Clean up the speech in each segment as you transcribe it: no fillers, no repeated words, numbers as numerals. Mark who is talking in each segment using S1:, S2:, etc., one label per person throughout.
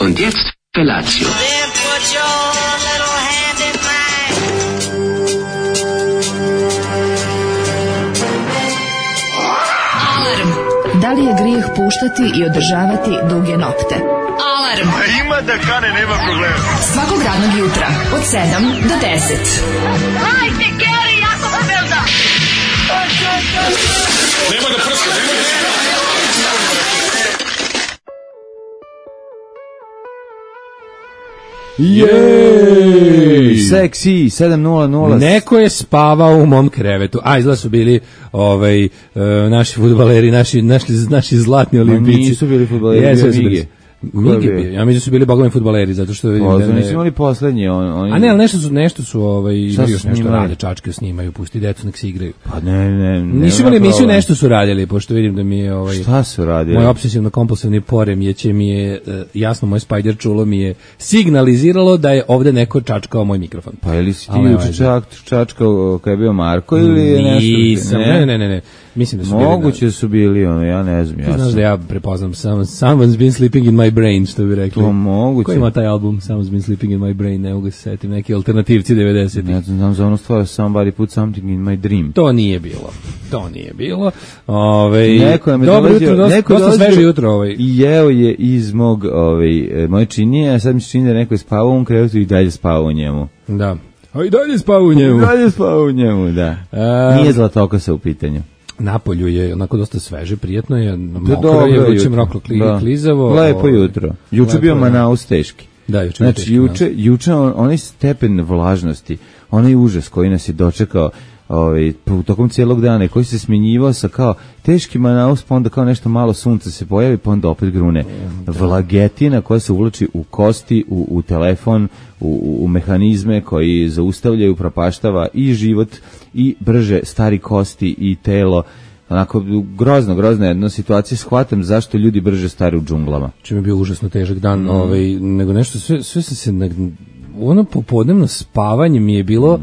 S1: Und jetzt Felatio.
S2: Then put your little hand in mine.
S3: Alarm. Da li je grijeh puštati i održavati duge nokte? Alarm.
S4: Ima da kane, nema problema.
S3: Svakog radnog jutra od 7 do 10.
S2: Hajde, Geri, jako se velda.
S4: Nema da prska, nema da prska.
S5: Jej! Seksi 7:00.
S6: Neko je spavao u mom krevetu. A izgleda su bili naši fudbaleri, naši zlatni olimpijci.
S5: Nisu bili fudbaleri,
S6: Mige. Ja mislim da su bili bogovi fudbaleri, zato što vidim da
S5: nisu imali poslednji.
S6: A ne, ali nešto su imaju još nešto rade, čačke snimaju, pusti decu nek se igraju.
S5: Pa ne.
S6: Nisu imali emisiju, nešto su radili, pošto vidim da mi je
S5: Šta su radili?
S6: Moj obsesivno-kompulsivni poremjeće mi je, jasno, moj spider čulo mi je signaliziralo da je ovde neko čačkao moj mikrofon.
S5: Pa ili si ti juče čačkao kada je bio Marko ili je nešto?
S6: Nisam, ne. Mislim da su
S5: moguće da su bili, ja ne znam.
S6: Ti znaš da ja prepoznam Someone's Been Sleeping in My Brain, što bi rekli.
S5: To moguće.
S6: Ko ima taj album Someone's Been Sleeping in My Brain, ne mogu se setim, neki alternativci 90-ih.
S5: Ne znam za ono stvar Somebody Put Something in My Dream.
S6: To nije bilo.
S5: Neko je me
S6: dobro jutro, dosta sveže jutro.
S5: I jeo je iz moje činije, a sad mi se čini da neko je spavao u krevetu i dalje spavao u njemu.
S6: Da. A i dalje spavao u njemu.
S5: Da. Nije Zlatokosa u pitanju.
S6: Napolju je onako dosta sveže, prijatno je, mokro je, vuče mroklo klizavo.
S5: Lepo jutro. Juče bio Manaus teški.
S6: Da, juče.
S5: Znači, juče onaj stepen vlažnosti, onaj užas koji nas je dočekao tokom cijelog dana i koji se smjenjivao sa kao teški Manaus, pa onda kao nešto malo sunca se pojavi, pa onda opet grune. Vlagetina koja se uvlači u kosti, u telefon, u mehanizme koji zaustavljaju, propaštava i život i brže stari kosti i telo. Onako, grozna jedna situacija. Shvatam zašto ljudi brže stari u džunglama.
S6: Če mi je bio užasno težak dan, nego nešto, sve sam se, ono popodnevno spavanje mi je bilo,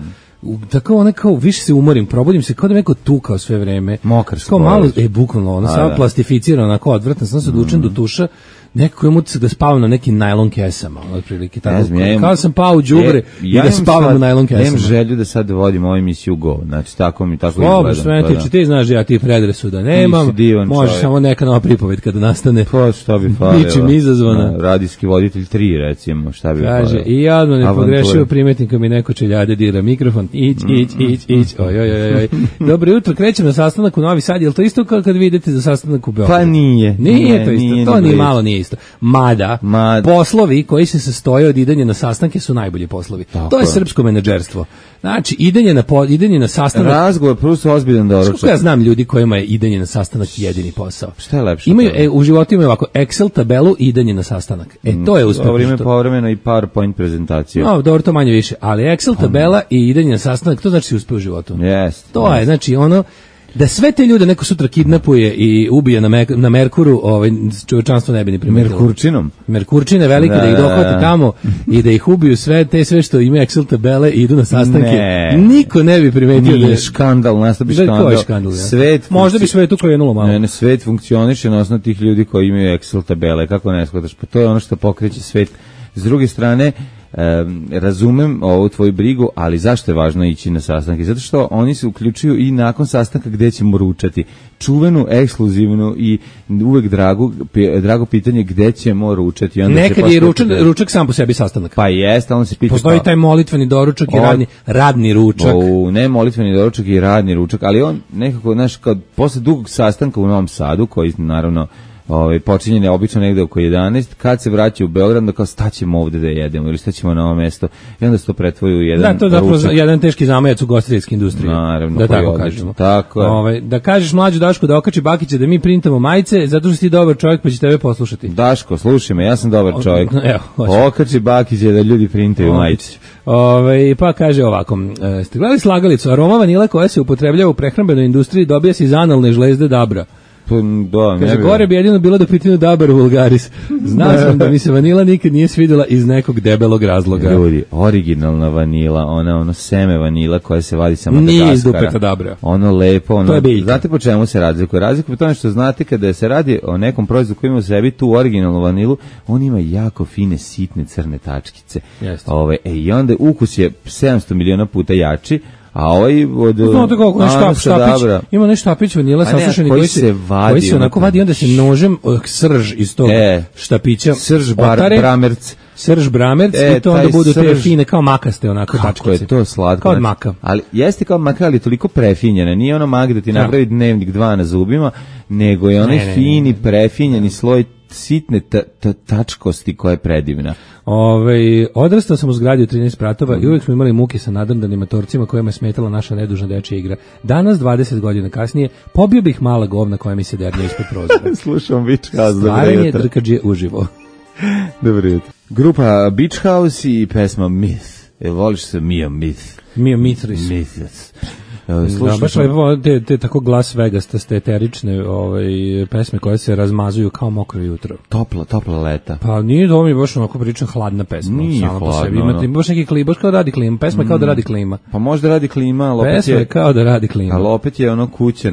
S6: tako ono kao, više se umorim, probudim se kao da me neko tukao sve vreme.
S5: Mokar se.
S6: Kao malo, bukvalno, ono, samo plastificirano, onako odvrtno, sam se odlučen do tuša, neko je utisak da spavam na nekim najlon kesama, otprilike tako. Kao sam pao u đubre i da spavam u najlon kesama.
S5: Nemam želju da sad vodim ovu emisiju Go, znači tako izgledam.
S6: Sve ti znaš da ja ti predrasuda nemam, možeš samo neka nova pripoved kada nastane.
S5: Pa šta bi falilo?
S6: Ničim izazvana.
S5: Radijski voditelj 3 recimo, šta bi falilo?
S6: Kaže, i ja odmah ne pogrešio, primetim kad mi neko čeljade dira mikrofon, ić, oj. Dobro jutro, krećem na sastanak u Novi Sad, je li to isto kao kad vi idete za sastanak u Beogradu?
S5: Pa nije.
S6: Nije to isto, to ni malo nije isto. Mada, poslovi koji se sastoje od idenja na sastanke su najbolji poslovi. Tako to je srpsko menadžerstvo. Znači, idenje na sastanak...
S5: Razgovor plus ozbiljan doručak.
S6: Kako ja znam ljudi kojima je idenje na sastanak jedini posao?
S5: Šta je lepše?
S6: U životu imaju ovako Excel tabelu i idenje na sastanak. To je uspeh.
S5: Povremeno i PowerPoint prezentaciju.
S6: No, dobro, to manje više. Ali Excel tabela i idenje na sastanak, to znači uspeh u životu.
S5: Jeste.
S6: To je, znači, ono... Da sve te ljude neko sutra kidnapuje i ubije na Merkuru, čovječanstvo ne bi ni primetilo. Merkurčine velike, da ih dohvate tamo i da ih ubiju sve što imaju Excel tabele i idu na sastanke. Niko ne bi primetio da je
S5: škandal, nastavi škandal.
S6: Možda bi svetu krenulo malo.
S5: Ne, svet funkcioniše na osnovu tih ljudi koji imaju Excel tabele, kako ne shvataš? Pa to je ono što pokreće svet. S druge strane, razumem ovu tvoju brigu, ali zašto je važno ići na sastanke? Zato što oni se uključuju i nakon sastanka gde ćemo ručati. Čuvenu, ekskluzivnu i uvek drago pitanje gde ćemo ručati.
S6: Nekad je ručak sam po sebi sastanak.
S5: Pa jeste, on se pita...
S6: Postoji taj molitveni doručak i radni ručak.
S5: Ne molitveni doručak i radni ručak, ali on nekako, znaš, posle dugog sastanka u Novom Sadu, koji naravno počinjen je obično negde oko 11, kad se vraća u Beograd, da kao staćemo ovde da jedemo ili staćemo na ovo mesto i onda se to pretvori u jedan ručak. Da, to je zapravo jedan
S6: teški zamajac u gostiteljskoj industriji.
S5: Naravno,
S6: da tako kažemo.
S5: Tako je.
S6: Da kažeš mlađu Dašku da okači Bakića da mi printamo majice, zato što si dobar čovjek pa će tebe poslušati.
S5: Daško, slušaj me, ja sam dobar čovjek. Okači Bakića da ljudi printaju majice.
S6: Pa kaže ovako, ste gledali slagalicu, aroma vanila koja se upotrebljava u prehrambenoj industriji dobija se iz analne žlezde dabra. Kaže, gore bi jedino bilo da pitinu Dabar vulgaris. Znao sam da mi se vanila nikad nije svidjela iz nekog debelog razloga.
S5: Ljudi, originalna vanila, ono seme vanila koje se vadi sa Madagaskara.
S6: Nije iz dupeta Dabra.
S5: Ono lepo, ono.
S6: To je biljka.
S5: Znate po čemu se razlikuje? Razlikuje po tome što znate kada se radi o nekom proizvodu koji ima u sebi tu originalnu vanilu, on ima jako fine, sitne, crne tačkice. I onda ukus je 700 miliona puta jači, a ovaj od
S6: znate kako ima nešto štapić vanila sasušeni koji se onako vadi, onda se nožem srž iz tog štapića srž bramerc i to onda budu te fine kao makaste onako tačkice.
S5: Kako je to slatko.
S6: Kao od maka.
S5: Ali jeste kao maka, ali toliko prefinjena. Nije ono mak da ti napravi dnevnik 2 na zubima, nego je onaj fini prefinjeni sloj sitne tačkosti koja je predivna.
S6: Odrastao sam u zgradi u 13 spratova i uvijek smo imali muke sa nadrndanim motorcima kojima je smetala naša nedužna dečja igra. Danas, 20 godina kasnije, pobio bih mala govna koja mi se dernja ispod prozora.
S5: Slušam Beach House.
S6: Stvaranje drkađe uživo.
S5: Dobro jutro. Grupa Beach House i pesma Myth. Voliš se Mia Myth?
S6: Mia Mithris. Baš te tako Las Vegas, te eterične pesme koje se razmazuju kao mokro jutro.
S5: Topla leta.
S6: Pa nije to mi baš onako pričam hladna pesma.
S5: Nije hladno.
S6: Ima baš neki klima, baš kao da radi klima. Pesma je kao da radi klima.
S5: Pa možda radi klima, ali opet
S6: pesma je kao da radi klima.
S5: Ali opet je ono kuća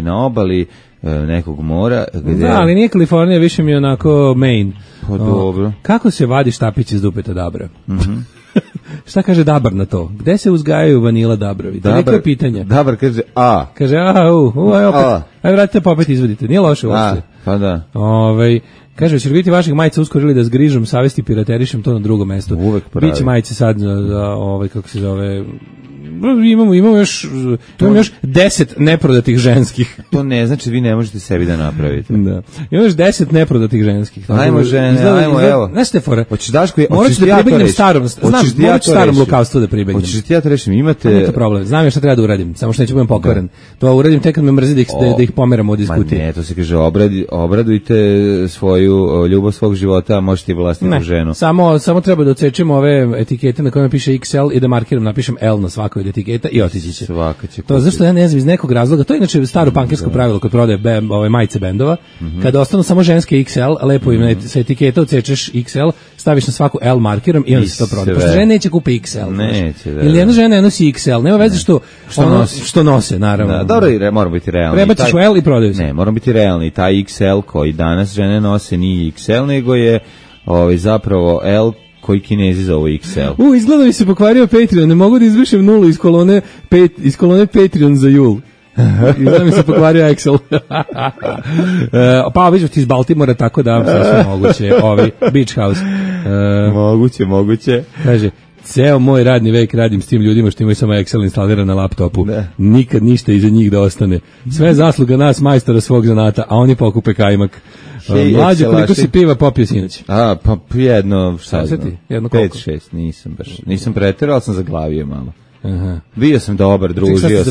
S5: na obali nekog mora.
S6: Da, ali nije Kalifornija, više mi je onako Maine.
S5: Pa dobro.
S6: Kako se vadi štapić iz dupeta Dabra? Šta kaže Dabar na to? Gde se uzgajaju vanila Dabrovi? To je pitanje.
S5: Dabar kaže A.
S6: Kaže aj vratite pa opet izvodite. Nije loše uopšte.
S5: Pa da.
S6: Kaže, će li biti vaših majica uskoro ili da zgrižem, savesti piraterišem to na drugom mestu?
S5: Uvek pravi.
S6: Biće majice sad za kako se zove... Imamo još 10 neprodatih ženskih.
S5: To ne znači vi ne možete sebi da napravite.
S6: Da. Imamo još 10 neprodatih ženskih.
S5: Ajmo žene, evo.
S6: Znaš te fore?
S5: Hoćeš Daško,
S6: hoćeš da pribegnem starom lukavstvu da pribegnem.
S5: Hoćeš ti ja to rešim, imate...
S6: Nije to problem, znam ja šta treba da uradim, samo što neću budem pokvaren. To uradim tek kad me mrzi da ih pomeram od diskutije.
S5: Ma ne, to se kaže, obradujte svoju ljubav svog života, možete i vlastnu ženu.
S6: Samo treba da odsečemo ove etikete na kojima piše XL i da markiram, napišem L na svakoj od etiketa i otići će. To zašto ja ne znam iz nekog razloga, to je inače staro pankersko pravilo kod prodaje majice bendova, kada ostanu samo ženske XL, lepo im sa etiketa odsečeš XL, staviš na svaku L markirom i onda se to prodaje. Pošto žene neće kupe XL. Ili jedna žena ne nosi XL, nema veze što nose, naravno.
S5: Dobro, moramo biti realni.
S6: Prebaciš u L i prodaju se.
S5: Ne, moramo biti realni. Taj XL koji danas žene nose nije XL, nego je zapravo L koji Kinezi zovu XL.
S6: Izgleda mi se pokvario Patreon, ne mogu da izbrišem nulu iz kolone Patreon za jul. Izgleda mi se pokvario Excel. Pa vidiš ti iz Baltimora, tako da sve moguće. Beach House.
S5: Moguće.
S6: Kaže, ceo moj radni vek radim s tim ljudima što imaju samo Excel instaliran na laptopu. Nikad ništa iza njih da ostane. Sve zasluga nas, majstora svog zanata, a oni pokupe kajmak. Mlađe, koliko si piva popio sinoć?
S5: Pa jedno, šta znam,
S6: 5-6,
S5: nisam preterao, ali sam zaglavio malo. Bio sam dobar, družio sam se.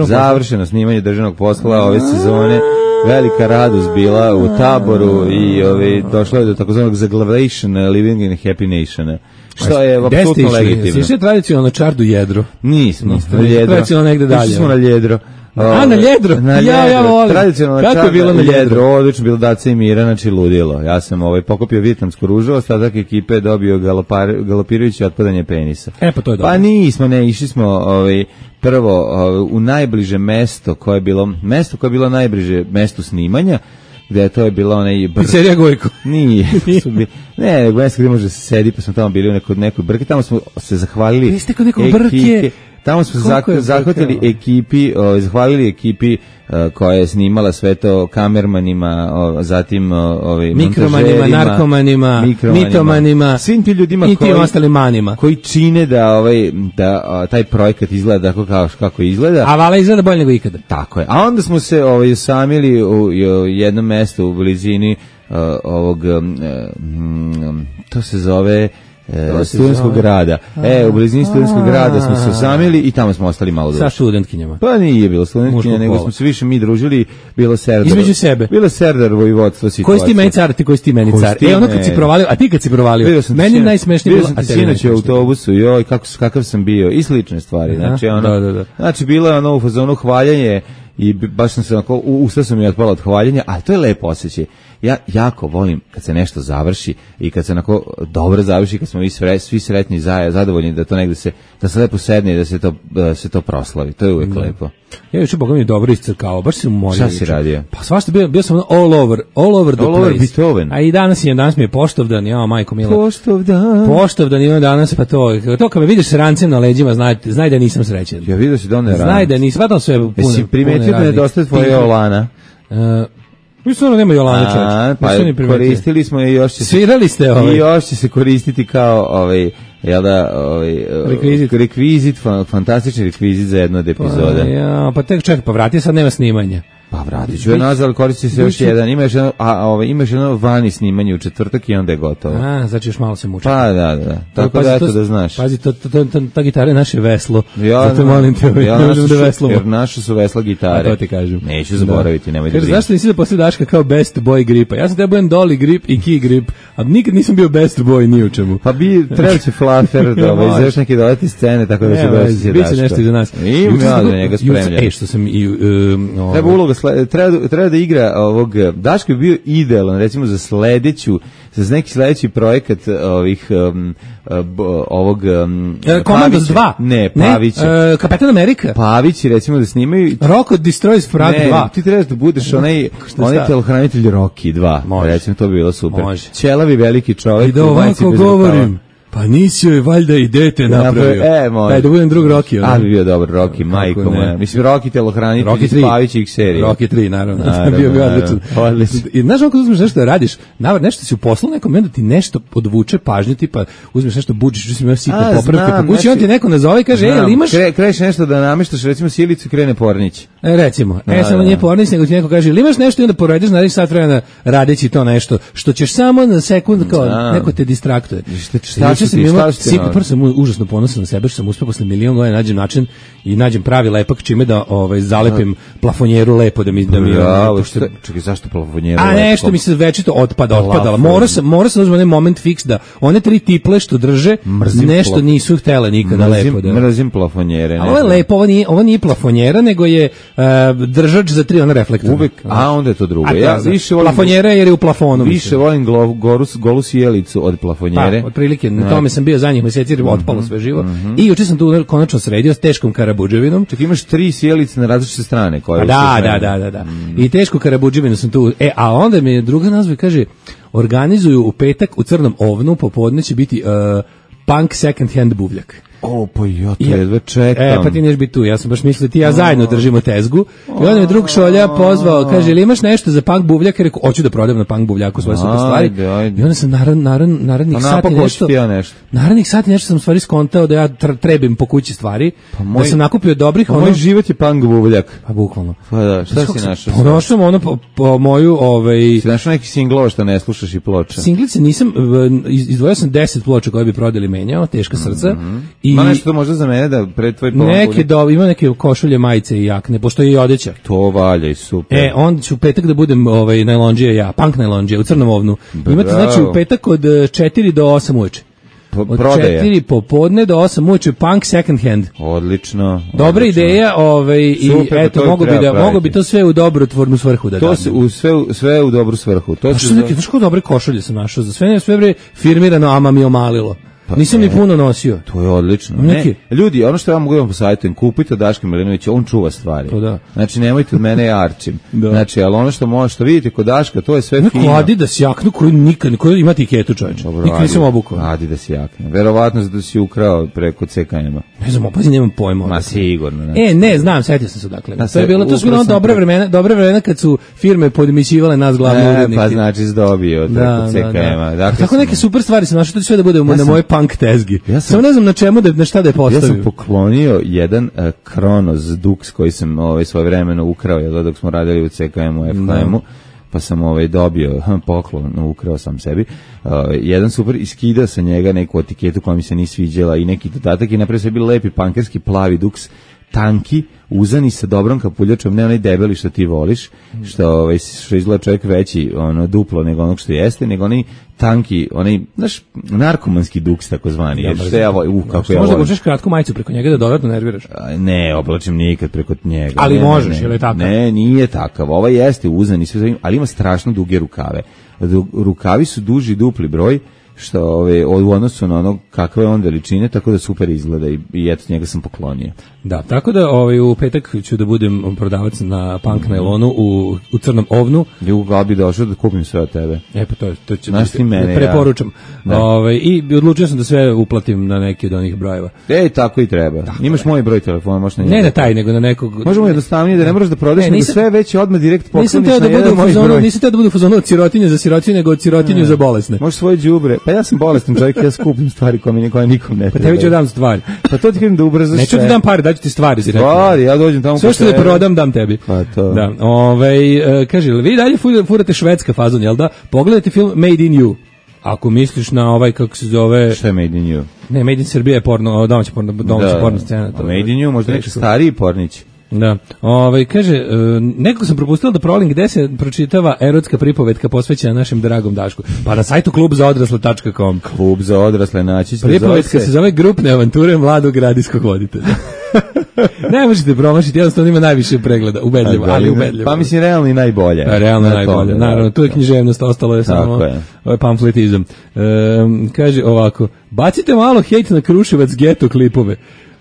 S5: Završeno snimanje državnog posla ove sezone. Velika radost bila u Taboru i došlo je do takozvanog zaglavation, living in a happy nation. Što je apsolutno legitimno.
S6: Sviše tradicionalno Čardu Jedro?
S5: Nismo na Ljedro.
S6: Tradicionalno negde dalje.
S5: Išli smo na Ljedro.
S6: Na Ljedro? Ja volim.
S5: Tradicionalno Kako je bilo na Ljedro? Odlično, bilo Daca i Mira, znači ludilo. Ja sam pokupio vijetnamsku ružu, ostatak ekipe je dobio galopirajuće otpadanje penisa.
S6: Pa to je dobro.
S5: Pa nismo, išli smo prvo u najbliže mesto koje je bilo najbliže mestu snimanja, gde to je bila onaj
S6: Pizzerija Gojko.
S5: Nije. Ne, mesto gde može se sedi, pa smo tamo bili u nekoj brke, tamo smo se zahvalili.
S6: Vi ste kod nekog brke.
S5: Tamo smo zahvatili ekipi, zahvalili ekipi koja je snimala sve to, kamermanima, zatim
S6: mikromanima, narkomanima, mitomanima,
S5: svim ti ljudima
S6: i tim ostalim manima
S5: koji čine da taj projekat izgleda kako izgleda.
S6: A vala izgleda bolje nego ikada.
S5: Tako je. A onda smo se usamili u jednom mestu u blizini ovog to se zove studentskog grada. U blizini studentskog grada smo se osamili i tamo smo ostali malo duže.
S6: Sa studentkinjama.
S5: Pa nije bilo studentkinja, nego smo se više mi družili, bilo Serdar.
S6: Između sebe.
S5: Bilo Serdar vojvodstvo situacija.
S6: Koji si ti meni car, ti koji si ti meni car. Ono kad si provalio, a ti kad si provalio, meni najsmešnije bilo,
S5: a tebi sinoć u autobusu, kakav sam bio, i slične stvari. Znači, bilo je u fazonu hvaljanje i baš sam se onako, usta su mi otpala od hvaljenja, ali to je lepo osjećaj. Ja jako volim kad se nešto završi i kad se onako dobro završi, kad smo svi sretni, zadovoljni da to negde da se lepo sedne i da se to proslavi. To je uvijek lepo.
S6: Ja juče Boga mi dobro iscrkao, baš se umorio.
S5: Šta si radio?
S6: Pa svašta bio sam all over the place.
S5: Beethoven.
S6: A i danas mi je Poštovdan, ja majko mila. Poštovdan ima danas, pa to kad me vidiš s rancem na leđima, znaj da nisam srećan.
S5: Ja vidio si da on ne radi.
S6: Znaj da nisam, sve puno.
S5: Jesi primetio da nedostaje tvoje Olana?
S6: Mislim nema Jolane, čovječe.
S5: Pa koristili smo je i još će se...
S6: Svirali ste
S5: I još će se koristiti kao rekvizit, fantastični rekvizit za jednu od epizoda.
S6: Pa tek čekaj, pa vrati, sad nema snimanja.
S5: Pa vratit ću je nazad, ali koristi se još jedan. Imaš jedno vani snimanje u četvrtak i onda je gotovo.
S6: Znači još malo se muča.
S5: Pa da. Tako da eto da znaš.
S6: Pazi, ta gitara je naše veslo. Zato molim te, ne možemo da veslamo.
S5: Jer naše su vesla gitare.
S6: To ti kažem.
S5: Neću zaboraviti, nemoj da brineš.
S6: Zašto nisi da posle Daška kao best boy gripa? Ja sam tebe budem Dolly grip i Key grip, a nikad nisam bio best boy ni u čemu.
S5: Pa treba će Fluffer da izveš neke dodati scene, tako da se doći Daška.
S6: Biće nešto iza nas.
S5: Imam ja za njega spremljen.
S6: Što sam
S5: treba uloga treba da igra ovog Daško bi bio idealan recimo za neki sledeći projekat ovog
S6: Komandos 2.
S5: Ne, Pavić.
S6: Kapetan Amerika.
S5: Pavić recimo da snimaju
S6: Rocko Destroys Frag 2.
S5: Ti trebaš da budeš onaj telohranitelj Rocky 2. Recimo to bi bilo super. Ćelavi veliki čovjek.
S6: I da ovako govorim. Pa nisi joj valjda i dete napravio.
S5: Može.
S6: Da budem drug Rocky.
S5: Ali bi bio dobar Rocky, majko moja. Mislim, Rocky telohranitelj iz Pavićih serija.
S6: Rocky 3, naravno. Bio odličan. I znaš ako uzmeš nešto da radiš, nešto si u poslu, nekom momentu ti nešto podvuče pažnju, tipa uzmeš nešto bučiš, uzmeš imao sitne popravke, pa kući on ti neko nazove i kaže, ali imaš...
S5: Kreneš nešto da nameštaš, recimo sjelicu i krene Pornić.
S6: Recimo. Samo nije Pornić, nego ti neko kaže, ili imaš nešto i onda poradiš, naradiš sat vremena radeći to nešto, što ćeš samo na sekund, kao neko te distraktuje. Prvo sam užasno ponosan na sebe što sam uspeo posle milion godina nađem način i nađem pravi lepak čime da zalepim plafonjeru lepo da mi
S5: čekaj, zašto plafonjeru?
S6: A nešto mi se večito otpadala. Morao sam uzmem onaj moment fiks da one 3 tiple što drže nešto nisu htele nikada lepo da.
S5: Mrzim plafonjere.
S6: Ovo je lepo, ovo nije plafonjera, nego je držač za 3 ona reflektora.
S5: Uvek, a onda je to drugo. Ja više volim
S6: plafonjera jer je u plafonu.
S5: Više volim golu sjelicu od plafonjere.
S6: Pa, otprilike, na tome sam bio zadnjih meseci, otpalo sve živo. I juče sam tu konačno sredio s teškom karabudževinom.
S5: Čak imaš 3 sjelice na različite strane.
S6: Da. I tešku karabudževinu sam tu. A onda mi druga nazva kaže, organizuju u petak u Crnom ovnu, popodne će biti punk second hand buvljak.
S5: Pa ja to jedva čekam.
S6: Pa ti neš biti tu, ja sam baš mislio ti ja zajedno držimo tezgu. I onda me drug Šolja pozvao, kaže, ili imaš nešto za punk buvljak? Rekao, hoću da prodajem na punk buvljaku svoje super stvari. I onda sam narednih sati nešto sam stvari skontao da ja trebim po kući stvari, da sam nakupio dobrih.
S5: Moj život je punk buvljak.
S6: Pa bukvalno.
S5: Pa da, šta si našao?
S6: Prošao ono po moju...
S5: Si našao neki singlova što ne slušaš i ploča?
S6: Singlice nisam, izdvojio sam 10 ploča koje bi prodali menjao, teška srca.
S5: Ima nešto to možda za mene da pred tvoj
S6: pomak? Ima neke košulje, majice i jakne, postoji i odeća.
S5: To valja i super.
S6: Onda ću u petak da budem najlonđije ja, punk najlonđije, u Crnom ovnu. Imate znači u petak od 4 do 8 uveče. Od 4 popodne do 8 uveče punk second hand.
S5: Odlično.
S6: Dobra ideja, i eto, mogo bi to sve u dobrotvornu svrhu da dam.
S5: Sve u dobru svrhu. To
S6: su neke, znaš kako dobre košulje sam našao, za sve bre firmirano, ama mi omalilo. Nisam ni puno nosio.
S5: To je odlično. Ljudi, ono što ja mogu da vam posavjetujem, kupite od Daška Milinovića, on čuva stvari. Znači, nemojte od mene ja arčim. Znači, ali ono što vidite kod Daška, to je sve fino.
S6: Neko Adidas jaknu koju ima etiketu, čovječe. Nikad nisam obukao.
S5: Adidas jaknu. Verovatno da si ukrao preko CKM-a.
S6: Ne znam, opazi, nemam pojma.
S5: Ma sigurno.
S6: Ne, znam, setio sam se dakle. To su bilo dobra vremena kad su firme podmićivale nas glavni urednike.
S5: Pa znači zdobio preko CKM-a.
S6: Tako neke super stvari sam našao, to sve da bude na moje punk tezgi. Samo ne znam na šta da je postavio.
S5: Ja sam poklonio jedan Kronos Dux koji sam svoje vremeno ukrao dok smo radili u CKM-u, FHM-u, pa sam dobio poklon, ukrao sam sebi. Jedan super, iskidao sam njega neku etiketu koja mi se nije sviđala i neki dodatak i napravio se bili lepi pankerski plavi Dux, tanki, uzani sa dobrom kapuljačom, ne onaj debeli što ti voliš, što izgleda čovjek veći, duplo nego onog što jeste, nego onaj tanki, onaj, znaš, narkomanski duks takozvani. Što ja volim, kako ja volim.
S6: Možda obučeš kratku majicu preko njega da dodatno nerviraš?
S5: Ne, oblačim nikad preko njega.
S6: Ali možeš, je li takav?
S5: Ne, nije takav. Ovaj jeste uzani, ali ima strašno duge rukave. Rukavi su duži dupli broj, što u odnosu na ono kakve je on veličine, tako da super izgleda i eto njega sam poklonio.
S6: Da, tako da u petak ću da budem prodavac na punk nailonu u Crnom ovnu.
S5: Ja bi došao da kupim sve od tebe.
S6: Pa to ću
S5: preporučam.
S6: I odlučio sam da sve uplatim na neki od onih brojeva.
S5: Tako i treba. Imaš moj broj telefona, možeš na njega.
S6: Ne na taj, nego na nekog.
S5: Možemo jednostavnije da ne moraš da prodaš, nego sve već odmah direkt pokloniš na jedan moj broj.
S6: Nisam teo da budu u fazonu od sirotinje za sirotinje, nego od sirotinje za bolesne.
S5: Možeš svoje đubre. Pa ja sam bolestan čovjek, ja skupim stvari koje nikom ne treba.
S6: Pa tebi ću dam stvari.
S5: Pa to ti kažem da ubrzaš.
S6: Neću ti dam pare, daću ti stvari.
S5: Stvari, ja dođem tamo.
S6: Sve što te prodam, dam tebi.
S5: Pa to.
S6: Da. Kaže, vi dalje furate švedska fazon, jel da? Pogledajte film Made in You. Ako misliš na kako se zove...
S5: Šta je Made in You?
S6: Ne, Made in Srbija je domaća porno scena.
S5: Made in You, možda neki stariji pornić.
S6: Da. Kaže, nekako sam propustila da provalim gde se pročitava erotska pripovetka posvećena našem dragom Dašku. Pa na sajtu klubzaodrasle.com.
S5: Klub za odrasle naći.
S6: Pripovetka se zove Grupne avanture mladog radijskog voditelja. Ne možete promašiti, jednostavno ima najviše pregleda, ubedljivo, ali ubedljivo.
S5: Pa mislim, realno i najbolje.
S6: Realno najbolje, naravno, tu je književnost, ostalo je samo pamfletizam. Kaže ovako, bacite malo hejt na Kruševac geto klipove.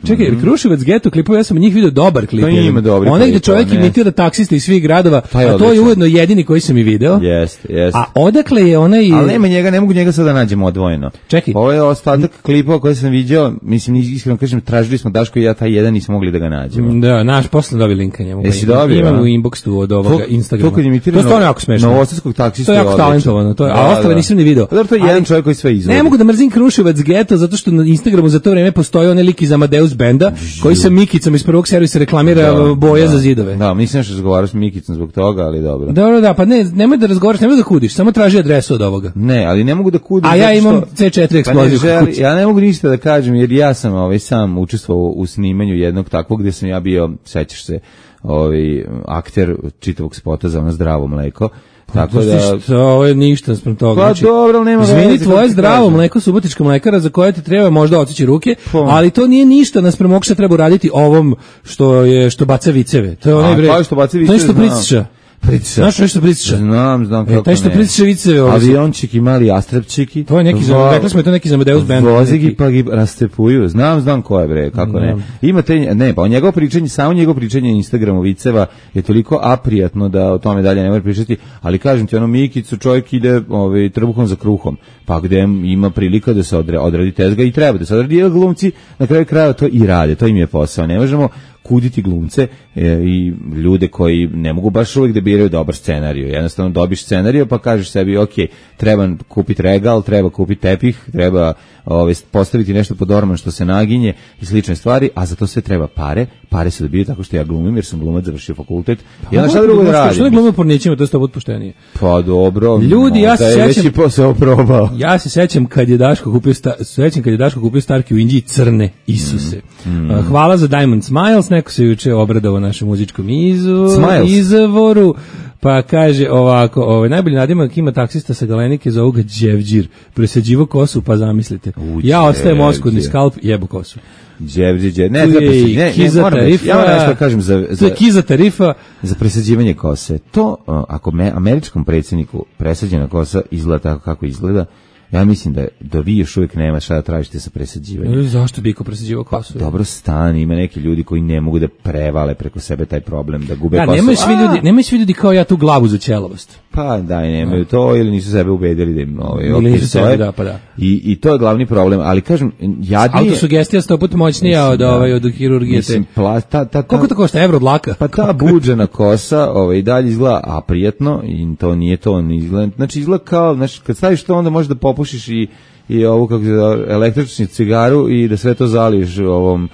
S6: Čekaj, Kruševac geto klipove, ja sam njih vidio dobar klip.
S5: To ima dobri klip.
S6: Onaj gde čovjek imitira taksiste iz svih gradova, a to je ujedno jedini koji sam i video.
S5: Jeste.
S6: A odakle je onaj...
S5: Ali nema njega, ne mogu njega sada nađemo odvojeno.
S6: Čekaj.
S5: Ovo je ostatak klipova koje sam vidio, mislim, iskreno kažem, tražili smo Daško i ja taj jedan nismo mogli da ga nađemo.
S6: Da, naš posle dobio linka njemu.
S5: Jesi dobio?
S6: Imam u inboxu od ovoga Instagrama.
S5: To kad imitira
S6: jako smešno.
S5: Novosadskog taksista
S6: je jako talentovano, a ostale nisam ni video.
S5: To je jedan čovjek koji sve izvodi.
S6: Ne mogu da mrzim Kruševac geto zato što na Instagramu za to vreme postoji onaj lik iz Amadeus benda koji sa Mikicom iz prvog servisa reklamira boje za zidove.
S5: Da, mislim da razgovaraš s Mikicom zbog toga, ali dobro.
S6: Da, pa nemoj da razgovaraš, nemoj da kudiš, samo traži adresu od ovoga.
S5: Ne, ali ne mogu da kudim.
S6: A ja imam C4 eksploziju.
S5: Ja ne mogu ništa da kažem, jer ja sam sam učestvovao u snimanju jednog takvog gdje sam ja bio, sećaš se, akter čitavog spota za ono zdravo mleko. Tako da
S6: ovo je ništa sprem toga.
S5: Pa dobro, ali nema veze.
S6: Izvini, tvoje zdravo mleko Subotička mlekara za koje ti treba možda otići ruke, ali to nije ništa naspram ovog što treba uraditi ovom što baca viceve. To je onaj bre.
S5: Što baca viceve.
S6: To je što priciša. Znaš nešto priciša?
S5: Znam kako ne.
S6: Taj što priciša viceve.
S5: Aviončiki, mali astrepčiki.
S6: To je neki, rekli smo je to neki za Amadeus band.
S5: Vozigi pa gi rastepuju. Znam ko je bre, kako ne. Ima pa njegovo pričanje, samo njegovo pričanje na Instagramu viceva je toliko aprijatno da o tome dalje ne može pričati, ali kažem ti, Mikicu čovjek ide trbuhom za kruhom, pa gde ima prilika da se odradi tezga i treba da se odradi, jer glumci na kraju krajeva to i rade, to im je posao. Ne možemo kuditi glumce i ljude koji ne mogu baš uvijek da biraju dobar scenariju. Jednostavno dobiš scenariju pa kažeš sebi, ok, treba kupiti regal, treba kupiti tepih, treba postaviti nešto pod orman što se naginje i slične stvari, a za to sve treba pare. Pare se dobiju tako što ja glumim, jer sam glumac, završio fakultet. Ja šta drugo da radim?
S6: Što ne glumim pornićima, to je 100 puta poštenije.
S5: Pa dobro.
S6: Ljudi, ja se sećam.
S5: Već i posao probao.
S6: Ja se sećam kad je Daško kupio Starke u Inđiji crne Isuse. Hvala za Diamond Smiles, neko se juče obradovao našem muzičkom izvoru. Pa kaže ovako, najbolji nadimak ima taksista sa Galenike, zovu ga Đevđir, presađivo kosu, pa zamislite. Ja ostajem oskudni skalp, jebu kosu.
S5: Đevđir, ne, ja nešto kažem
S6: to je kiza tarifa
S5: za presađivanje kose. To, ako američkom predsjedniku presađena kosa izgleda tako kako izgleda, ja mislim da vi još uvijek nema šta da tražite sa presađivanjem.
S6: Zašto bi ko presađivao kosu?
S5: Pa, dobro stani, ima neki ljudi koji ne mogu da prevale preko sebe taj problem, da gube kosu.
S6: Nemaju svi ljudi kao ja tu glavu za ćelavost.
S5: Pa daj, nemaju to, ili nisu sebe ubedili da im
S6: da.
S5: I to je glavni problem, ali kažem, jadnije...
S6: Autosugestija 100 puta moćnija od hirurgije.
S5: Mislim,
S6: koliko to košta, evro od laka?
S5: Pa ta buđena kosa i dalje izgleda aprijetno i to nije to, znači izgleda kao, znači kad staviš to onda možeš da popušiš i ovu kako se zove, električnu cigaru i da sve to zaliješ ovom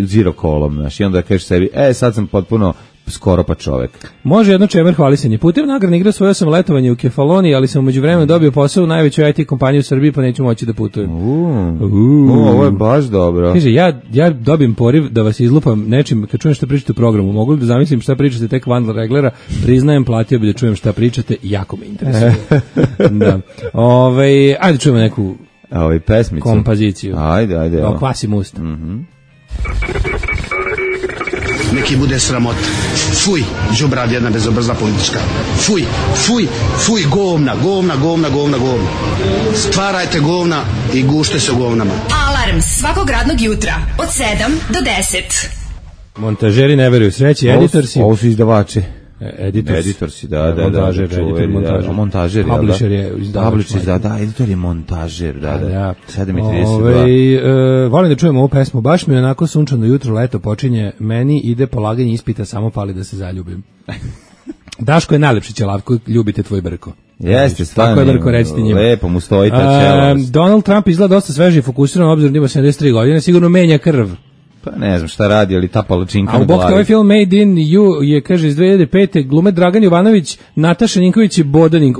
S5: zero kolom, znači i onda kažeš sebi, sad sam potpuno skoro pa čovek.
S6: Može jedno čemer hvalisanje. Putem nagradne igre osvojio sam letovanje u Kefaloniji, ali sam umeđu vremenu dobio posao u najvećoj IT kompaniji u Srbiji, pa neću moći da putujem.
S5: Ovo je baš dobro.
S6: Kaže, ja dobijem poriv da vas izlupam nečim kad čujem šta pričate u programu. Mogu li da zamislim šta pričate tek van reglera? Priznajem, platio bi da čujem šta pričate, jako me interesuje. Da. Ajde čujemo neku
S5: pesmicu.
S6: Kompoziciju.
S5: Ajde.
S6: Kvasim usta.
S1: Neki bude sramota. Fuj, đubrad jedna bezobrazna politička. Fuj, govna. Stvarajte govna i gušte se u govnama.
S7: Alarm svakog radnog jutra od 7 do 10.
S6: Montažeri ne veruju sreći, editorsi.
S5: Ovo su izdavači.
S6: Editorsi,
S5: da. Montažer,
S6: publisher je izdavač.
S5: Editor je montažer, da. 7:32.
S6: Volim da čujem ovu pesmu, baš mi je onako sunčano jutro, leto počinje, meni ide polaganje ispita, samo fali da se zaljubim. Daško je najlepši ćelav koji ljubite tvoj brko.
S5: Jeste, stvarno.
S6: Tako je brko, recite njima.
S5: Lepo mu stoji ta ćelavost.
S6: Donald Trump izgleda dosta sveži i fokusiran, obzirom da ima 73 godine, sigurno menja krv.
S5: Pa ne znam šta radi, ali ta palačinka na glavi.
S6: A u bok ovaj film Made in You je, kaže, iz 2005. glume Dragan Jovanović, Nataša Ninković i Bodaning.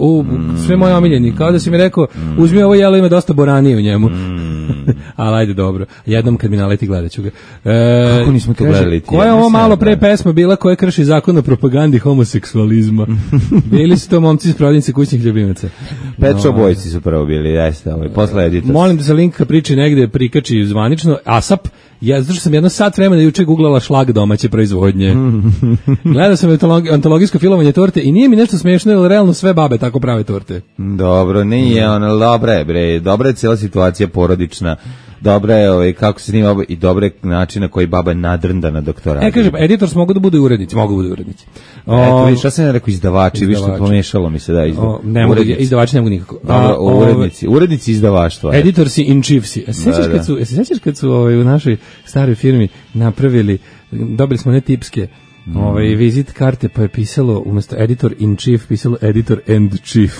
S6: Sve moje omiljeni. Kao da si mi rekao, uzmi ovo jelo, ima dosta boranije u njemu. Ali ajde, dobro. Jednom kad mi naleti gledat ću ga.
S5: Kako nismo to gledali?
S6: Koja je ovo malo pre pesma bila koja krši zakon o propagandi homoseksualizma? Bili su to momci iz Province kućnih ljubimaca.
S5: Pet Shop Boysi su prvo bili, jeste, posle editor.
S6: Molim da se link ka priči negde prikači zvanično. ASAP. Ja zato što sam jedno sat vremena juče googlala šlag domaće proizvodnje. Gledao sam antologijsko filovanje torte i nije mi nešto smiješno, jer realno sve babe tako prave torte.
S5: Dobro, nije ono, dobra je cijela situacija porodična. Dobra je kako se snima i dobra je način na koji baba nadrnda na doktoratu.
S6: Kaže, editors mogu da budu i urednici.
S5: Eto, vidiš, šta sam ja rekao, izdavači, vidiš što pomešalo mi se, da,
S6: izdavači ne mogu nikako.
S5: Dobro, urednici izdavaštva.
S6: Editorsi in chiefsi. Se sjećaš kad su u našoj staroj firmi napravili, dobili smo ne tipske, vizit karte, pa je pisalo umjesto editor in chief, pisalo editor and chief.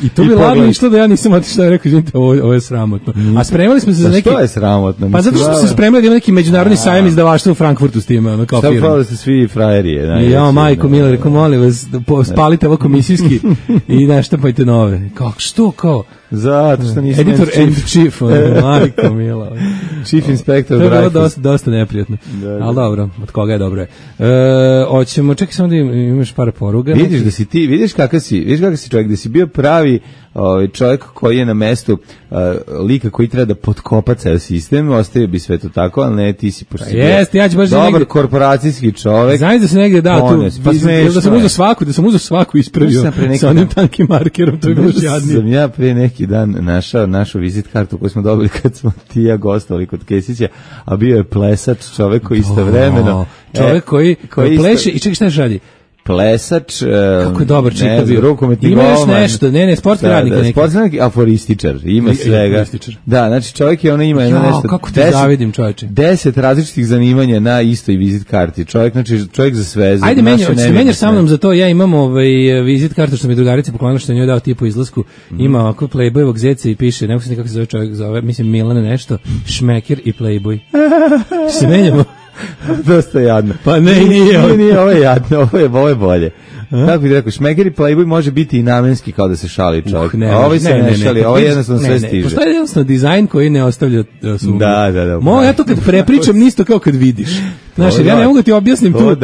S6: I to bi ladno išlo da ja nisam otišao, rekao, izvinite, ovo je sramotno. A spremali smo se za neki...
S5: Što je sramotno?
S6: Pa zato što smo se spremali da ima neki međunarodni sajam izdavaštva u Frankfurtu s time, kao firma.
S5: Šta pravili ste svi frajerije?
S6: Ja, majko Mila, rekao, molim vas, spalite ovo komisijski i naštampajte nove. Što, kao?
S5: Zato što nisam
S6: editor and chief, majko Mila.
S5: Chief inspector.
S6: To je bilo dosta neprijatno. Ali dobro, od koga je dobro je. Hoćemo, čekaj samo da imaš par poruga.
S5: Vidiš da si ti, vidiš kakav si čovjek, da si bio pravi čovjek koji je na mestu lika koji treba da potkopa ceo sistem, ostavio bi sve to tako, ali ne, ti si pošto si dobar korporacijski čovjek.
S6: Znaš da se negdje da sam uzeo svaku ispravio sa onim tankim markerom, to je bilo jadnije.
S5: Sam ja pre neki dan našao našu vizit kartu koju smo dobili kad smo ti ja gostovali kod Kesića, a bio je plesač, čovjek koji istovremeno
S6: čovjek koji pleše i čekaj šta je radi?
S5: Plesač,
S6: kako je dobar čitav bio.
S5: Rukometni
S6: ima još nešto, sportski radnik neki.
S5: Sportski radnik, aforističar, ima svega. Da, znači čovjek je ima nešto.
S6: Kako te zavidim, čovječe.
S5: 10 različitih zanimanja na istoj vizit karti. Čovjek za sve.
S6: Ajde, menjaš sa mnom za to, ja imam vizit kartu što mi drugarica poklonila što je njoj dao tipu izlasku. Ima ovako Playboyevog zeca i piše, ne znam kako se zove čovjek, mislim Milane nešto, Šmekir i Playboy. Se menjamo.
S5: Dosta jadno.
S6: Pa nije,
S5: ovo je jadno, ovo je bolje. Kako bih rekao, Šmeker i Playboy može biti i namenski kao da se šali čovjek. Ovo se ne šali, ovo jednostavno sve stiže.
S6: Postoji jednostavno dizajn koji ne ostavlja sumnju.
S5: Da.
S6: Ja to kad prepričam nisto kao kad vidiš. Znaš, ja ne mogu ti objasnim tu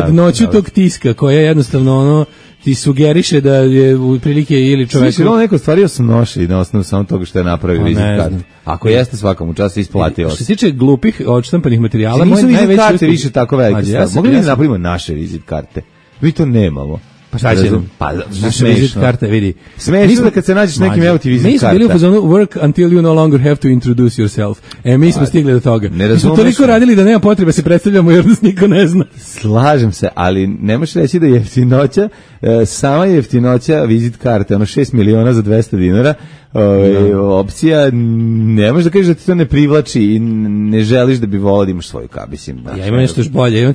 S6: jednoću tog tiska koja jednostavno ti sugeriše da je u prilike ili čovjek...
S5: Sviš, ili neko stvario sam noši na osnovu samo toga što je napravio vizit kartu. Ako jeste svakom u času isplatio.
S6: Što se tiče glupih odštampanih materijala,
S5: nisu vizit karte više tako velike stvari. Mogli bi da napravimo naše vizit karte? Mi to nemamo.
S6: Pa šta će nam?
S5: Pa
S6: naše vizit karte, vidi.
S5: Smešno da kad se nađeš nekim evo ti vizit karta.
S6: Mi smo bili u fazonu work until you no longer have to introduce yourself. Mi smo stigli do toga. Mi smo toliko radili da nema potrebe se predstavljamo jer nas niko ne zna.
S5: Slažem se, ali ne možeš reći da je jeftinoća, sama jeftinoća vizit karte, 6 miliona za 200 dinara, opcija, ne možeš da kažeš da ti to ne privlači i ne želiš da bi volao da imaš svoju kabisim.
S6: Ja imam nešto još bolje.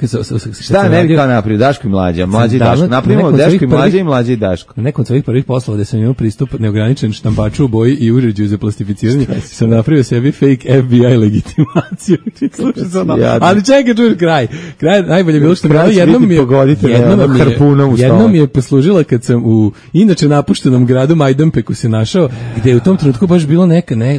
S5: Šta ne bi kao napravio? Daško i mlađa i Daško. Napravimo Daško i Mlađa i Mlađa i Daško.
S6: Na nekom od svojih prvih poslova gde sam imao pristup neograničen štampaču u boji i uređaju za plastificiranje, sam napravio sebi fake FBI legitimaciju. Ali čekaj, čuješ kraj. Kraj najbolje bilo što jednom je poslužila kad sam u inače napuštenom gradu Majdanpeku se našao, gde je u tom trenutku baš bilo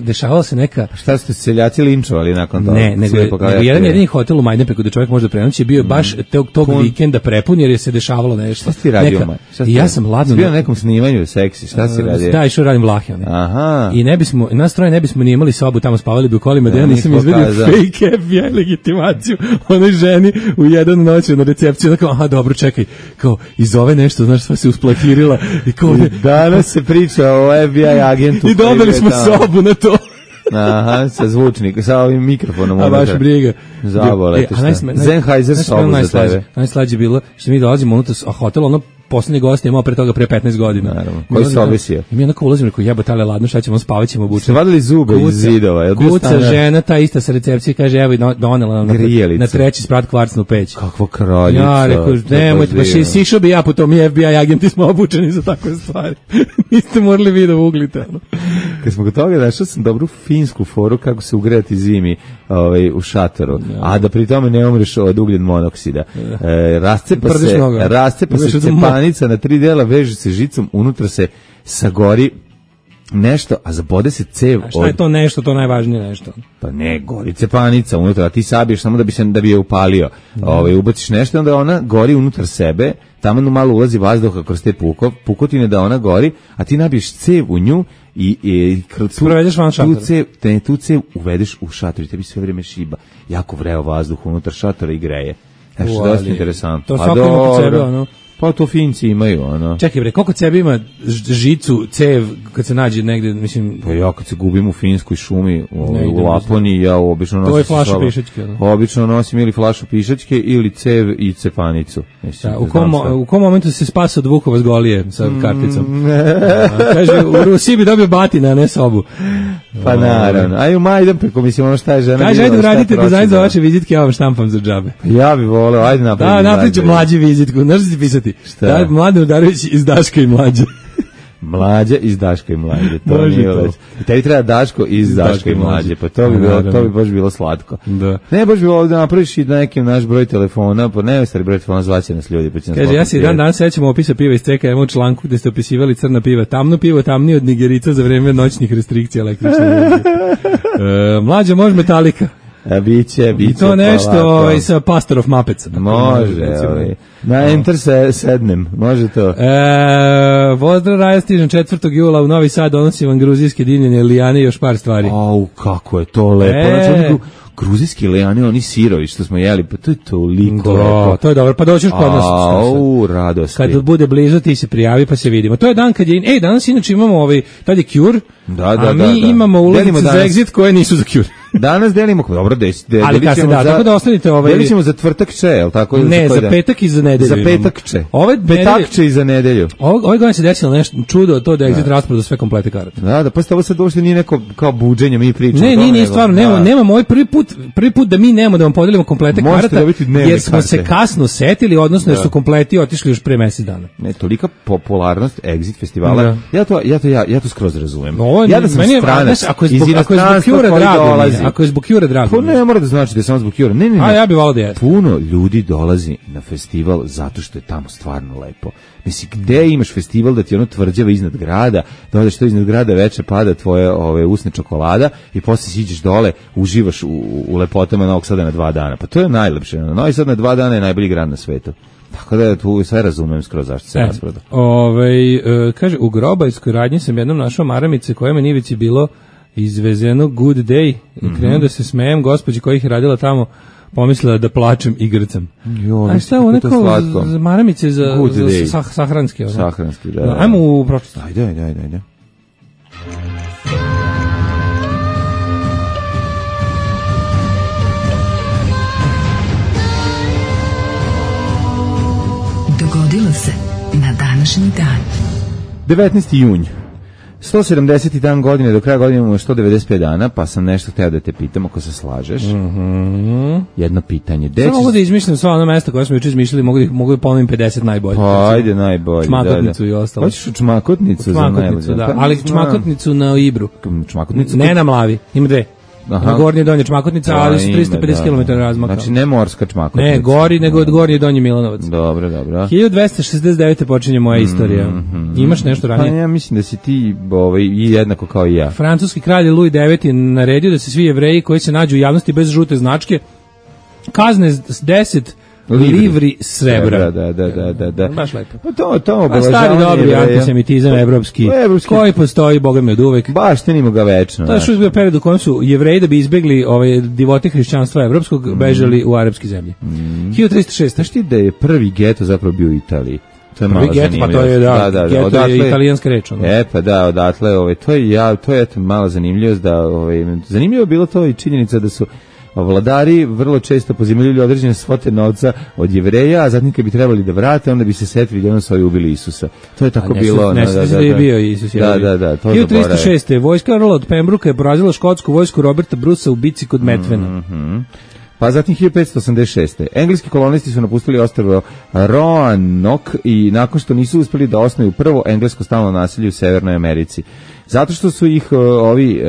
S6: dešavala se neka...
S5: Šta ste seljaci linčovali nakon toga?
S6: Ne, nego jedan jedini hotel u Majdanpeku gde čovjek može prenoći bio baš tog vikenda prepun jer je se dešavalo nešto.
S5: Šta si radio?
S6: I ja sam ladno...
S5: Bio na nekom snimanju seksi, šta si radio?
S6: Da, išao radim Vlahe.
S5: Aha.
S6: I nas troje ne bismo ni imali sobu, tamo spavali bi u kolima, da ja nisam izvedio fake FBI legitimaciju onoj ženi u jedan noć na recepciju, da kao, aha, dobro, čekaj, kao, iz ove nešto, znaš, sva se usplahirila.
S5: Danas se priča o FBI agentu.
S6: I dobili smo sobu na to.
S5: Aha, sa zvučnikom, sa ovim mikrofonom.
S6: A baš briga.
S5: Zavolete šta. Sennheiser sobu za tebe.
S6: Najslađe bilo što mi dolazimo unutra, a hotel, ono, poslednji gost je imao pre toga pre 15 godina.
S5: Naravno. Koji se obisio?
S6: I mi onako ulazimo, rekao, jebate, ale ladno, šta ćemo, spavaćemo, obučemo.
S5: Ste vadili zube iz zidova.
S6: Kuca žena, ta ista sa recepcije, kaže, evo i donela nam na treći sprat kvarcnu peć.
S5: Kakvo kraljica.
S6: Ja, rekao, nemojte, baš sišao bi ja po tom, mi FBI agenti smo obučeni za takve stvari. Niste morali vi da uglite.
S5: Kad smo kod toga, našao sam dobru finsku foru kako se ugrejati zimi u šatoru, a da pri tome ne umreš od ugljen monoksida. Rascepa se cepanica na 3 dela, veže se žicom, unutra se sagori nešto, a zabode se cev.
S6: A šta je to nešto, to najvažnije nešto?
S5: Pa ne, gori cepanica unutra, a ti sabiješ samo da bi je upalio. Ubaciš nešto, onda ona gori unutar sebe, tamo malo ulazi vazduha kroz te pukotine da ona gori, a ti nabiješ cev u nju i
S6: provedeš van šatora.
S5: Tu cev uvedeš u šator i tebi sve vrijeme šiba. Jako vreo vazduh unutar šatora i greje. Znači, dosta interesantno.
S6: To svako ima kod sebe, ono.
S5: Pa to Finci imaju, ono.
S6: Čekaj bre, koliko sebe ima žicu, cev, kad se nađe negde, mislim...
S5: Pa ja kad se gubim u finskoj šumi, u Laponiji, ja obično nosim...
S6: To je flaša pišačke, ono.
S5: Obično nosim ili flašu pišačke, ili cev i cepanicu. Mislim,
S6: u kom momentu se spasa od Vukova s Golije sa karticom? Kaže, u Rusiji bi dobio batina, a ne sobu.
S5: Pa naravno. Aj u Majdanpeku, mislim, ono šta je žena...
S6: Kaže, ajde uradite dizajn za vaše vizitke, ja vam štampam za džabe.
S5: Ja bih voleo, ajde napravim.
S6: Da, napravit ću mlađi vizitku, znaš da ti pisati?
S5: Šta?
S6: Mladen Udarević iz Daška i Mlađe.
S5: Mlađa iz Daška i Mlađe. To nije već. I tebi treba Daško iz Daška i Mlađe. Pa to bi baš bilo slatko.
S6: Da.
S5: Ne, baš bi ovdje napraviš i nekim naš broj telefona, pa ne stari broj telefona, zvaće nas ljudi.
S6: Kaže, ja se dan sećam opisa piva iz CKM u članku gde ste opisivali crna piva. Tamno pivo, tamnije od Nigerica za vreme noćnih restrikcija električne energije. Mlađa može Metallica.
S5: Biće.
S6: I to nešto sa Pastor of Muppets.
S5: Može, na Enter sednem, može to.
S6: Pozdrav, Raja, stižem 4. jula u Novi Sad, donosim vam gruzijske dimljene lijane i još par stvari.
S5: Kako je to lepo. Znači, gruzijski lijane, oni sirovi što smo jeli, pa to je toliko lepo.
S6: To je dobro, pa doćeš kod nas.
S5: Radost.
S6: Kad bude blizu, ti se prijavi pa se vidimo. To je dan kad je, danas inače imamo tad je Cure, a mi imamo ulaznice za Exit koje nisu za Cure.
S5: Danas delimo, dobro,
S6: ali kad se da, tako da ostanite
S5: delit ćemo za tvrtakče, je li tako?
S6: Ne, za petak i za nedelju.
S5: Za petakče. Petakče i za nedelju.
S6: Ove godine se desilo nešto čudo, to da Exit rasproda sve komplete karate.
S5: Da, pa ovo sad uopšte nije neko kao buđenje, mi pričamo.
S6: Ne, nije stvarno, nemamo ovaj prvi put da mi nemamo da vam podelimo komplete karata, jer smo se kasno setili, odnosno jer su kompleti otišli još pre mesec dana.
S5: Ne, tolika popularnost Exit festivala, ja to skroz razumem.
S6: Ja da sam stranac, ako je zbog Cure drago.
S5: Pa ne mora da znači da je samo zbog Cure. Ne.
S6: A ja bih volao da je.
S5: Puno ljudi dolazi na festival zato što je tamo stvarno lepo. Mislim, gde imaš festival da ti ono tvrđava iznad grada, da odeš to iznad grada, veče pada tvoje usne čokolada i posle siđeš dole, uživaš u lepotama Novog Sada na 2 dana. Pa to je najlepše. Novi Sad na 2 dana je najbolji grad na svetu. Tako da tu sve razumem skroz zašto se rasproda.
S6: Kaže, u Grobajskoj radnji sam jednom našao maramice koje me nivici bilo izvezeno Good Day. Krenuo da se smejem gospođi koja ih je radila tamo, pomislila da plačem i grcam. A šta je ovo neko maramice za sahranske?
S5: Sahranske, da.
S6: Ajmo u pročestu.
S5: Ajde.
S3: Dogodilo se na današnji dan.
S5: 19. junj. 170. dan godine, do kraja godine imamo 195 dana, pa sam nešto hteo da te pitam ako se slažeš. Jedno pitanje.
S6: Samo mogu da izmišljam sva ona mesta koja smo juče izmišljali, mogu da ponovim 50 najboljih.
S5: Pa ajde najbolji.
S6: Čmakotnicu i ostalo.
S5: Hoćeš u Čmakotnicu?
S6: Čmakotnicu, da. Ali Čmakotnicu na Ibru.
S5: Čmakotnicu?
S6: Ne na Mlavi, ima dve. Na Gornje i Donje Čmakotnica, ali su 350 km razmaka.
S5: Znači ne morska Čmakotnica.
S6: Ne, gori nego od Gornje i Donje Milanovac.
S5: Dobro.
S6: 1269. počinje moja istorija. Imaš nešto ranije?
S5: Pa ja mislim da si ti jednako kao i ja.
S6: Francuski kralj Louis IX je naredio da se svi Jevreji koji se nađu u javnosti bez žute značke kazne 10 livri srebra.
S5: Da.
S6: Baš lepo.
S5: Pa to
S6: pa stari dobri antisemitizam evropski, koji postoji, boga mi od uvek.
S5: Baš tenimo ga večno.
S6: To je što je bio period u kojem su Jevreji da bi izbegli divote hrišćanstva evropskog bežali u arapske zemlje. 1306.
S5: Znaš ti da je prvi geto zapravo bio u Italiji? To je
S6: prvi geto, pa to je geto odatle, je italijanska reč.
S5: Pa da, odatle, to je mala zanimljivost da, zanimljivo je bilo to i činjenica da su vladari vrlo često pozajmljivali određene svote novca od Jevreja, a zatim kad bi trebali da vrate, onda bi se setili da su ovi ubili Isusa. To je tako bilo.
S6: Da je bio Isus.
S5: Da.
S6: 1306. Vojska Earla od Pembrooka je porazila škotsku vojsku Roberta Brusa u bici kod Metvena.
S5: Pa zatim 1586. Engleski kolonisti su napustili ostrvo Roanoke i nakon što nisu uspeli da osnuju prvo englesko stalno naselje u Severnoj Americi. Zato što su ih ovi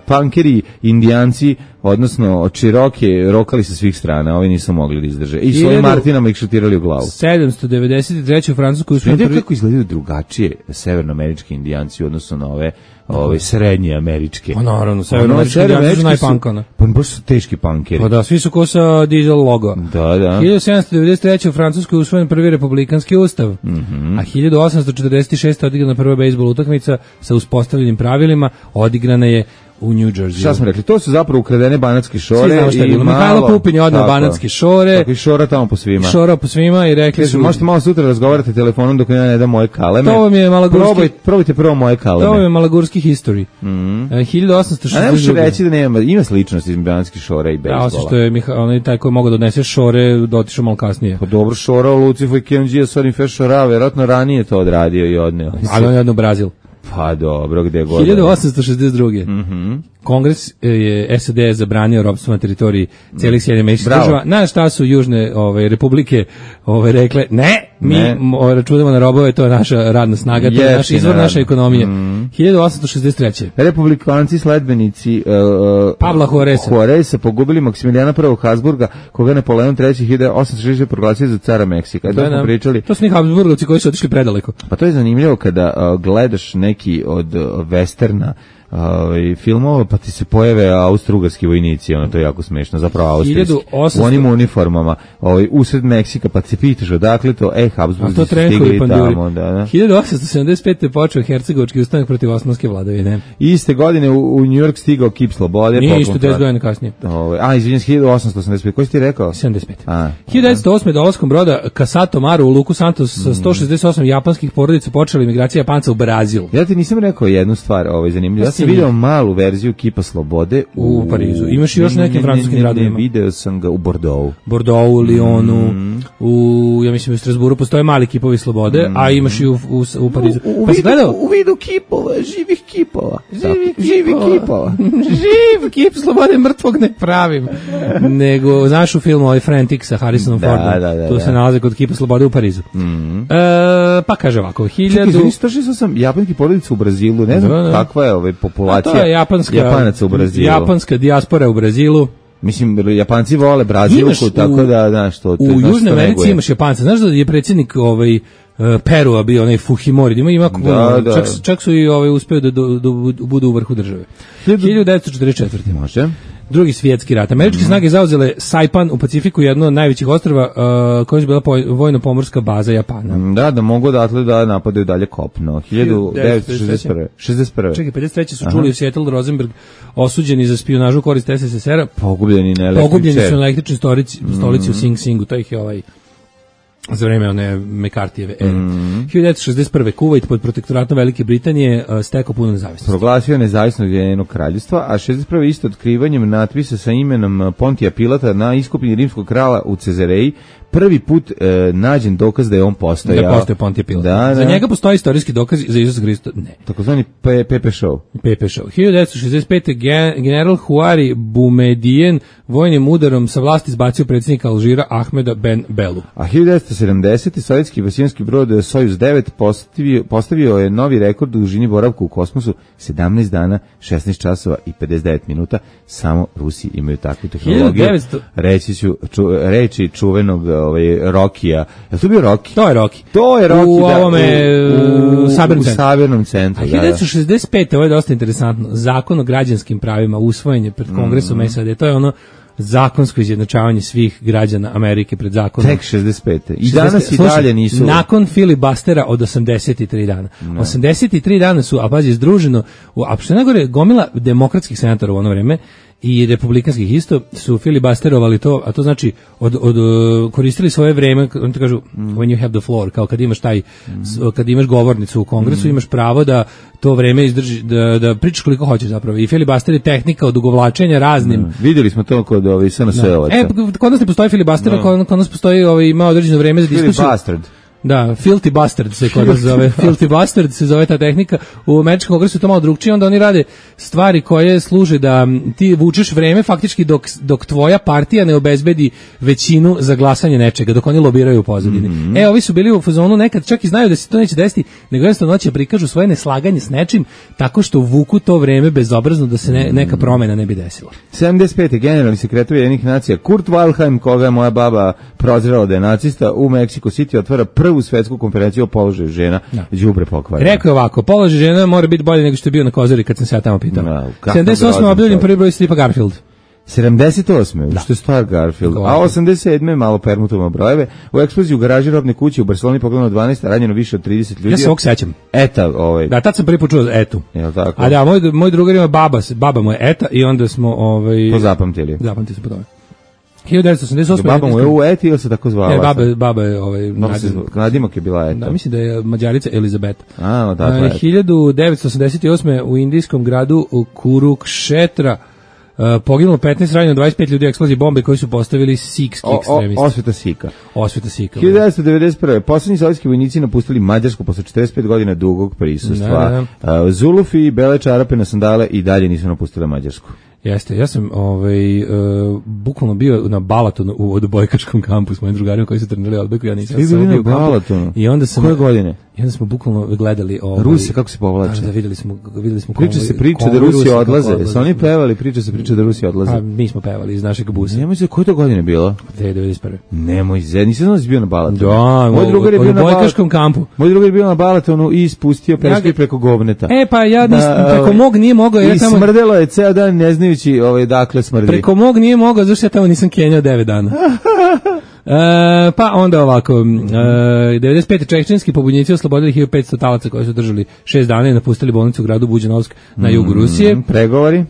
S5: punkeri, indijanci, odnosno od Čiroke, rokali sa svih strana, ovi nisu mogli da izdrže. I svojim Martinama ih šutirali u glavu.
S6: 793. u Francusku...
S5: Kako izgledaju drugačije severnoamerički indijanci u odnosu na ove srednje američke?
S6: Pa naravno, severnoamerički indijanci su najpankana.
S5: Pa baš su teški punkeri.
S6: Pa da, svi su ko sa dizel logo.
S5: Da.
S6: 1793. u Francuskoj usvojen prvi republikanski ustav, a 1846. odigrana prva bejsbol utakmica sa uspostavljenim pravilima, odigrana je u New Jersey.
S5: Šta smo rekli? To su zapravo ukradene banatske šore.
S6: Svi znamo šta je bilo. Mihajlo Pupin je odneo banatske šore.
S5: Tako i šora tamo po svima.
S6: Šora po svima i rekli su...
S5: Možete malo sutra razgovarati telefonom dok ja ne dam moje kaleme.
S6: To vam je malagurski...
S5: Probajte prvo moje kaleme.
S6: To vam je malagurski history. 1862.
S5: A ne možeš reći da ima sličnosti između banatskih šora i bejsbola.
S6: Da, osim što je onaj taj koji mogu da odnese šore, dotišao malo kasnije.
S5: Pa dobro, šora u Lucifu i KMG, Sorin Fešora, verovatno ranije to odradio i odneo.
S6: Ali on je odneo u Brazil.
S5: Pa dobro, gde god.
S6: 1862. Kongres je SAD zabranio ropstvo na teritoriji celih Sjedinjenih Američkih Država. Na šta su južne republike rekle mi računamo na robove, to je naša radna snaga, to je naš izvor naše ekonomije. 1863.
S5: Republikanci sledbenici
S6: Pavla
S5: Juareza pogubili Maksimilijana I Habsburga, koga Napoleon III 1860 proglasio za cara Meksika. To smo pričali.
S6: To su ni Habsburgovci koji su otišli predaleko.
S5: Pa to je zanimljivo kada gledaš neki od westerna filmova, pa ti se pojave austrougarski vojnici, to je jako smešno, zapravo austrijski, u onim uniformama, usred Meksika, pa ti se pitaš odakle to, Habsburgi su stigli tamo.
S6: 1875. je počeo hercegovački ustanak protiv osmanske vladavine.
S5: Iste godine u New York stigao kip slobode.
S6: Nije isto 10 godina kasnije.
S5: Izvinjam se, 1885. Koji si ti rekao?
S6: 75. 1908. dolaskom broda Casato Maru u luku Santos sa 168 japanskih porodica počela imigracija Japanca u Brazil.
S5: Ja ti nisam rekao jednu stvar, zanimljivo. Ja sam vidio malu verziju kipa slobode
S6: u Parizu. Imaš i još nekim francuskim gradovima.
S5: Video sam ga u Bordeauxu.
S6: Ja mislim u Strasburu postoje mali kipovi slobode, a imaš i u Parizu.
S5: U vidu kipova, živih kipova.
S6: Živ kip slobode mrtvog ne pravim. Nego, znaš u filmu Frantic sa Harrisonom Fordom. Tu se nalaze kod kipa slobode u Parizu. Pa kaže ovako,
S5: 168 japanskih porodica u Brazilu, ne znam kakva je populacija.
S6: To je
S5: Japanaca u Brazilu.
S6: Japanska dijaspora u Brazilu.
S5: Mislim, Japanci vole Brazilku, tako da, znaš, to...
S6: U Južnoj Americi imaš Japanca. Znaš da je predsjednik Perua bio onaj Fujimori, čak su i uspeo da budu u vrhu države. 1944.
S5: Može.
S6: Drugi svjetski rat. Američke snage zauzele Saipan u Pacifiku, jedno od najvećih ostrva koja je bila vojno-pomorska baza Japana.
S5: Da mogu odatle da napadaju dalje kopno. 1961. 61.
S6: Čekaj, 53. su čuli u Seattle Rosenberg osuđeni za špijunažu u korist SSSR-a.
S5: Pogubljeni
S6: su na električnoj stolici u Sing Singu. To ih je za vreme one McCarthyjeve ere. 1961. Kuvajt pod protektoratom Velike Britanije stekao punu nezavisnost.
S5: Proglasio nezavisnost Ujedinjenog kraljevstva, a 61. isto otkrivanjem natpisa sa imenom Pontija Pilata na iskopini rimskog krala u Cezareji prvi put nađen dokaz da je on postojao.
S6: Da postoje Pontije Pilat.
S5: Da.
S6: Za njega postoji istorijski dokaz, za Isusa Hrista ne.
S5: Takozvani Pepe Show.
S6: Pepe Show. 1965. general Huari Boumediene vojnim udarom sa vlasti izbacio predsjednika Alžira Ahmeda Ben Belu.
S5: A 1970. sovjetski vasijanski brod Sojuz 9 postavio je novi rekord u dužini boravka u kosmosu 17 dana, 16 časova i 59 minuta. Samo Rusi imaju takvu tehnologiju.
S6: 1900...
S5: Reči čuvenog Rokija. Je to bio Roki?
S6: To je Roki.
S5: U
S6: ovome
S5: u Sabirnom centru.
S6: A 1965. Ovo je dosta interesantno. Zakon o građanskim pravima usvojen je pred Kongresom SAD. To je ono zakonsko izjednačavanje svih građana Amerike pred zakonom.
S5: Tek 65. I danas i dalje nisu.
S6: Nakon filibustera od 83 dana. 83 dana su, a pazi, združeno, a što najgore, gomila demokratskih senatora u ono vreme i republikanskih isto su filibusterovali to, a to znači koristili svoje vreme, oni to kažu when you have the floor, kao kad imaš kad imaš govornicu u Kongresu, imaš pravo da to vreme izdrži, da pričaš koliko hoćeš zapravo. I filibuster je tehnika odugovlačenja raznim.
S5: Vidjeli smo to kod SNS-ovaca.
S6: Kod nas ne postoji filibuster, kod nas postoji ima određeno vreme za diskusiju.
S5: Filibustard.
S6: Da, filthy bastard se kod nas zove. Filthy bastard se zove ta tehnika. U američkom kongresu je to malo drugčije, onda oni rade stvari koje služe da ti vučeš vreme faktički dok tvoja partija ne obezbedi većinu za glasanje nečega, dok oni lobiraju u pozadini. Ovi su bili u fazonu nekad čak i znaju da se to neće desiti, nego jednostavno hoće prikažu svoje neslaganje s nečim tako što vuku to vreme bezobrazno da se neka promena ne bi desila.
S5: 75. generalni sekretar Ujedinjenih nacija Kurt Waldheim, koga je moja baba prozirala da je nacista, u Mexico City otvara prvu svetsku konferenciju o položaju žena, đubre pokvareno.
S6: Rekao je ovako, položaj žena mora biti bolje nego što je bio na Kozari kad sam se ja tamo pitao. 78. objavljen prvi broj stripa Garfield.
S5: 78. Što je stvar Garfield. A 87. malo permutujemo brojeve. U eksploziji u garaži robne kuće u Barceloni pogledano 12, ranjeno više od 30 ljudi.
S6: Ja se ovog sećam.
S5: Eta,
S6: Da, tad sam prvi put čuo Etu.
S5: Jel tako?
S6: A da, moj drugar ima baba mu je Eta i onda smo
S5: to zapamtili.
S6: Zapamtili smo po tome. 1988.
S5: Baba mu je u Eti ili se tako zvala?
S6: Ne, baba je
S5: nadimak je bila Eta.
S6: Da, mislim da je Mađarica Elizabeta.
S5: A, tako je.
S6: 1988. u indijskom gradu Kurukšetra poginulo 15, ranjeno 25 ljudi u eksploziji bombe koji su postavili sikski ekstremisti. Osveta Sika.
S5: 1991. Poslednji sovjetski vojnici napustili Mađarsku posle 45 godina dugog prisustva. Zulufi i bele čarape na sandale i dalje nisu napustili Mađarsku.
S6: Jeste, ja sam bukvalno bio na Balatonu u odbojkačkom kampu s mojim drugarima koji su trenirali odbojku, ja nisam
S5: bio na Balatonu.
S6: I onda sam,
S5: koje godine?
S6: I onda smo bukvalno gledali
S5: Rusi kako se povlače.
S6: Da, videli smo
S5: priča da Rusi odlaze. Su oni pevali priča da Rusi odlaze.
S6: A mi smo pevali iz našeg busa.
S5: Nemoj se, koje to godine bilo?
S6: 1991.
S5: Nemoj se, nisam znaš bio na Balatonu.
S6: Da,
S5: moj drugar je bio na
S6: odbojkačkom kampu.
S5: Moj drugar je bio na Balatonu i ispustio peške preko govneta.
S6: Pa ja preko mog nije mogao.
S5: I smrdelo je ceo dan ne znajući dakle smrdi.
S6: Preko mog nije mogao, zašto ja tamo nisam kenjao 9 dana. Pa onda ovako, 95. čečenski pobunjenici oslobodili 1500 talaca koji su držali 6 dana i napustili bolnicu u gradu Buđanovsk na jugu Rusije.
S5: Pregovori?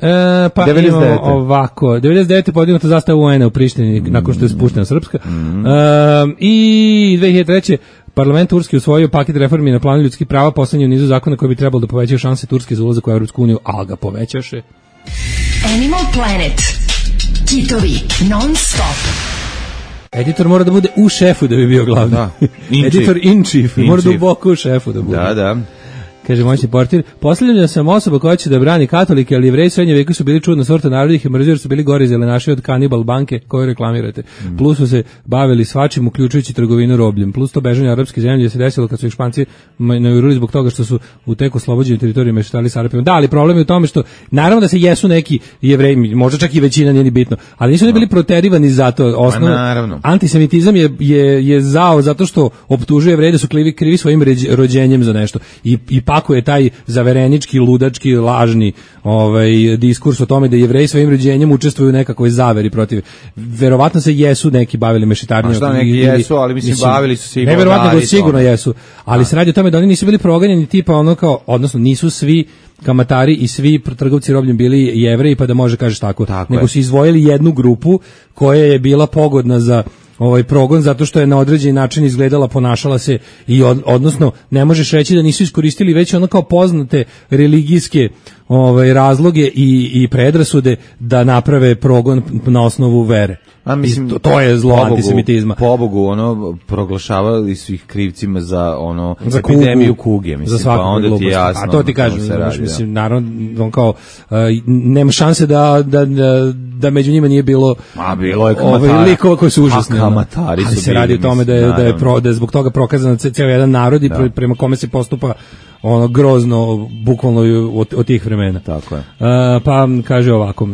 S6: Pa 99. Imamo ovako, 99. podignuta zastava UN-a u Prištini nakon što je spuštena Srpska. I 2003. Parlament Turski usvojio paket reformi na planu ljudskih prava, poslednji u nizu zakona koji bi trebalo da povećaju šanse Turske za ulazak u Evropsku uniju, ali ga povećaše.
S7: Animal Planet. Kitovi non stop.
S6: Editor mora da bude u šefu da bi bio glavni. Da. Editor in chief. Mora da duboko u šefu da bude.
S5: Da.
S6: Kaže moćni portir, posljednja sam osoba koja će da brani katolike, ali Jevreji srednje veku su bili čudna sorta naroda i mrzio jer su bili gori zelenaši od kanibal banke koju reklamirate. Plus su se bavili svačim, uključujući trgovinu robljem. Plus to bežanje arapske zemlje se desilo kad su ih Španci najurili zbog toga što su u tek oslobođenju teritorije meštali s Arapima. Da, ali problem je u tome što, naravno da se jesu neki Jevreji, možda čak i većina, nije ni bitno, ali nisu oni bili proterivani zato. Osnovno, antisemitizam je zao zato što optužuje Jevreje da su krivi svojim rođenjem za nešto. I ako je taj zaverenički, ludački, lažni diskurs o tome da Jevreji svojim rođenjem učestvuju u nekakvoj zaveri protiv. Verovatno se jesu neki bavili mešetarijom.
S5: Šta neki jesu, ali mislim bavili su se i
S6: neverovatno da sigurno jesu. Ali se radi o tome da oni nisu bili proganjeni tipa odnosno nisu svi kamatari i svi trgovci robljem bili Jevreji, pa da može kažeš tako nego su izdvojili jednu grupu koja je bila pogodna za progon zato što je na određeni način izgledala, ponašala se i odnosno ne možeš reći da nisu iskoristili već kao poznate religijske razloge i predrasude da naprave progon na osnovu vere.
S5: A mislim,
S6: to je zlo antisemitizma.
S5: Pobogu, proglašavali su ih krivcima za za epidemiju kuge, mislim,
S6: za
S5: pa onda ti je jasno.
S6: A to ti kažem, mislim, naravno, on kao, nema šanse da među njima nije bilo
S5: bilo je kamatara.
S6: Likova koji su užasni.
S5: Kamatari su
S6: bili. Ali se radi o tome da je zbog toga prokazan cijel jedan narod i prema kome se postupa grozno, bukvalno od tih vremena.
S5: Tako je.
S6: Pa kaže ovako,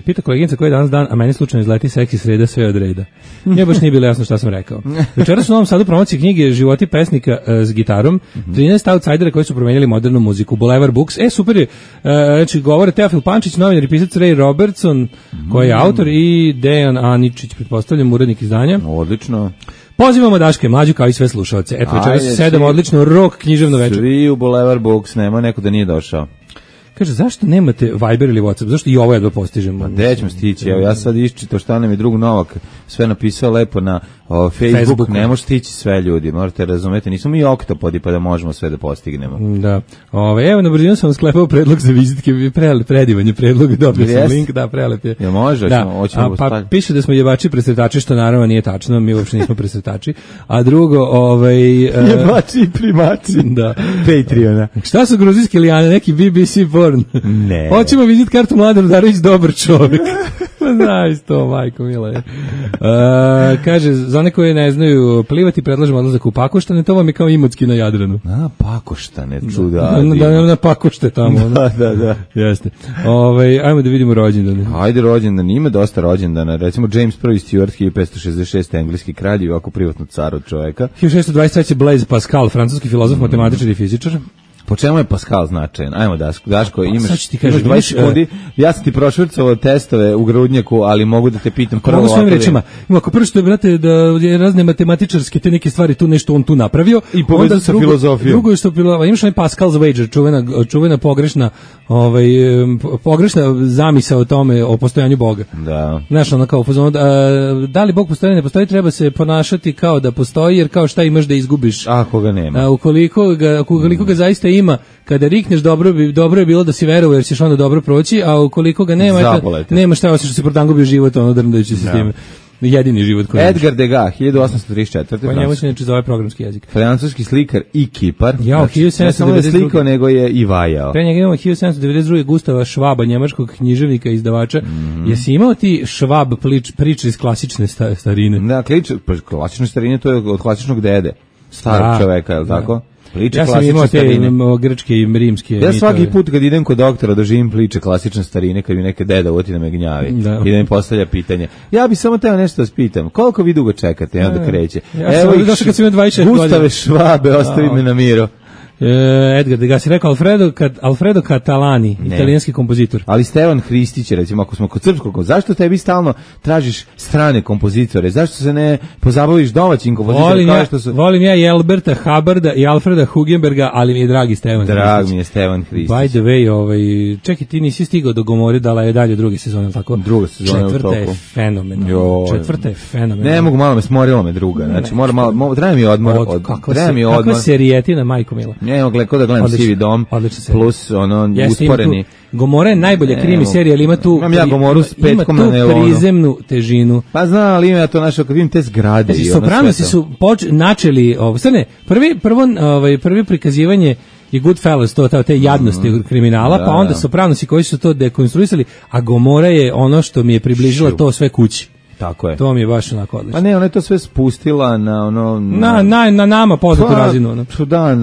S6: pita koleginica koji je danas dan, a meni slučajno izleti seksi sreda sve od reda. Nije baš nije bilo jasno šta sam rekao. Večeras u Novom Sadu promocije knjige Životi pesnika s gitarom, 13 outsidera koji su promenili modernu muziku, Boulevard Books. Super je, znači govore Teofil Pančić, novinar i pisac Ray Robertson, koji je autor, i Dejan Aničić, pretpostavljam, urednik izdanja.
S5: Odlično.
S6: Pozivamo Daške Mlađu kao i sve slušaoce. Eto, večeras 7 odlično rock književno večer.
S5: Svi u Boulevard Books, nema neko da nije došao.
S6: Kaže, zašto nemate Viber ili WhatsApp? Zašto i ovo jedva postižemo?
S5: Gde ćemo stići? Evo, ja sad iščitao šta nam je drug Novak sve napisao lepo na Facebook. Ne može stići sve ljudi, morate razumeti. Nismo mi oktopodi pa da možemo sve da postignemo.
S6: Da. Evo, na brzinu sam sklepao predlog za vizitke, predivanje predlog, dobio sam link, da, prelep je.
S5: Ja može, hoćemo
S6: pa piše da smo jebači presretači, što naravno nije tačno, mi uopšte nismo presretači. A drugo,
S5: jebači i primači.
S6: Da.
S5: Patreona.
S6: Šta su gruzijski lijane, neki BBC porn?
S5: Ne.
S6: Hoćemo vizit kartu Mladen Udarović, dobar čovjek. Znaš to, majko mila je. Kaže, za one koji ne znaju plivati, predlažem odlazak u Pakoštane, to vam je kao Imotski na Jadranu.
S5: Pakoštane, čuda.
S6: Na Pakošte tamo.
S5: Da.
S6: Jeste. Ajmo da vidimo rođendane.
S5: Ajde rođendan, ima dosta rođendana. Recimo James I. Stuart, 1566, engleski kralj i ovako privatno car od čoveka.
S6: 1623. Blaise Pascal, francuski filozof, matematičar i fizičar.
S5: Po čemu je Pascal značajan? Ajmo, Daško, imaš
S6: 20
S5: sekundi. Ja sam ti prošvrcovao testove u grudnjaku, ali mogu da te pitam
S6: prvo ovako. Svojim rečima, ako prvo što je, brate, da je razne matematičarske te neke stvari tu nešto on tu napravio.
S5: I povezao sa filozofijom.
S6: Drugo je što imaš onaj Pascal's wager, čuvena pogrešna zamisao o tome, o postojanju Boga. Da. Znaš, ono kao, da li Bog postoji, ne postoji, treba se ponašati kao da postoji, jer kao šta imaš da izgubiš.
S5: Ako ga nema.
S6: Ukoliko ga zaista ima, kada rikneš dobro je bilo da si verovao jer ćeš onda dobro proći, a ukoliko ga nema šta osim što si protangubio život, drndajući se s tim. Jedini život koji
S5: Edgar Degas, 1834.
S6: Pa njemu se neče zove programski jezik.
S5: Francuski slikar i kipar.
S6: Znači,
S5: ne samo je slikao, nego je i vajao.
S6: Pre njega imamo 1792. Gustava Švaba, njemačkog književnika i izdavača. Jesi imao ti Švab priče iz klasične starine?
S5: Da, klasične starine, to je od klasičnog dede, starog čoveka, je li tako?
S6: Ja sam imao te grčke i rimske.
S5: Ja svaki put kad idem kod doktora doživim priče klasične starine, kad mi neke deda uvoti da me gnjavi i da mi postavlja pitanje. Ja bi samo teo nešto da spitam. Koliko vi dugo čekate onda kreće?
S6: Evo ih,
S5: Gustave Švabe, ostavi me na miru.
S6: Edgar Degas je rekao Alfredo Catalani, italijanski kompozitor.
S5: Ali Stevan Hristić, recimo, ako smo kod srpskog, zašto tebi stalno tražiš strane kompozitore? Zašto se ne pozabaviš domaćim kompozitorima?
S6: Volim ja i Alberta Hubarda i Alfreda Hugenberga, ali mi je dragi Stevan Hristić.
S5: Drag mi je Stevan Hristić.
S6: By the way, čekaj, ti nisi stigao do Gomore, dala je dalje druge sezone, tako?
S5: Druga sezona je u toku.
S6: Četvrta je fenomenalna.
S5: Ne mogu, malo me smorila me druga. Znači, treba mi odmor.
S6: Kakva serijetina, majko mila.
S5: Ja ko da gledam Sivi dom, plus usporeni.
S6: Gomora je najbolja krimi serija, ali ima tu prizemnu težinu.
S5: Pa znam, ali ima to naše, kad vidim te zgrade.
S6: Znači, Sopranosi su načeli, prvi prikazivanje je Goodfellas, te jadnosti kriminala, pa onda Sopranosi koji su to dekonstruisali, a Gomora je ono što mi je približila to sve kući.
S5: Tako je.
S6: To mi je baš onako odlično.
S5: Pa ne, ona je to sve spustila na ono...
S6: Na nama poznatu razinu.
S5: Da,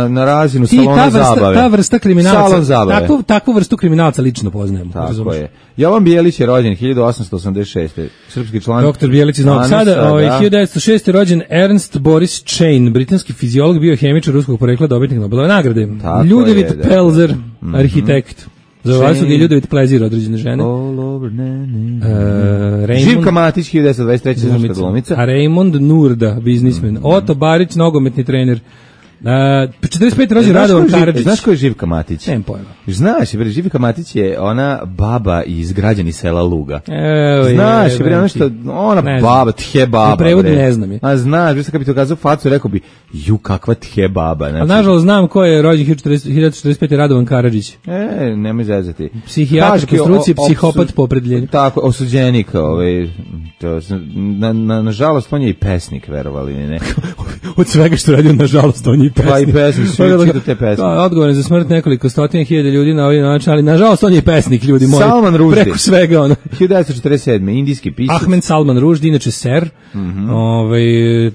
S5: na razinu salona zabave.
S6: Ta vrsta kriminalca,
S5: salon zabave.
S6: Takvu vrstu kriminalca lično poznajemo.
S5: Tako je. Jovan Bijelić je rođen 1886. Srpski član.
S6: Doktor Bijelić iz Novog Sada. 1906. rođen Ernst Boris Chain, britanski fiziolog, biohemičar ruskog porekla, dobitnik Nobelove nagrade. Ljudevit Pelzer, arhitekt. Zove su ga i Ljudevit Plezir, određene žene.
S5: Živka Matić, 1923. srpska glumica.
S6: A Raymond Nurda, biznismen. Otto Barić, nogometni trener. 45. rođen Radovan Karadžić.
S5: Znaš ko je Živka Matić?
S6: Nemam pojma.
S5: Znaš, bre, Živka Matić je ona baba iz građani sela Luga.
S6: Evo,
S5: znaš, bre, ona što, ona baba, tje baba.
S6: U prevodu ne znam je.
S5: A znaš, bre, kad bi to kazao facu, rekao bi, ju, kakva tje baba. Znači,
S6: a nažalost znam ko je rođen 1945. Radovan Karadžić.
S5: Nemoj zezati.
S6: Psihijatar po struci, psihopat po opredjeljenju.
S5: Tako, osuđenik, nažalost, on je i pesnik, verovali ne.
S6: Od svega što radio, nažalost, on je i pesnik.
S5: Pa i pesnik, svi čitaju te pesnike.
S6: Odgovoran za smrt nekoliko stotina hiljada ljudi na ovaj način, ali nažalost on je i pesnik, ljudi moji.
S5: Salman Rushdie.
S6: Preko svega ono.
S5: 1947. indijski pisac.
S6: Ahmed Salman Rushdie, inače ser,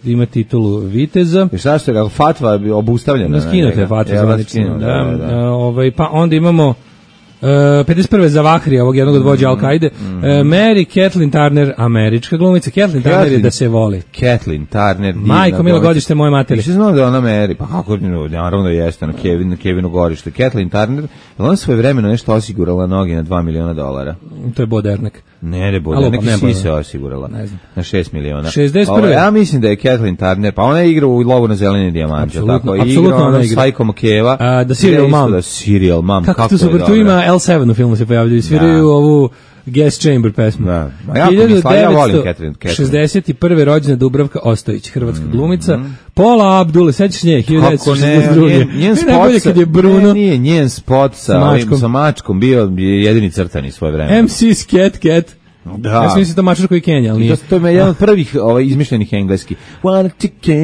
S6: ima titulu viteza.
S5: I šta što je, kako fatva obustavljena?
S6: Skinuta je fatva zvanično. Pa onda imamo 51. za Vahrija, ovog jednog od vođa Al-Kaide. Mary Kathleen Turner, američka glumica. Kathleen Turner je da se voli.
S5: Kathleen Turner.
S6: Majko, milo godište moje materi.
S5: Više znam da je ona Mary, pa kako, naravno jeste, na Kevinu godište. Kathleen Turner, je ona svoje vremeno nešto osigurala noge na $2 miliona?
S6: To je Bodernek.
S5: Ne, Bodernek i si se osigurala. Na 6 miliona.
S6: 61.
S5: Ja mislim da je Kathleen Turner, pa ona igra u Lovu na zeleni dijamant.
S6: Apsolutno
S5: ona igra. Psycho Makeva.
S6: Da Serial Mom.
S5: Kako
S6: to super, tu ima L7 u filmu se pojavljaju, sviraju ovu Gas Chamber pesmu.
S5: Da. Ja volim Kathleen.
S6: 61. rođena Dubravka Ostojić, hrvatska glumica. Pola Abdul, sećaš nje, 1962.
S5: Njen spot kad je Bruno. Nije njen spot sa mačkom bio jedini crtani svoje vreme.
S6: MC's Cat. Da. Ja sam mislim to mačar koji Kenja, ali nije.
S5: To je jedan od prvih izmišljenih engleski. Wanna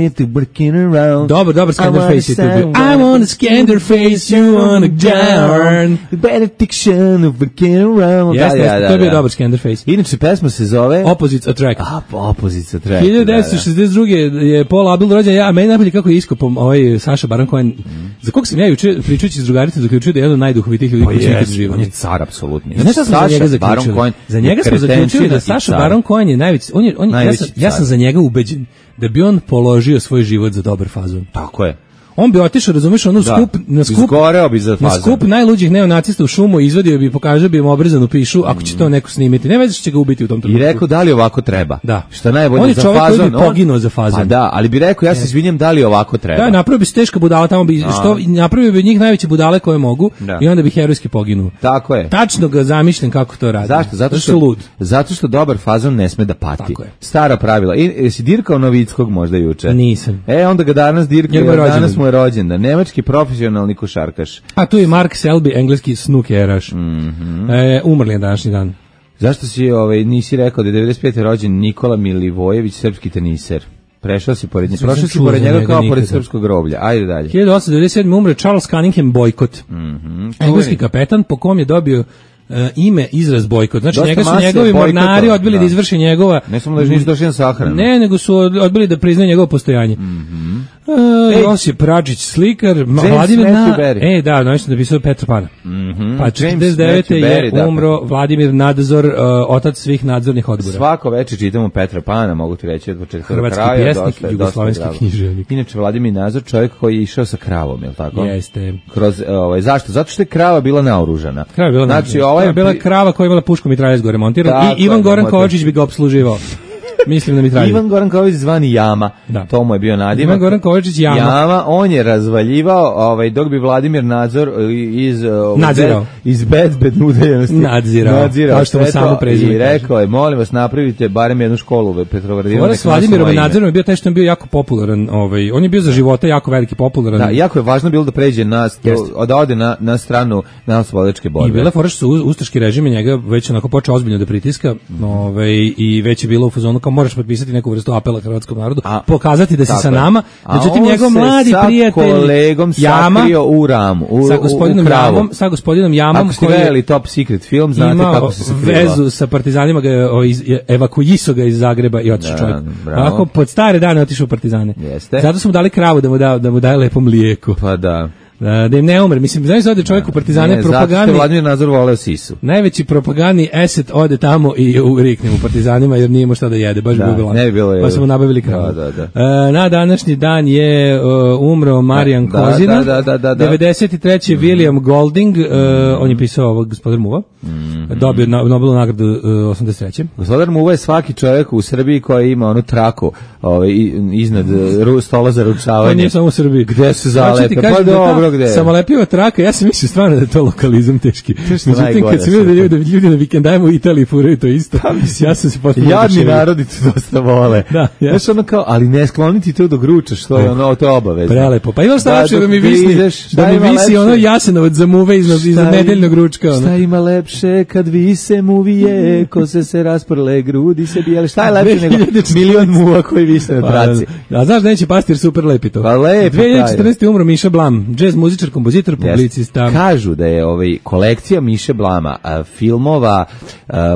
S5: to working around.
S6: Dobar Scanderface je tu bio. I wanna Scanderface, you wanna down.
S5: The benediction of working around.
S6: Jeste, to je bio dobar Scanderface.
S5: Inače, pesma se zove
S6: Opposites Attract.
S5: Opposites Attract.
S6: 1962. je Paul Abdul rođen, a meni najbolje kako je iskopom Saša Baron Cohen, za kog sam ja juče pričajući s drugaricom zaključio da je jedan od najduhovitijih ljudi koji će ikad živjeti.
S5: On je car apsolutni.
S6: Znaš šta sam za njega zaključio? Za njega smo zaključili da Saša Baron Cohen je najveći, ja sam za njega ubeđen da bi on položio svoj život za dobar fazon.
S5: Tako je.
S6: On bi otišao, razumiješ, na skup najluđih neonacista u šumu, izvadio bi, pokazao bi im obrezanu pišu, ako će to neko snimiti. Ne veze što će ga ubiti u tom trenutku.
S5: I rekao da li ovako treba.
S6: Da.
S5: Šta najbolje za fazon.
S6: On je čovjek koji bi poginuo za fazon.
S5: Pa da, ali bi rekao, ja se izvinjam, da li ovako treba.
S6: Da, napravio bi se teška budala, tamo bi, napravio bi njih najveće budale koje mogu i onda bi herojski poginuo.
S5: Tako je.
S6: Tačno ga zamišljam kako to radi.
S5: Zašto? Zato što dobar fazon ne sme da pati.
S6: Tako je.
S5: Stara pravila. Jesi dirkao Novickog možda juče?
S6: Nisam.
S5: Onda ga danas dirkao, danas mu je rođendan. Nemački profesionalni košarkaš.
S6: A tu je Mark Selby, engleski snukeraš. Umrli je današnji dan.
S5: Zašto si nisi rekao da je 95. rođen Nikola Milivojević, srpski teniser? Prošao si pored njega kao pored srpskog groblja. Ajde dalje.
S6: 1897. umre Charles Cunningham Boycott. Engleski kapetan po kom je dobio ime izraz bojkot. Znači njega su njegovi mornari odbili da izvrše njegova...
S5: Ne samo da nisu došli na sahranu.
S6: Ne, nego su odbili da priznaju njegovo postojanje. Josip Račić, slikar, Vladimir da, nešto da pisao Petra Pana. Pa 49. je umro Vladimir Nadzor, otac svih nadzornih odbora.
S5: Svako večer čitamo Petra Pana, mogu ti reći od početka do kraja.
S6: Hrvatski pjesnik, jugoslovenski književnik.
S5: Inače, Vladimir Nadzor, čovjek koji je išao sa kravom, je li tako?
S6: Jeste.
S5: Zašto? Zato što je krava bila naoružana.
S6: Znači, je bila krava koja je imala pušku mitraljez gore montirano i Ivan Goran Kovačić bi ga opsluživao. Mislim da mitraljez.
S5: Ivan Goran Kovačić zvani Jama. Da. To mu je bio nadimak.
S6: Ivan Goran Kovačić
S5: Jama, on je razvaljivao, dok bi Vladimir Nadzor iz bezbedne udaljenosti
S6: nadzirao. Kao što mu samo prezime.
S5: I rekao je, molim vas, napravite barem jednu školu u Petrogradinu.
S6: Ovo s Vladimirom Nadzorom je bio taj što je bio jako popularan. On je bio za života jako veliki popularan.
S5: Da, jako je važno bilo da pređe da ode na stranu narodnooslobodilačke borbe.
S6: I bila fora što su ustaški režim njega već onako počeo ozbiljno da pritiska, i već je bilo u fazonu kao moraš potpisati neku vrstu apela hrvatskom narodu, pokazati da si sa nama. Međutim, njegov mladi prijatelj
S5: kolegom sakrio u ramu,
S6: sa gospodinom Jamom,
S5: ako ste gledali Top Secret film, znate kako se sakriva.
S6: Vezu sa partizanima, evakuiso ga iz Zagreba i otišao čovjek. Ovako, pod stare dane otišao u partizane.
S5: Jeste.
S6: Zato smo dali kravu da mu daje lepo mlijeko.
S5: Pa da.
S6: Da im ne umre. Mislim, znaš da ode čovjek u Partizane propagandni.
S5: Zato što Vladimir Nazor voleo sisu.
S6: Najveći propagandni eset ode tamo i rikne u Partizanima jer nije imao šta da jede, baš bi bilo.
S5: Ne bi bilo.
S6: Pa su mu nabavili kravu. Na današnji dan je umro Marijan Kozina. 93. William Golding, on je pisao Gospodar Muva. Dobio Nobelovu nagradu 83.
S5: Gospodar Muva je svaki čovjek u Srbiji koji ima onu traku iznad stola za ručavanje.
S6: To nije samo u Srbiji.
S5: Gde se zalepe?
S6: Pa dobro, gde? Samolepiva traka, ja sam mislio stvarno da je to lokalizam teški. Međutim, kad sam vidio da ljudi na vikendajima u Italiji furaju to isto, ja sam se postavio.
S5: Jadni narodi to dosta vole. Znaš, ono kao, ali ne skloniti to dok ručaš, što je ono, to je obavezno.
S6: Prelepo. Pa ima šta lepše da mi visi ono Jasenovac za muve iznad nedeljnog ručka.
S5: Šta ima lepše kad vise muvije, kose se rasprle, grudi se bijele. Šta je lepše nego milion muva koji vise na traci?
S6: A znaš da neće pasti jer super lepi to.
S5: Pa lepo.
S6: 2014. umro Miša Blam, džez muzičar, kompozitor, publicista.
S5: Kažu da je kolekcija Miše Blama, filmova,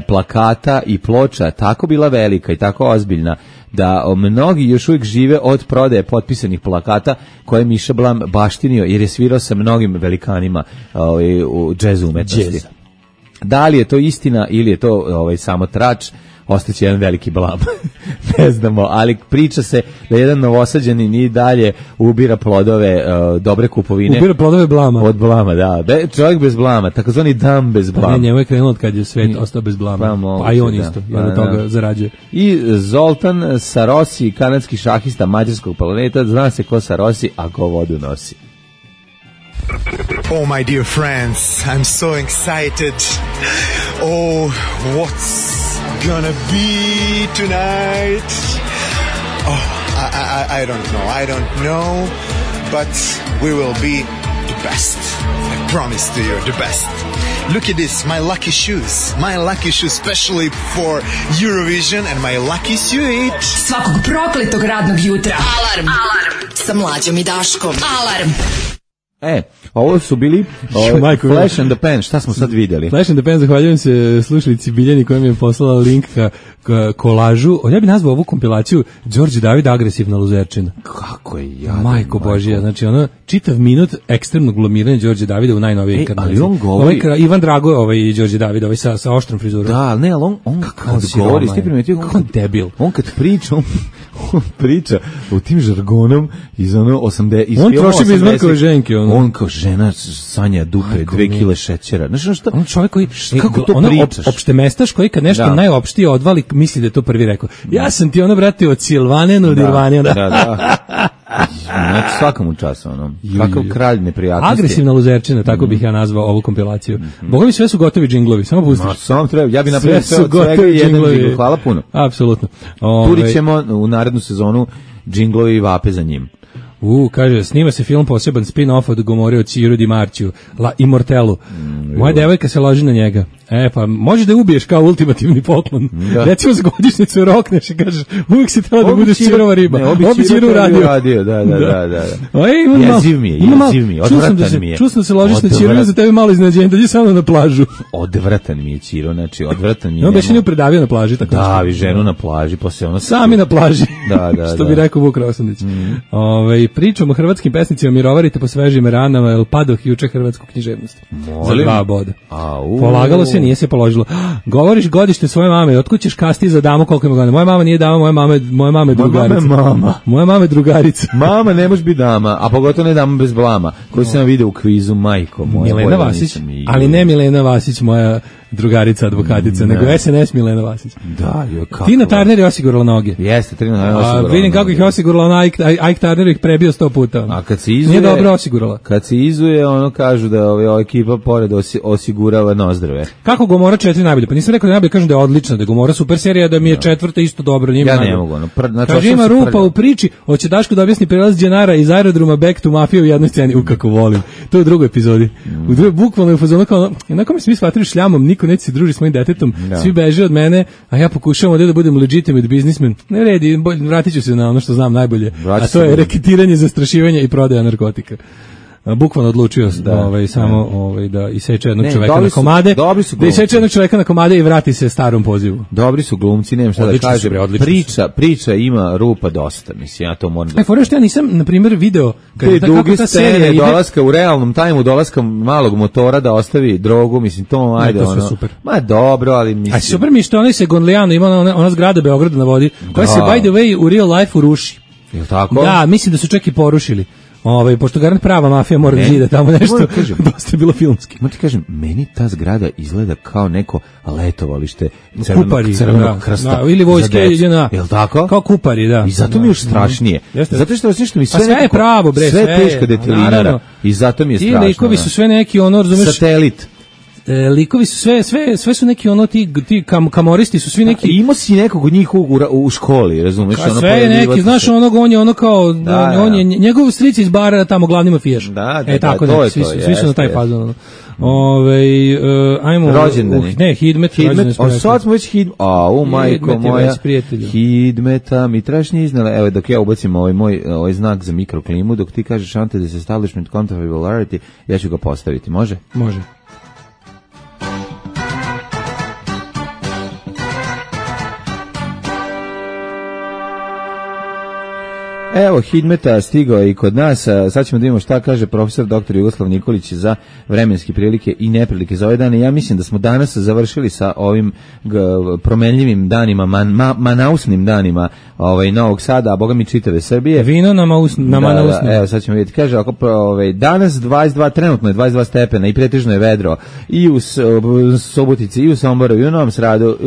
S5: plakata i ploča tako bila velika i tako ozbiljna da mnogi još uvijek žive od prodaje potpisanih plakata koje je Miša Blam baštinio jer je svirao sa mnogim velikanima u džez umetnosti. Da li je to istina ili je to samo trač, ostaće jedan veliki blam. Ne znamo, ali priča se da jedan novosađanin i dalje ubira plodove dobre kupovine.
S6: Ubira plodove blama.
S5: Od blama, da. Čovjek bez blama, takozvani dam bez blama.
S6: Ne, njemu je krenulo od kad je svet ostao bez blama. A i on isto, jer od toga zarađuje.
S5: I Zoltan Sarosi, kanadski šahista mađarskog planeta, zna se ko Sarosi, a ko vodu nosi.
S8: Oh, my dear friends, I'm so excited. Oh, what's gonna be tonight? Oh, I don't know, but we will be the best. I promise to you, the best. Look at this, my lucky shoes, especially for Eurovision, and my lucky suit.
S7: Svakog prokletog radnog jutra. Alarm sa Mlađom i Daškom. Alarm.
S5: Ovo su bili Flash and the Pan, šta smo sad vidjeli?
S6: Flash and the Pan, zahvaljujem se slušalici Biljani koja mi je poslala link ka kolažu. Ja bih nazvao ovu kompilaciju Đorđe David agresivna luzerčina.
S5: Kako je jadan.
S6: Majko Božija, znači ono čitav minut ekstremnog glamiranja Đorđe Davida u najnovijoj inkarnaciji.
S5: Ali on govori...
S6: Ivan Drago, Đorđe David, sa oštrom frizurom.
S5: Da, ali on kad govori, ti primetio
S6: kako debil.
S5: On kad priča, on priča u tim žargonom iz ono 80...
S6: On troši bizmarkove ženke.
S5: On kao žena sanja dupe, 2 kile šećera. Znaš šta?
S6: On čovjek koji...
S5: Kako to pričaš?
S6: Opštemestaš koji kad nešto najopštije odvali, misli da je to prvi rekao. Ja sam ti ono, brate, od Silvane od Irvane.
S5: Da. Znači svakom času, ono. Kakav kralj neprijatnosti.
S6: Agresivna luzerčina, tako bih ja nazvao ovu kompilaciju. Bogovi, sve su gotovi džinglovi, samo pustiš.
S5: Samo treba, ja bih napravio sve od svega jedan džingl. Hvala puno.
S6: Apsolutno.
S5: Turit ćemo u narednu sezonu džinglovi i vape za njim.
S6: Kaže, snima se film poseban spin-off od Gomore od Ciro Di Marciju, La Immortelu. Moja devojka se loži na njega. Pa možeš da ubiješ kao ultimativni poklon. Recimo za godišnjicu rokneš i kažeš, uvijek si tela da budeš Cirova riba. Obi Ciro radio.
S5: Da.
S6: Jeziv mi je, odvratan mi je. Čuo sam da se ložiš na Ciro, za tebe malo iznenađenje, dođi samo na plažu.
S5: Odvratan mi je Ciro, znači odvratan mi je.
S6: On beše nju predavio na plaži.
S5: Davi ženu na plaži, posle ono...
S6: Sami na plaži, što bi rekao Vuk Rosandić. Pričamo o hrvatskim pesnicima, mirovarite po svežim ranama, El Padoh juče hrvatsku književnost. Za 2 boda. Polagalo se, nije se položilo. Govoriš godište svoje mame, otkud ćeš kasti za damu koliko ima godina? Moja mama nije dama, moja mama je drugarica. Moja mama je drugarica.
S5: Mama ne može biti dama, a pogotovo ne dama bez blama, koju sam vidio u kvizu, majko moja.
S6: Milena Vasić, ali ne Milena Vasić, moja drugarica, advokatica, nego SNS Milena Vasić.
S5: Da, kako.
S6: Tina Turner je osigurala noge.
S5: Jeste, Tina Turner je osigurala noge.
S6: Vidim kako ih je osigurala, Ike Turner ih prebio 100 puta.
S5: A kad se izuje...
S6: Nije dobro osigurala.
S5: Kad se izuje, ono kažu da ova ekipa pored osigurava nozdrave.
S6: Kako Gomora 4 najbolje? Pa nisam rekao da najbolje, kažem da je odlična, da je Gomora super serija, da mi je 4. isto dobro.
S5: Ja ne mogu.
S6: Kaže, ima rupa u priči, hoće Daško da objasni prelaz Đenara iz aerodroma Back to Mafia u jednoj sceni. Kako volim. To je u drugoj epizodi. U drugoj bukvalno je fazonu kao, onako mi se mi shvatili šljamom, niko neće se druži s mojim detetom, svi beže od mene, a ja pokušavam da budem legitimate businessman. Ne redi, vratit ću se na ono što znam najbolje, a to je reketiranje, zastrašivanje i prodaja narkotika. bukvalno odlučio samo da iseče jednog čoveka na komade, da iseče jednog čoveka na komade i vrati se starom pozivu.
S5: Dobri su glumci, nemam šta da kažem. Priča ima rupa dosta, mislim, ja to moram da...
S6: Fore što ja nisam, na primjer, video
S5: te duge scene dolaska u realnom tajmu, dolaska malog motora da ostavi drogu, mislim, to ajde,
S6: ono... super.
S5: Ma dobro, ali mislim...
S6: A super mi što onaj se Gonlijano ima ona zgrada Beograda na vodi, koja se, by the way, u real life uruši.
S5: Je li tako?
S6: Da, mislim da su čak i porušili. Pošto garant prava mafija mora da zida tamo nešto, dosta je bilo filmski.
S5: Ti kažem, meni ta zgrada izgleda kao neko letovalište
S6: Crvenog
S5: krsta.
S6: Ili vojske,
S5: je li tako?
S6: Kao kupari, da.
S5: I zato mi je još strašnije. Zato što mi sve
S6: je pravo, bre,
S5: sve teška detelinara. I zato mi je strašno.
S6: Ti likovi su sve neki, razumeš...
S5: Satelit.
S6: Likovi su sve su neki ti kamoristi su svi neki.
S5: Imao si nekog od njih u školi, razumeš?
S6: Sve je neki, znaš, on je kao, on je njegov stric iz bara tamo glavni mafijaš. Tako da, svi su na taj fazon. Ajmo
S5: rođendani.
S6: Hidmet.
S5: Sad smo već majko moja. Hidmeta mi trašnje iznala. Evo, dok ja ubacim ovaj znak za mikroklimu, dok ti kažeš anti establishment counterfactuality, ja ću ga postaviti, može?
S6: Može.
S5: Evo, Hidmeta stigao i kod nas, sad ćemo da vidimo šta kaže profesor dr. Jugoslav Nikolić za vremenske prilike i neprilike za ove dane. Ja mislim da smo danas završili sa ovim promenljivim danima, manausnim danima Novog Sada, a boga mi čitave Srbije.
S6: Vino na manausnim.
S5: Evo, sad ćemo vidjeti. Kaže, danas 22, trenutno je 22 stepena i pretežno je vedro i u Subotici, i u Somboru, i u Novom Sradu,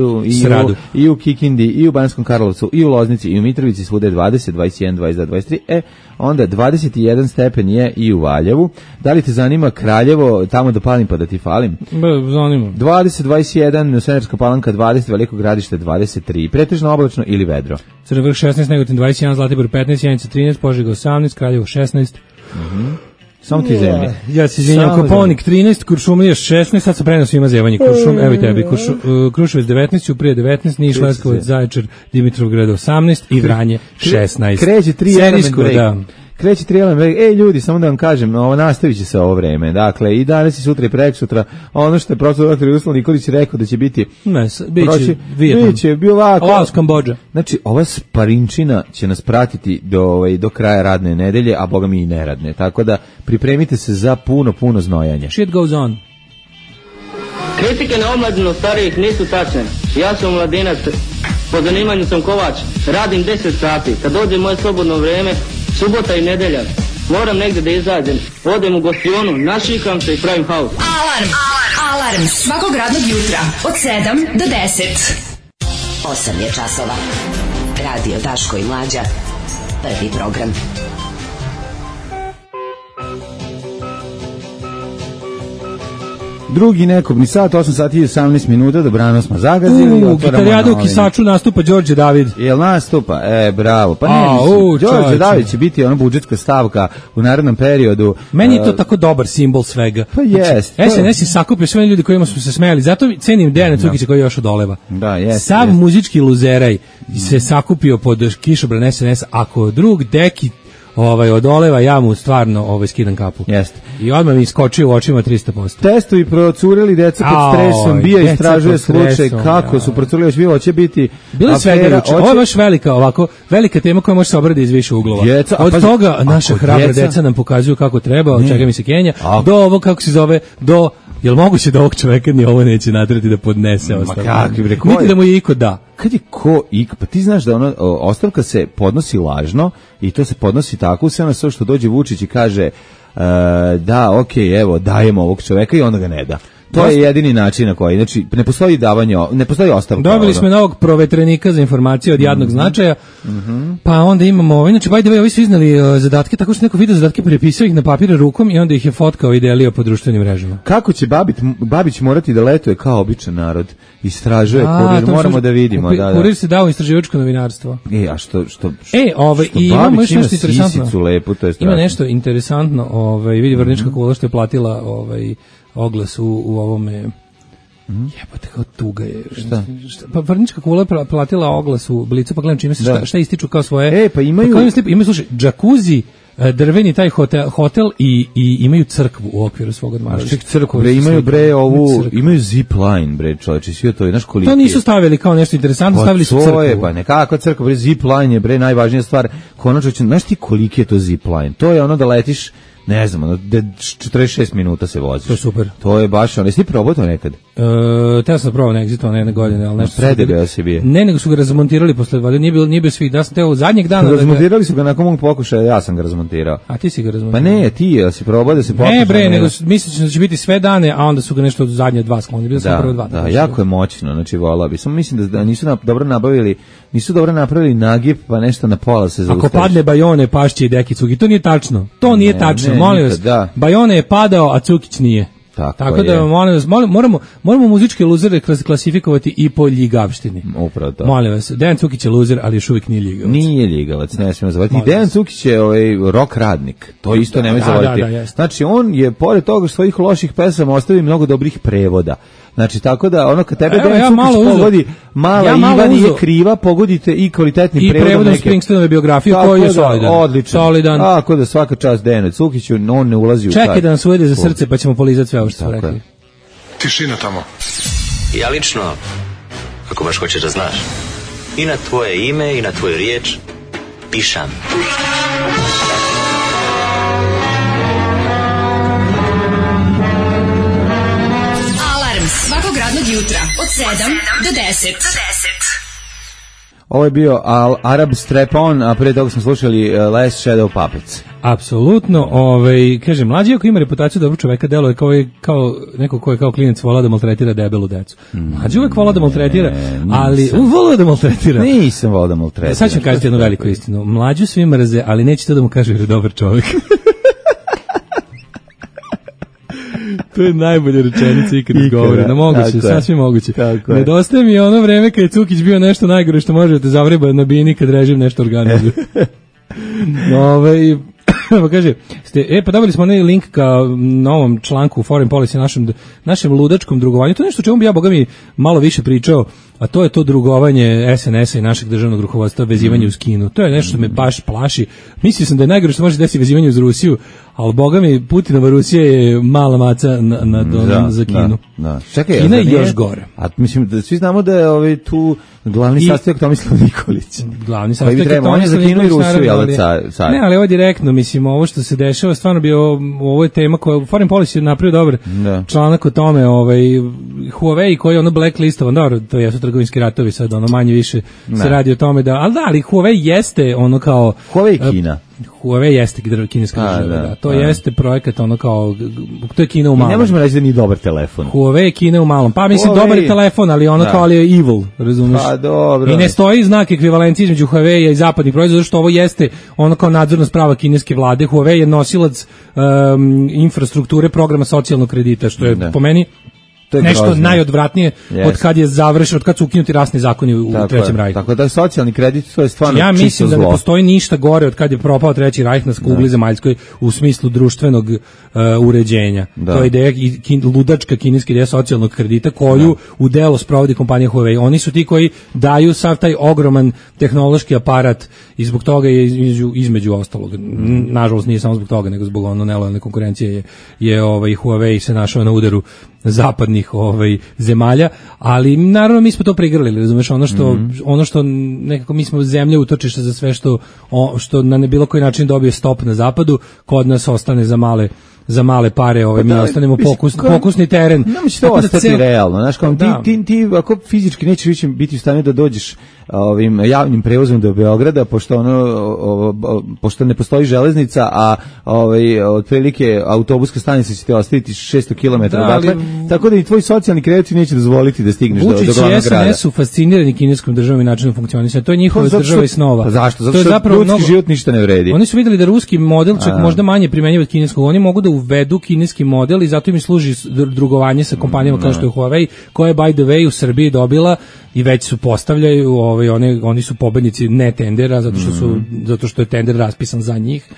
S5: i u Kikindi, i u Banskom Karlovcu, i u Loznici, i u Mitrovici, svuda je 20, 21, 22, 23, onda 21 stepen je i u Valjevu. Da li te zanima Kraljevo, tamo da palim pa da ti falim?
S6: Zanima.
S5: 20, 21, Severska Palanka 20, Veliko Gradište 23, pretežno oblačno ili vedro.
S6: Crni Vrh 16, Negotin 21, Zlatibor 15, Janica 13, Požega 18, Kraljevo 16.
S5: Samo ti zemlje.
S6: Ja se izvinjam, Koponik 13, Kuršumlija 16, sad sam prenos svima zjevanje. Evo i tebi, Kruševac 19, Ćuprija 19, Niš, Leskovac, Zaječar, Dimitrovgrad 18 i Vranje 16.
S5: Kreće 3 element break. Kreće 3 element break. Ljudi, samo da vam kažem, nastavit će se ovo vreme. Dakle, i danas i sutra i preksutra, ono što je profesor dr. Jugoslav Nikolić rekao da će biti... Biće ovako.
S6: Laos, Kambodža.
S5: Znači, ova sparinčina će nas pratiti do kraja radne nedelje, a boga mi i neradne. Tako da, pripremite se za puno znojanja.
S6: Shit goes on.
S9: Kritike na omladinu starijih nisu tačne. Ja sam mladinac, po zanimanju sam kovač, radim 10 sati. Kad dođe moje slobodno vrijeme, subota i nedelja, moram negdje da izađem. Odem u gostionu, našikam se i pravim haus.
S7: Alarm svakog radnog jutra od 7 do 10. 8 je časova. Radio Daško i Mlađa. Prvi program.
S5: Drugi nekobni sat, 8 sati i 18 minuta, dobrano smo zagazili.
S6: Gitarijada u Kisaču nastupa Đorđe David.
S5: Jel nastupa? Bravo. Pa ne, Đorđe David će biti ona budžetska stavka u narednom periodu.
S6: Meni je to tako dobar simbol svega.
S5: Pa jest.
S6: SNS je sakupio sve ljudi kojima smo se smejali, zato cenim Dejana Cukića koji još odoleva.
S5: Da, jest.
S6: Sav muzički luzeraj se sakupio pod kišobran SNS, ako drug deki odoleva, ja mu stvarno skidam kapu.
S5: Jeste.
S6: I odmah mi iskočio u očima 300%.
S5: Testovi procureli, deca pod stresom, bija istražuje slučaj kako su procureli, još bilo će biti
S6: bilo svega juče. Ovo je baš velika tema koja može se obraditi iz više uglova. Od toga naša hrabra deca nam pokazuju kako treba, od čega mi se Kenja, do ovo kako se zove, do jel moguće da ovog čoveka ni ovo neće natrati da podnese ostavku? Vidite da mu je iko da.
S5: Kad je ko ik, pa ti znaš da ostavka se podnosi lažno i to se podnosi tako sve na sve što dođe Vučić i kaže da, okej, evo, dajemo ovog čoveka i onda ga ne da. To je jedini način na koji, znači, ne postoji davanje, ne postoji ostavka.
S6: Dobili smo novog provetrenika za informacije od jadnog značaja, pa onda imamo, inače, by the way, ovi su iznali zadatke, tako što neko video zadatke prepisao ih na papir rukom i onda ih je fotkao i delio po društvenim mrežama.
S5: Kako će Babić morati da letuje kao običan narod? Istražuje kurir, moramo da vidimo.
S6: Kurir se dao istraživačko novinarstvo.
S5: A što
S6: i imamo još nešto interesantno.
S5: Lepu, to je
S6: ima nešto interesantno, vidi Vrnička kula što je platila oglas u ovome. Jebote, kao tuga je.
S5: Šta?
S6: Pa Vrnička kula platila oglas u Blicu, pa gledam čime se šta ističu kao svoje.
S5: Pa imaju.
S6: Imaju, slušaj, džakuzi drveni taj hotel i imaju crkvu u okviru svog odmarališta.
S5: Crkvu, bre, imaju imaju zipline, bre, čoveče, sve to je, znaš koliko.
S6: To nisu stavili kao nešto interesantno, stavili su crkvu.
S5: To je, pa nekakva crkva, bre, zipline je, bre, najvažnija stvar. Konačno, znaš ti koliki je to zipline? To je ono da letiš, ne znam, 46 minuta se voziš.
S6: To je super.
S5: To je baš ono, jesi ti probao to nekad?
S6: Teo sam probao na Exitu, jedne godine, ali nešto.
S5: Predega si bio.
S6: Ne, nego su ga razmontirali posle, nije bio svi, da sam teo zadnjeg dana.
S5: Razmontirali su ga nakon mog pokušaja, ja sam ga razmontirao.
S6: A ti si ga razmontirao?
S5: Pa ne, ti si probao da se pokuša.
S6: Ne bre, nego misliš da će biti sve dane, a onda su ga nešto od zadnje 2 sklonili, bilo sam prvo 2.
S5: Da, jako je moćno, znači volao bi. Samo mislim da nisu dobro napravili nagib, pa nešto na pola se zaustaviš.
S6: Ako padne Bajone, pašće i Deki Cukić, to nije tačno. To nije tačno, molim vas. Bajone je padao, a Cukić nije. Tako da moramo muzičke luzere klasifikovati i po ljigavštini.
S5: Upravo to.
S6: Molim vas, Dejan Cukić je luzer, ali još uvijek nije ljigavac.
S5: Nije ljigavac, ne smijemo zavati. I Dejan Cukić je rock radnik. To isto nemoj zavoditi. Znači on je pored toga svojih loših pesama ostavio mnogo dobrih prevoda. Znači tako da ono kad tebe Dejan Cukić pogodi Mala Iva nije kriva, pogodite i kvalitetni prevod.
S6: I prevodom Springsteenove biografije koji je solidan.
S5: Tako da svaka čast Dejanu Cukiću, on ne ulazi u taj.
S6: Čekaj da nas uvede za srce pa ćemo polizati sve ovo što smo rekli.
S4: Tišina tamo.
S10: Ja lično, ako baš hoćeš da znaš, i na tvoje ime i na tvoju riječ pišam.
S7: Svakog radnog jutra od 7 do 10.
S5: Ovo je bio Arab Strap-on, a prije toga smo slušali Last Shadow Puppets.
S6: Apsolutno, kaže, mlađi ako ima reputaciju dobrog čoveka, deluje kao neko ko je kao klinac volao da maltretira debelu decu. Mlađi uvek volao da maltretira, ali volao da maltretira.
S5: Nisam volao da maltretira.
S6: Sad ću vam kažete jednu veliku istinu. Mlađu svi mrze, ali neće to da mu kaže jer je dobar čovek. To je najbolja rečenica ikad izgovore. Na moguće, sasvim moguće. Nedostaje mi ono vreme kad je Cukić bio nešto najgore što možete zavreba na bini kad režim nešto organizuje. Pa kaže, pa dobili smo onaj link ka novom članku u Foreign Policy, našem ludačkom drugovanju. To je nešto o čemu bi ja, boga mi, malo više pričao, a to je to drugovanje SNS-a i našeg državnog rukovodstva, vezivanje uz Kinu. To je nešto što me baš plaši. Mislio sam da je najgore što može desiti vezivanje uz Rusiju, ali boga mi, Putinova Rusija je mala maca za Kinu.
S5: Čekaj,
S6: Kina je još gore.
S5: A mislim da svi znamo da je tu glavni sastojak Tomislav Nikolić.
S6: Glavni sastojak je
S5: Tomislav Nikolić.
S6: Ne, ali ovo direktno, mislim, ovo što se dešava, stvarno bi ovo je tema koja Foreign Policy je napravio dobar članak o tome, Huawei koji je ono blacklistovan, dobro, to jesu trgovinski ratovi sad, ono manje više se radi o tome ali Huawei jeste ono kao
S5: Huawei Kina.
S6: Huawei jeste kineska država, to jeste projekat ono kao, to je Kina u malom.
S5: Ne možemo reći da nije dobar telefon.
S6: Huawei je Kina u malom, pa mislim dobar je telefon, ali ono kao ali je evil, razumiješ?
S5: Pa dobro.
S6: I ne stoji znak ekvivalencije između Huawei i zapadnih proizvoda, zato što ovo jeste ono kao nadzorna sprava kineske vlade. Huawei je nosilac infrastrukture programa socijalnog kredita, što je po meni nešto grozno. Najodvratnije od kad je završeno, od kad su ukinuti rasni zakoni u Trećem rajhu.
S5: Tako da je socijalni kredit, to je stvarno čisto zlo.
S6: Ja mislim da ne postoji ništa gore od kad je propao Treći rajh na kugli zemaljskoj u smislu društvenog uređenja. To je ideja, ludačka kineska ideja socijalnog kredita koju u delo sprovodi kompanija Huawei. Oni su ti koji daju sav taj ogroman tehnološki aparat i zbog toga je između ostalog. Nažalost nije samo zbog toga, nego zbog nelojalne konkurencije je Huawei se našao na udaru zapadnih zemalja, ali naravno mi smo to prigrlili, razumeš, ono što nekako mi smo zemlje utočište za sve što na bilo koji način dobije stop na zapadu, kod nas ostane za male pare, mi ostanemo pokusni teren.
S5: Nema će to ostati realno, znaš, kao ti ako fizički nećeš više biti u stanju da dođeš ovim javnim prevozom do Beograda, pošto ne postoji železnica, a otprilike autobuska stanica će te ostaviti 600 km dakle, tako da i tvoj socijalni kredit neće dozvoliti da stigneš do glavnog grada.
S6: Vučić i SNS su fascinirani kineskom državom i načinom funkcionisanja. To je njihova država i snova.
S5: Zašto? Zato što ljudski život ništa ne vredi.
S6: Oni su vidjeli da ruski model čak možda manje primenjiv od kineskog. Oni mogu da uvedu kineski model i zato im služi drugovanje sa kompanijama kao što je Huawei, koja je by the way u Srbiji dobila i već su postavljaju, oni su pobednici ne tendera zato što je tender raspisan za njih.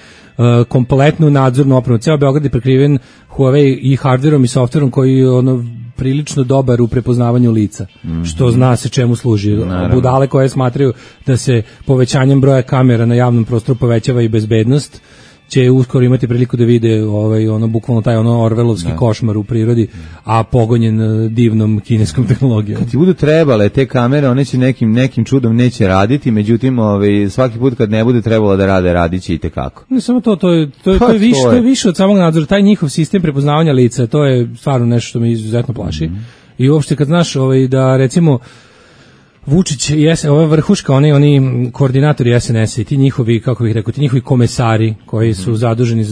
S6: Kompletnu nadzornu opremu. Ceo Beograd je prekriven Huawei i hardverom i softverom koji je prilično dobar u prepoznavanju lica, što zna se čemu služi. Budale koje smatraju da se povećanjem broja kamera na javnom prostoru povećava i bezbednost će uskoro imati priliku da vide bukvalno taj orvelovski košmar u prirodi, a pogonjen divnom kineskom tehnologijom.
S5: Kad ti budu trebale te kamere, one će nekim čudom neće raditi, međutim svaki put kad ne bude trebalo da rade, radiće i tekako.
S6: Ne samo to je više od samog nadzora, taj njihov sistem prepoznavanja lica, to je stvarno nešto što me izuzetno plaši. I uopšte kad znaš da recimo Vučić i ova vrhuška, oni koordinatori SNS-a i ti njihovi, kako bih rekao, ti njihovi komesari koji su zaduženi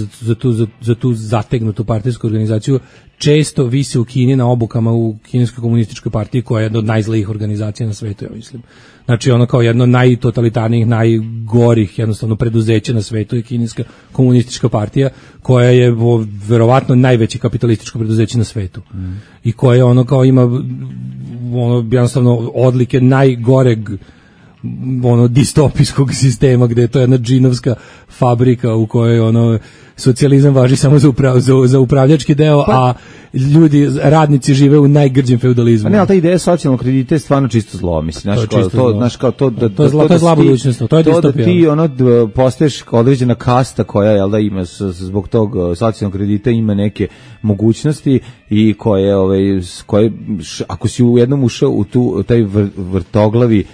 S6: za tu zategnutu partijsku organizaciju, često vise u Kini na obukama u kineskoj komunističkoj partiji, koja je jedna od najzlijih organizacija na svetu, ja mislim. Znači ono kao jedno od najtotalitarnijih, najgorih jednostavno preduzeća na svetu je kineska komunistička partija, koja je verovatno najveće kapitalističko preduzeće na svetu. I koja ono kao ima jednostavno odlike najgoreg distopijskog sistema, gde je to jedna džinovska fabrika u kojoj socijalizam važi samo za upravljački deo, a radnici žive u najgrđem feudalizmu.
S5: Ne, ali ta ideja socijalnog kredita je stvarno čisto zlo, mislim.
S6: To je zla budućnost, to je distopija.
S5: Ti postaješ određena kasta koja ima zbog tog socijalnog kredita ima neke mogućnosti i koje ako si u jednom ušao u taj vrtoglavi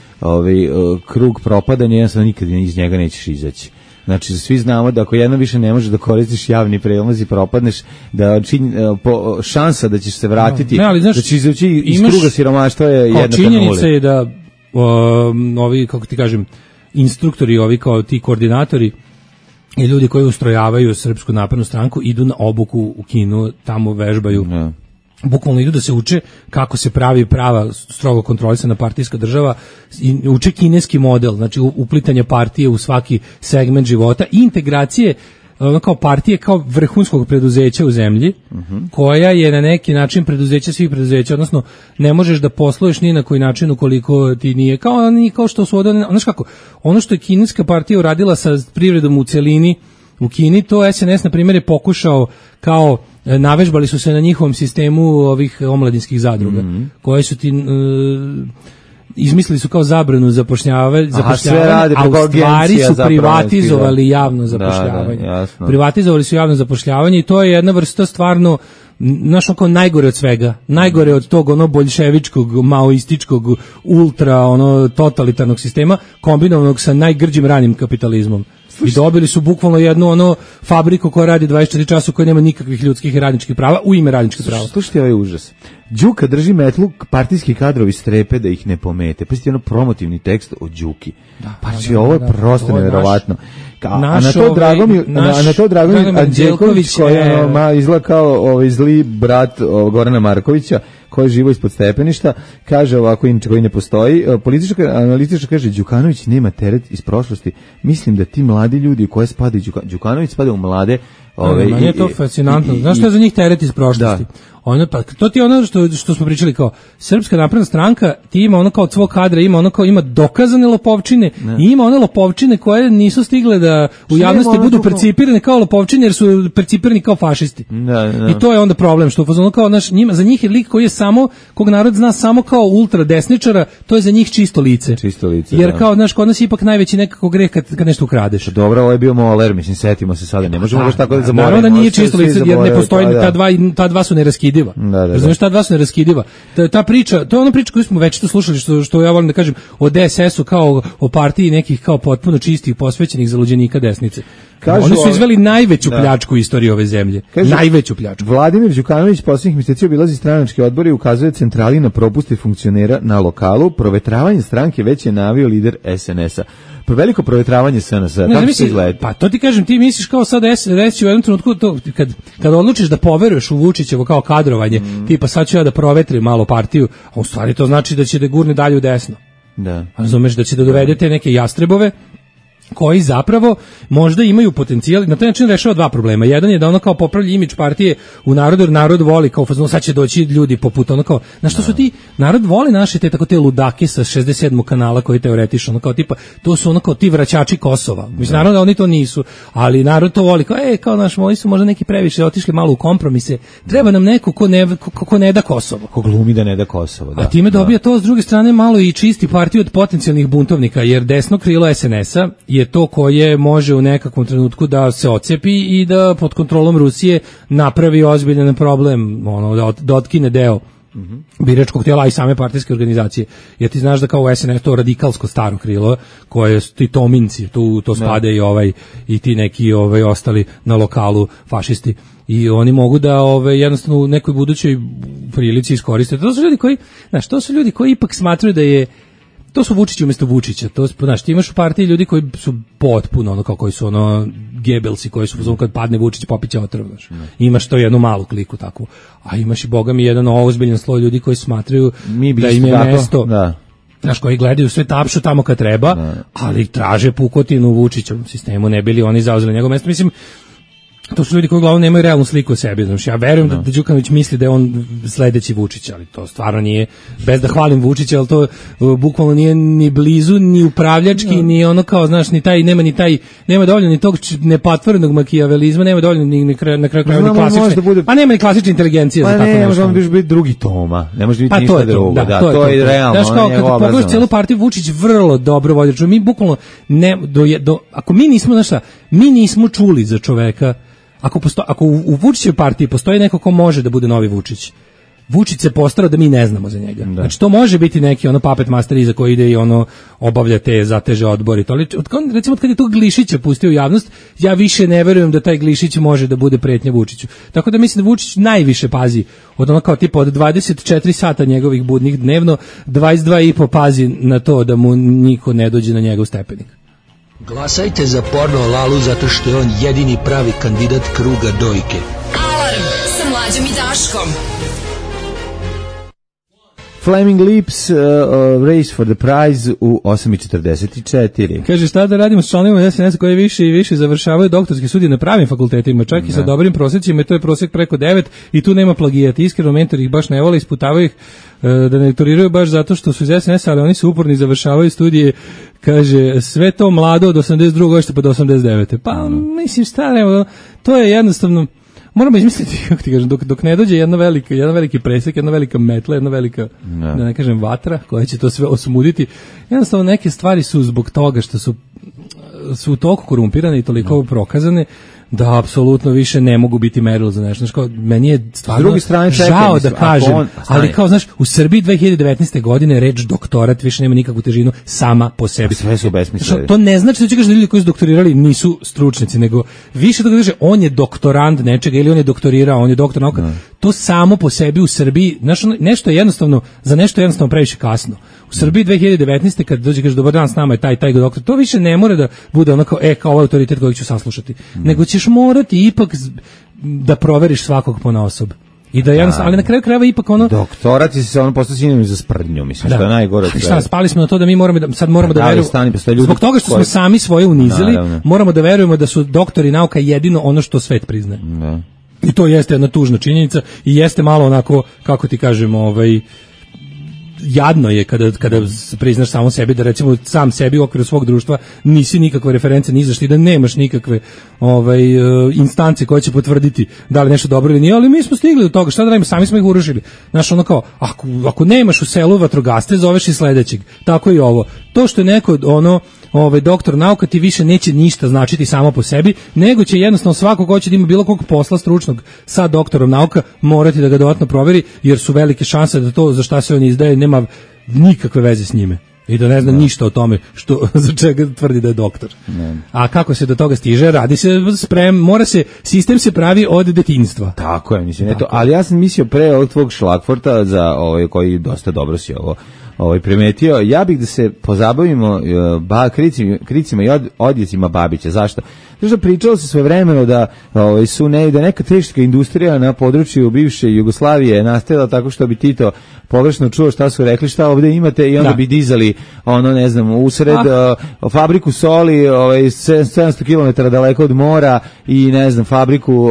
S5: krug propadanja, jednostavno nikad iz njega nećeš izaći. Znači, svi znamo da ako jednom više ne možeš da koristiš javni prevoz i propadneš, da šansa da ćeš se vratiti, da ćeš izaći iz kruga siromaštva je jednaka nuli.
S6: Činjenica je da ovi, kako ti kažem, instruktori, ovi kao ti koordinatori i ljudi koji ustrojavaju Srpsku naprednu stranku idu na obuku u Kinu, tamo vežbaju. Bukvalno idu da se uče kako se pravi prava strogo kontrolisana partijska država, i uče kineski model, znači uplitanje partije u svaki segment života i integracije kao partije kao vrhunskog preduzeća u zemlji, koja je na neki način preduzeće svih preduzeća, odnosno ne možeš da posluješ ni na koji način ukoliko ti nije kao što su znaš kako, ono što je kineska partija uradila sa privredom u celini u Kini, to SNS na primjer je pokušao kao navežbali su se na njihovom sistemu ovih omladinskih zadruga, koje su ti izmislili su kao zabranu zapošljavanja, a u stvari su privatizovali javno zapošljavanje. Privatizovali su javno zapošljavanje i to je jedna vrsta stvarno kao najgore od svega, najgore od tog boljševičkog, maoističkog, ultra totalitarnog sistema, kombinovanog sa najgrđim ranim kapitalizmom. I dobili su bukvalno jednu fabriku koja radi 24 časa, koja nema nikakvih ljudskih i radničkih prava u ime radničkih prava.
S5: Slušajte ovaj užas. Đuka drži metlu, partijski kadrovi strepe da ih ne pomete. Pa ste promotivni tekst o Đuki. Ovo je prosto nevjerovatno. A na to Dragomir Anđelković, koji izgleda kao zli brat Gorana Markovića, koji živo ispod stepeništa, kaže ovako, inače koji ne postoji. Politička analitička kaže, Đukanović nema teret iz prošlosti. Mislim da ti mladi ljudi u koje spada Đukanović spada u mlade.
S6: Meni je to fascinantno. Znaš što je za njih teret iz prošlosti? To ti je ono što smo pričali, kao Srpska napredna stranka, ti ima kao od svog kadra, ima dokazane lopovčine i ima one lopovčine koje nisu stigle da u javnosti budu percipirane kao lopovčine, jer su percipirani kao fašisti. I to je onda problem, što kao za njih je lik koji je samo, kog narod zna samo kao ultra desničara, to je za njih čisto lice. Jer kao, kod nas je ipak najveći nekako greh kad nešto ukradeš.
S5: Dobro, ovo je bio Moler, mislim, setimo se sada, ne možemo baš tako da zaboravimo.
S6: Naravno da nije čisto lice, jer ne postoji, ta dva su neraskidiva. Razumiješ, ta dva su neraskidiva. Ta priča, to je ona priča koju smo već to slušali, što ja volim da kažem, o DSS-u kao o partiji nekih kao potpuno čistih, posvećenih zaluđenika desnice. Oni su izveli najveću pljačku u istoriji ove zemlje. Najveću pljačku.
S5: Vladimir Đukanović posljednjih mjeseci obilazi stranački odbor i ukazuje centrali na propuste funkcionera na lokalu. Provetravanje stranke već je najavio lider SNS-a. Veliko provetravanje SNS-a, kako se izgleda?
S6: Pa to ti kažem, ti misliš kao sad reći u jednom trenutku, kad odlučiš da poveruješ u Vučićevo kao kadrovanje, tipa sad ću ja da provetrim malo partiju, a u stvari to znači da će da gurne dalje u desno. Razumeš, da će da dovedete neke jastrebove koji zapravo možda imaju potencijal, na taj način rešava dva problema. Jedan je da ono kao popravlja imidž partije u narodu, jer narod voli kao fazno, sad će doći ljudi poput ono kao, na što su ti, narod voli naše te ludake sa 67. kanala koji teoretiš, ono kao tipa, to su ono kao ti vraćači Kosova. Mislim, naravno da oni to nisu, ali narod to voli, kao oni su možda neki previše otišli malo u kompromise, treba nam neko ko ne da Kosovo.
S5: Ko glumi da ne da Kosovo, da.
S6: A time dobija to s druge strane malo i čisti partiju od potencijalnih buntovnika, jer desno krilo SNS-a je to koje može u nekakvom trenutku da se ocepi i da pod kontrolom Rusije napravi ozbiljan problem, da otkine deo biračkog tijela i same partijske organizacije. Jer ti znaš da kao u SNS to radikalsko staro krilo, koje su ti tominci, to spade i ti neki ostali na lokalu fašisti. I oni mogu da jednostavno u nekoj budućoj prilici iskoriste. To su ljudi koji ipak smatraju da je to su Vučići umjesto Vučića. To znaš, ti imaš u partiji ljudi koji su potpuno koji su Gebelsi, koji su kad padne Vučić popiće otrov, znaš. Imaš to jednu malu kliku takvu. A imaš i boga mi jedan ozbiljan sloj ljudi koji smatraju da im je mesto. Da. Znaš, koji gledaju sve tapšu tamo kad treba, ali traže pukotinu u Vučićevom sistemu, ne bili oni zauzeli njegovo mesto. Mislim, to su ljudi koji uglavnom nemaju realnu sliku o sebi. Znači, ja verujem da Đukanović misli da je on sledeći Vučić, ali to stvarno nije, bez da hvalim Vučića, ali to bukvalno nije ni blizu, ni upravljački, ni ono kao, znaš, nema dovoljno ni tog nepatvorenog makijavelizma, nema dovoljno ni na kraju ni klasične, a nema ni klasične inteligencije za tako nešto. Pa ne, može on biti drugi Toma, ne može biti ništa drugo, to je realno. Znaš, kao, kad pogledaš cijelu partiju, Vučić vrlo dobro vodi, mi bukvalno, ako mi nismo, znaš šta, mi nismo čuli za čoveka. Ako u Vučićevoj partiji postoji neko ko može da bude novi Vučić, Vučić se postarao da mi ne znamo za njega. Znači to može biti neki puppet master iza koji ide i obavlja te zateže odbori. Recimo kad je tog Glišića pustio u javnost, ja više ne verujem da taj Glišić može da bude pretnja Vučiću. Tako da mislim da Vučić najviše pazi od kao tipa od 24 sata njegovih budnih dnevno, 22,5 pazi na to da mu niko ne dođe na njegov stepenik.
S11: Glasajte za Porno Lalu zato što je on jedini pravi kandidat kruga dojke.
S7: Alarm sa Mlađom i Daškom.
S5: Flaming Lips, Race for the Prize u 8:44.
S6: Kaže, šta da radimo s članovima SNS koji više i više završavaju doktorske studije na pravim fakultetima, čak i sa dobrim prosjecima, to je prosjek preko 9 i tu nema plagijata. Iskreno, mentori ih baš ne vole, isputavaju ih da ne lektoriraju baš zato što su iz SNS, ali oni su uporni, završavaju studije. Kaže, sve to mlado od 82. godište pa do 89. Pa, mislim, to je jednostavno, moramo izmisliti, kako ti kažem, dok ne dođe jedan veliki presek, jedna velika metla, jedna velika, da ne kažem, vatra, koja će to sve osmuditi. Jednostavno, neke stvari su zbog toga što su toliko korumpirane i toliko prokazane, da apsolutno više ne mogu biti merilo za nešto. Znaš, meni je stvarno žao da kažem, ali kao, znaš, u Srbiji 2019. godine reč doktorat više nema nikakvu težinu sama po sebi.
S5: Sve su besmisleni.
S6: To ne znači da će kažeš da ljudi koji su doktorirali nisu stručnjaci, nego više toga kaže on je doktorand nečega ili on je doktorirao, on je doktor nauka. To samo po sebi u Srbiji, znaš, nešto je jednostavno, za nešto je jednostavno previše kasno. U Srbiji 2019. kad dođe kaže dobar dan, s nama je taj doktor, to više ne mora da bude onako kao ovaj autoritet kojeg ću saslušati, nego ćeš morati ipak da proveriš svakog ponaosob. I da ali na kraju krajeva ipak
S5: doktorat je se postao sinonim za sprdnju, mislim, što je najgore.
S6: Šta, spali smo na to da mi moramo da verujemo. Zbog toga što smo sami svoje unizili, moramo da verujemo da su doktori nauka jedino ono što svet priznaje. I to jeste jedna tužna činjenica i jeste malo onako, kako ti kažem, jadno je kada priznaš samo sebi da recimo sam sebi u okviru svog društva nisi nikakva referenca ni za što i da nemaš nikakve instance koje će potvrditi da li nešto dobro ili nije, ali mi smo stigli do toga, šta da radimo, sami smo ih urušili. Znaš, kao, ako nemaš u selu vatrogasce, zoveš i sledećeg. Tako i ovo. To što je neko doktor nauka ti više neće ništa značiti samo po sebi, nego će jednostavno svako ko će da ima bilo kog posla stručnog sa doktorom nauka morati da ga dodatno proveri, jer su velike šanse da to za šta se on izdaje nema nikakve veze s njime i da ne zna ništa o tome za čega tvrdi da je doktor. A kako se do toga stiže? Radi se sistem se pravi od detinjstva.
S5: Tako je, mislim, ali ja sam mislio pre ovog tvog šlagforta za koji dosta dobro si ovo primetio, ja bih da se pozabavimo kricima i odjecima Babića. Zašto? Zato što pričalo se svojevremeno da da neka teška industrija na području bivše Jugoslavije nastajala tako što bi Tito pogrešno čuo šta su rekli, šta ovde imate i onda bi dizali ne znam, usred fabriku soli 700 km daleko od mora i ne znam, fabriku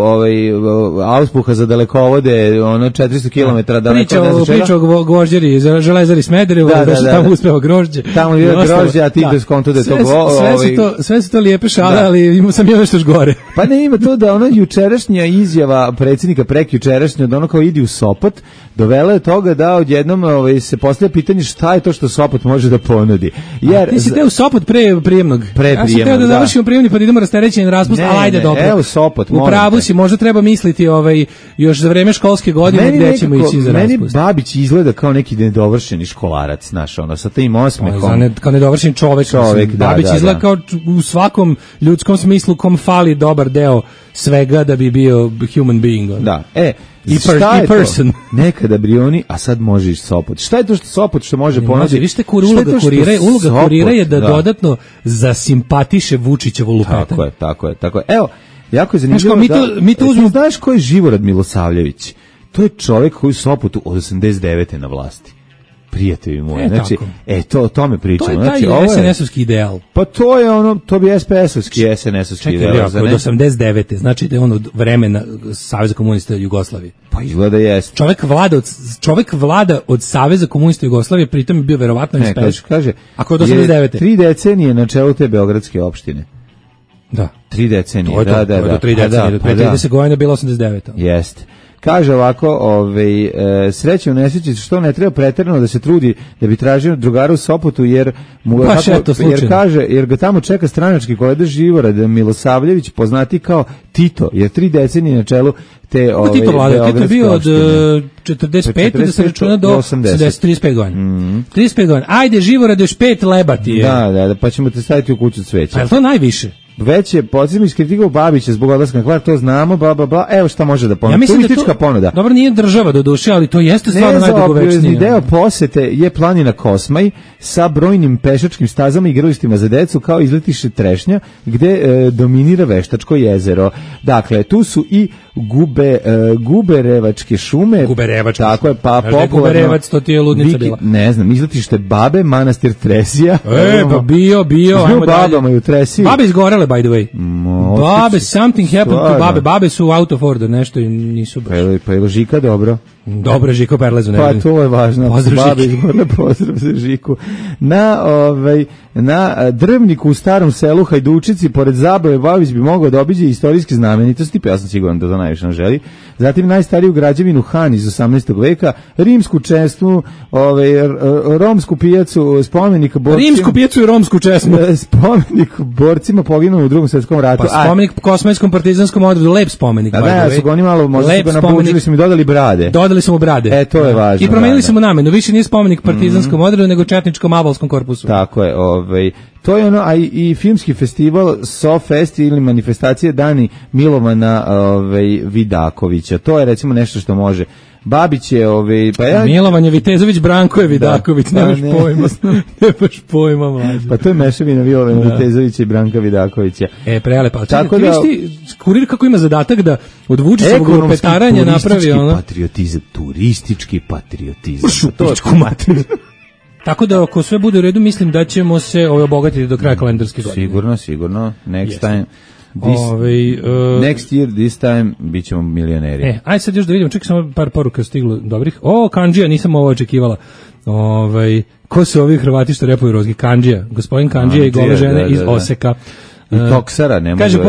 S5: auspuha za dalekovode 400 km daleko.
S6: Priča o gvožđeri, železari Smederevo, da se tamo uspeo grožđe.
S5: Tamo je grožđe, a Tito skonto da je to
S6: sve su to lijepe šale, ali sam još nešto gore.
S5: Pa ne, ima to da jučerašnja izjava predsjednika prekjučerašnja da kao idi u Sopot dovela je toga da odjednom se postavlja pitanje šta je to što Sopot može da da ponudi. Jer
S6: ti si teo u Sopot pre prijemnog. Ja sam teo da završimo prijemni pa da idemo rasterećen raspust, ali ajde dobro.
S5: Evo Sopot,
S6: u pravu si, možda treba misliti još za vreme školske godine gde ćemo ići za raspust.
S5: Meni Babić izgleda kao neki nedovršeni školarac, znaš, sa tim osmehom.
S6: Kao nedovršen čovek. Babić izgleda kao u svakom ljudskom smislu kom fali dobar deo svega da bi bio human being.
S5: Da,
S6: i person.
S5: Nekada Brioni, a sad može ići Sopot. Šta je to što Sopot što može ponuditi?
S6: Vište uloga kurira je da dodatno zasimpatiše Vučićevo lupetanje.
S5: Tako je. Evo, jako je zanimljivo.
S6: Mi to uzmemo.
S5: Znaš ko je Živorad Milosavljević? To je čovjek koji u Sopotu od 89. na vlasti. Prijatelji moji, znači, o tome pričamo.
S6: To je taj SNS-ovski ideal.
S5: Pa to bi SPS-ovski SNS-ovski ideal.
S6: Čekaj, od 89. znači da je od vremena Saveza komunista Jugoslavije.
S5: Pa izgleda jeste.
S6: Čovjek vlada od Saveza komunista Jugoslavije, pritom je bio verovatno SPS.
S5: Kaže,
S6: ako od 89.
S5: 3 decenije na čelu te beogradske opštine.
S6: Da.
S5: 3 decenije,
S6: to je do 3 decenije, do 30 godina bilo 89.
S5: Jeste. Kaže ovako, sreće u nesreći što ne treba preterano da se trudi da bi tražio drugara u Sopotu jer jer ga tamo čeka stranački kolega Živorad Milosavljević, poznati kao Tito, jer 3 decenije na čelu te
S6: Tito vlada, Tito bio od 45 da se računa do 35 godina. 35 godina. Ajde Živorad još 5 lebati je.
S5: Da, pa ćemo te staviti u kuću cveća.
S6: A je to najviše?
S5: Već je podsjetno iskritikao Babića zbog odlaska na Hvar, to znamo, bla, evo šta može da ponudi. Turistička ponuda.
S6: Dobro, nije država do duše, ali to jeste stvarno najdugovečnije.
S5: Deo posete je planina Kosmaj sa brojnim pešačkim stazama i igralištima za decu, kao izletište Trešnja, gde dominira Veštačko jezero. Dakle, tu su i Guberevačke šume. Tako je, pa popularno.
S6: Guberevac, to ti je ludnica bila.
S5: Ne znam, izletište Babe, manastir Tresija.
S6: Pa bio, ajmo
S5: dalje.
S6: Babe izgorele, by the way. Babe, something happened to Babe. Babe su out of order, nešto i nisu baš.
S5: Pa je Žika dobro?
S6: Dobro, Žiko Perlezu.
S5: Pa to je važno. Pozdrav za Žiku. Na Drvniku u starom selu Hajdučici, pored Zabave, Babić bi mogao da obiđe istorijske znamenitosti, pa ja sam siguran da to najviše nam želi. Zatim najstariju građevinu Han iz 18. veka, rimsku česmu, romsku pijacu, spomenik borcima.
S6: Rimsku pijacu i romsku česmu.
S5: Spomenik borcima poginulo u Drugom svjetskom ratu.
S6: Pa spomenik kosmetskom partizanskom odredu, lep spomenik.
S5: Da, su ga oni malo, možda su ga napučili, su mi dodali brade.
S6: Dodali smo brade.
S5: To je važno.
S6: I promenili smo namenu, više nije spomenik partizanskom odredu, nego četničkom abalskom korpusu.
S5: Tako je, to je a i filmski festival SoFest ili manifestacije Dani Milovana Vidakovića. To je recimo nešto što može. Babić je
S6: Milovan je Vitezović, Branko je Vidaković, nemaš pojma mlađe.
S5: Pa to je mešavina Milovana Vitezovića i Branka Vidakovića.
S6: Prelepa. Tako da Kurir kako ima zadatak da od Vučićevog petaranja napravi
S5: turistički patriotizam.
S6: Šupičku materiju. Tako da ako sve bude u redu, mislim da ćemo se obogatiti do kraja kalendarske godine.
S5: Sigurno. Next time. Next year, this time, bit ćemo milioneri.
S6: Ajde sad još da vidimo, čekaj samo par poruka stiglo dobrih. Kandžija, nisam ovo očekivala. Ko su ovi Hrvati što repuju rozgi? Kandžija, gospodin Kandžija i gole žene iz Oseka.
S5: I Toksara, ne
S6: kaže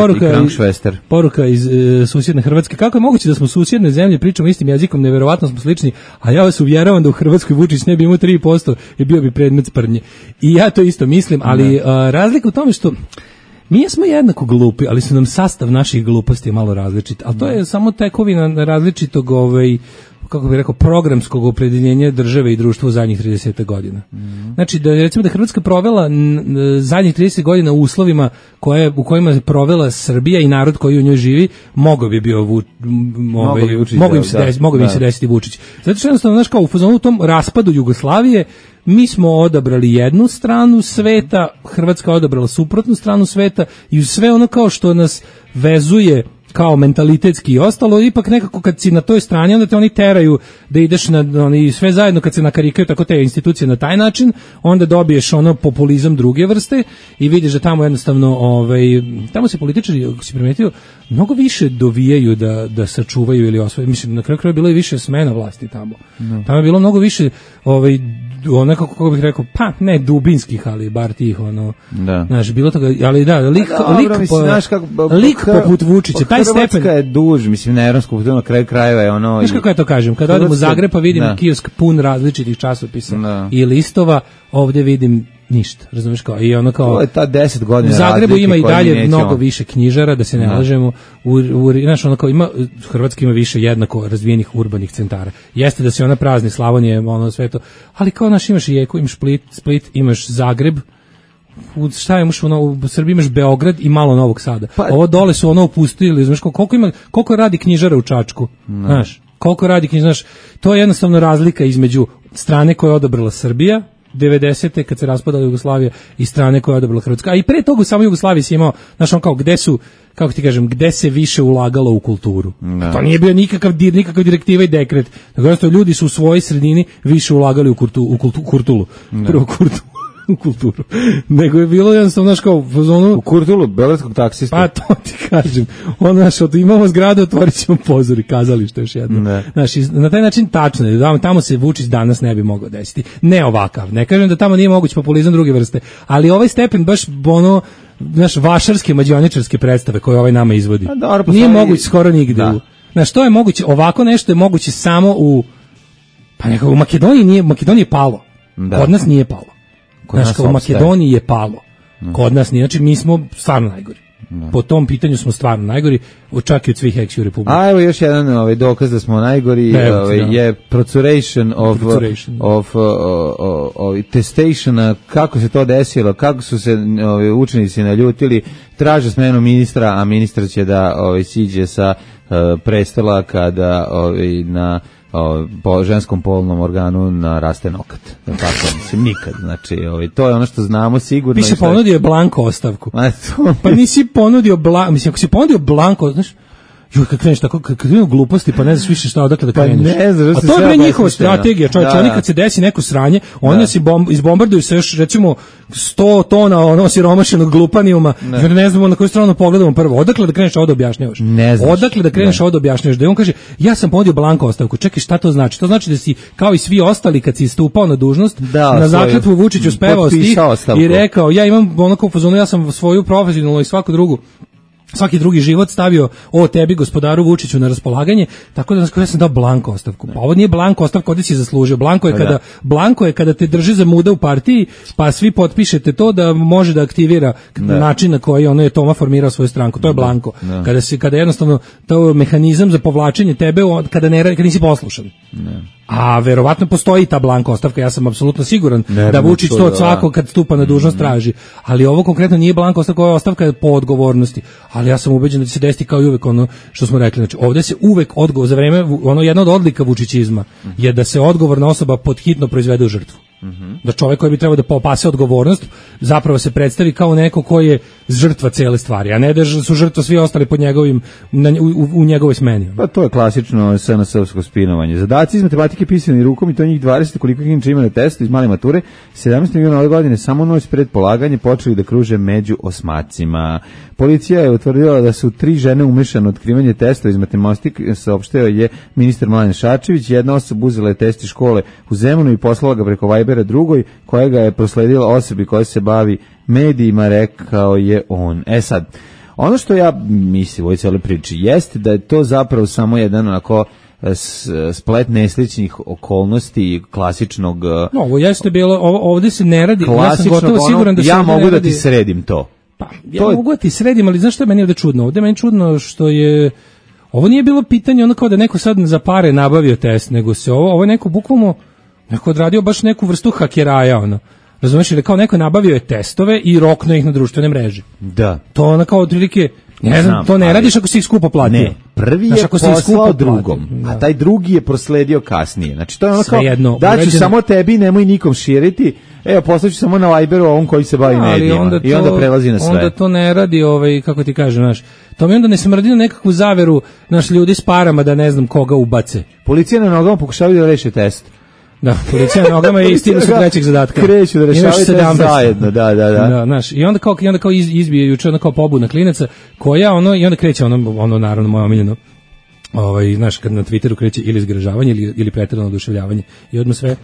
S6: poruka iz susjedne Hrvatske. Kako je moguće da smo susjedne zemlje, pričamo istim jezikom, neverovatno smo slični, a ja vas uvjeravam da u Hrvatskoj Vučić ne bi imao 3% i bio bi predmet sprdnje. I ja to isto mislim, ali razlika u tome što mi smo jednako glupi, ali su nam sastav naših gluposti malo različit, ali to je samo tekovina različitog kako bih rekao, programskog opredeljenja države i društva u zadnjih 30 godina. Znači, da recimo da Hrvatska provela zadnjih 30 godina u uslovima u kojima je provela Srbija i narod koji u njoj živi, mogao bi im se desiti Vučić. Zato što jednostavno, znaš, kao u fazonu u tom raspadu Jugoslavije, mi smo odabrali jednu stranu sveta, Hrvatska odabrala suprotnu stranu sveta i uz sve ono kao što nas vezuje kao mentalitetski i ostalo, ipak nekako kad si na toj strani, onda te oni teraju da ideš oni sve zajedno, kad se nakarikaju tako te institucije na taj način, onda dobiješ populizam druge vrste i vidiš da tamo jednostavno tamo se političari, ako si primetio, mnogo više dovijaju da sačuvaju ili osvoje. Mislim, na kraju bilo je više smena vlasti tamo. Tamo je bilo mnogo više ono kako bih rekao, pa ne dubinskih, ali bar tih ono, znaš, bilo toga, ali da, lik poput Vučića, taj stepen.
S5: Hrvatska je duž, mislim, na evropskom putu, na kraju krajeva je ono...
S6: Znaš kako ja to kažem, kad odem u Zagreb pa vidim kiosk pun različitih časopisa i listova, ovdje vidim ništa, razumiješ kao, i ono kao...
S5: To je ta 10 godina
S6: u Zagrebu ima i dalje mnogo više knjižara, da se ne lažemo, znaš, ono kao ima, Hrvatska ima više jednako razvijenih urbanih centara. Jeste da se ona prazni, Slavonije, ono sve to, ali kao naš imaš Rijeku, imaš Split, imaš Zagreb, šta imaš u Srbiji imaš Beograd i malo Novog Sada. Ovo dole su ono opustili, znaš, koliko radi knjižara u Čačku, znaš, koliko radi knjižara, znaš, to je jednostavno razlika između strane koje je odabrala Srbija 90. kad se raspadala Jugoslavija i strane koje je odabrala Hrvatska. A i pre toga u samoj Jugoslaviji si imao, znaš, on kao gde su, kako ti kažem, gde se više ulagalo u kulturu. To nije bio nikakav direktiva i dekret. Dakle, ljudi su u svojoj sredini više ulagali u kulturu. U kulturu. Nego je bilo jednostavno, znaš, kao u
S5: Kurtulu, beogradskog taksista.
S6: Pa to ti kažem. Znaš, imamo zgradu, otvorit ćemo pozor i kazalište još jedno. Znaš, na taj način tačno je, tamo se Vučić danas ne bi mogao desiti. Ne ovakav. Ne kažem da tamo nije moguć populizam druge vrste, ali ovaj stepen baš ono, znaš, vašarske, mađioničarske predstave koje ovaj nama izvodi. Nije moguć skoro nigde. Znaš, to je moguće, ovako nešto je moguće samo pa nekako u Makedoniji je palo. Kod nas nije palo. Znaš, u Makedoniji je palo. Kod nas nije, znači mi smo stvarno najgori. Po tom pitanju smo stvarno najgori, čak i od svih ex-ju republika.
S5: A evo još jedan dokaz da smo najgori, je procuration of testation, kako se to desilo, kako su se učenici naljutili, traže smenu ministra, a ministar će da siđe sa prestola kada po ženskom polnom organu naraste nokat. Tako, mislim, nikad. Znači, to je ono što znamo sigurno.
S6: Piše ponudio blanko ostavku. Pa nisi ponudio blanko, mislim, ako si ponudio blanko, znaš, kad kreneš tako, kad krenu gluposti, pa ne znaš više šta odakle da kreneš. A to je bre njihova strategija, čovječ, oni kad se desi neko sranje, oni se izbombarduju sa još, recimo, 100 tona siromašenog glupanijuma, jer ne znamo na koju stranu pogledamo prvo. Odakle da kreneš ovo da objašnjavaš? Odakle da kreneš ovo da objašnjavaš? Da on kaže, ja sam ponudio blanko ostavku. Čekaj, šta to znači? To znači da si, kao i svi ostali, kad si stupao na dužnost, na zakletvu Vučiću spevao stih i rekao, ja imam onako u fazonu, ja sam svoju profesionalnu i svaki drugi život stavio tebi, gospodaru Vučiću, na raspolaganje, tako da ja sam dao blanko ostavku. Pa ovo nije blanko ostavka, ovdje si zaslužio. Blanko je kada te drži za muda u partiji, pa svi potpišete to da može da aktivira način na koji ono je Toma formirao svoju stranku. To je blanko. Kada jednostavno to je mehanizam za povlačenje tebe kada nisi poslušan. A verovatno postoji ta blanka ostavka, ja sam apsolutno siguran da Vučić to od svakog kad stupa na dužnost traži. Ali ovo konkretno nije blanka ostavka, ovo je ostavka po odgovornosti. Ali ja sam ubeđen da će se desiti kao i uvek ono što smo rekli. Znači, ovdje se uvek odgovor za vreme, jedna od odlika vučićizma je da se odgovorna osoba podhitno proizvede u žrtvu. Da čovjek koji bi trebao da popase odgovornost zapravo se predstavi kao neko koji je žrtva cele stvari, a ne da su žrtva svi ostali pod njegovim u njegovoj smeni.
S5: Pa to je klasično SNS-ovsko spinovanje. Zadaci iz matematike pisani rukom i to njih 20, koliko inače ima na testu iz male mature, 17. juna ove godine samo noć pred polaganje počeli da kruže među osmacima. Policija je utvrdila da su 3 žene umešane u otkrivanje testa iz matematike, saopštio je ministar Mladen Šarčević. Jedna osoba uzela je test iz škole u Zemunu i poslala ga preko Vibera drugoj, koja ga je prosledila osobi koja se bavi medijima, rekao je on. Sad, ono što ja mislim u ovoj cijeloj priči jeste da je to zapravo samo jedan onako splet nesličnih okolnosti klasičnog...
S6: No, ovo jeste bilo, ovdje se ne radi, ja sam gotovo siguran da se
S5: ja mogu da ti sredim to.
S6: Pa, ja mogu da ti sredim, ali znaš što je meni ovdje čudno? Ovdje je meni čudno što je... Ovo nije bilo pitanje ono kao da neko sad za pare nabavio test, nego se ovo je neko bukvalno neko odradio baš neku vrstu hakeraja, ono. Razumeš, ili kao neko nabavio je testove i roknuo ih na društvene mreže.
S5: Da.
S6: To ono kao otprilike, ne znam, to ne radiš ako si ih skupo platio.
S5: Ne, prvi je poslao drugom, a taj drugi je prosledio kasnije. Znači to je ono kao, daću samo tebi, nemoj nikom širiti, evo poslaću samo na Viberu ovom koji se bavi medijima i onda prelazi na sve.
S6: Onda to ne radi, kako ti kažem, znaš, to mi onda ne smrdi na nekakvu zaveru, naš ljudi s parama da ne znam koga ubace.
S5: Policija na nogama pokušavaju da reše test.
S6: Da, policija na nogama i stilu su trećeg zadatka.
S5: Kreću da rešavaju test zajedno, da.
S6: Znaš, i onda kao izbije juče ono kao pobuna klinaca, koja i onda kreće ono naravno moje omiljeno, znaš, kad na Twitteru kreće ili zgražavanje ili pretjerano oduševljavanje i odmah sve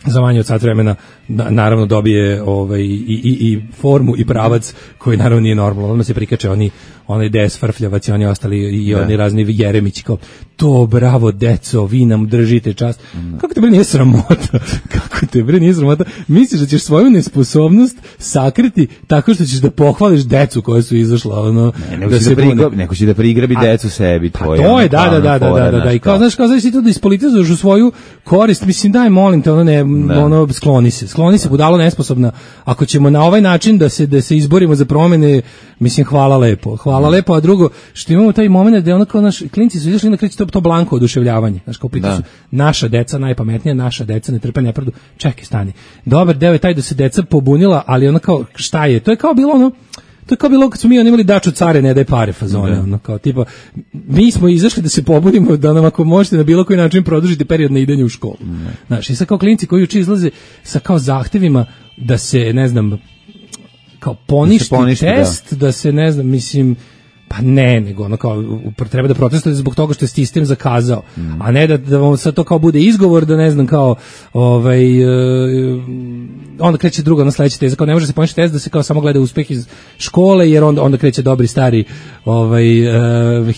S6: za manje od sat vremena naravno dobije i formu i pravac koji naravno nije normalno. Odmah se prikače onaj DS Frfljavac i oni ostali i oni razni Jeremići kao to bravo deco, vi nam držite čast. Kako te bre nije sramota? Kako te bre nije sramota? Misliš da ćeš svoju nesposobnost sakriti tako što ćeš da pohvališ decu koja su izašla ono
S5: neko će da prigrabi decu sebi tvoje.
S6: To je da i kao znaš ti to da ispolitizuješ u svoju korist, mislim daj molim te skloni se budalo nesposobna. Ako ćemo na ovaj način da se izborimo za promene, mislim hvala lepo, a drugo što imamo taj momenat da ono kao naš klinci su izašli na kreće to blanko oduševljavanje, znaš kao pitu su naša deca najpametnija, naša deca ne trpe nepravdu, čekaj stani, dobar deo je taj da se deca pobunila, ali ono kao šta je, to je kao bilo kad smo mi imali daču care ne daj pare fazone, ono kao tipa mi smo izašli da se pobunimo da nam ako možete na bilo koji način produžiti period na idenje u školu. Znaš, i sad kao klinci koji juče izlaze sa kao zahtevima da se ne znam kao poništi test, da se ne znam, mislim pa ne, nego ono kao treba da protestujete zbog toga što je sistem zakazao, a ne da vam sad to kao bude izgovor da ne znam kao onda kreće druga na sledeća teza, kao ne može se poništiti test da se kao samo gleda uspeh iz škole jer onda kreće dobri stari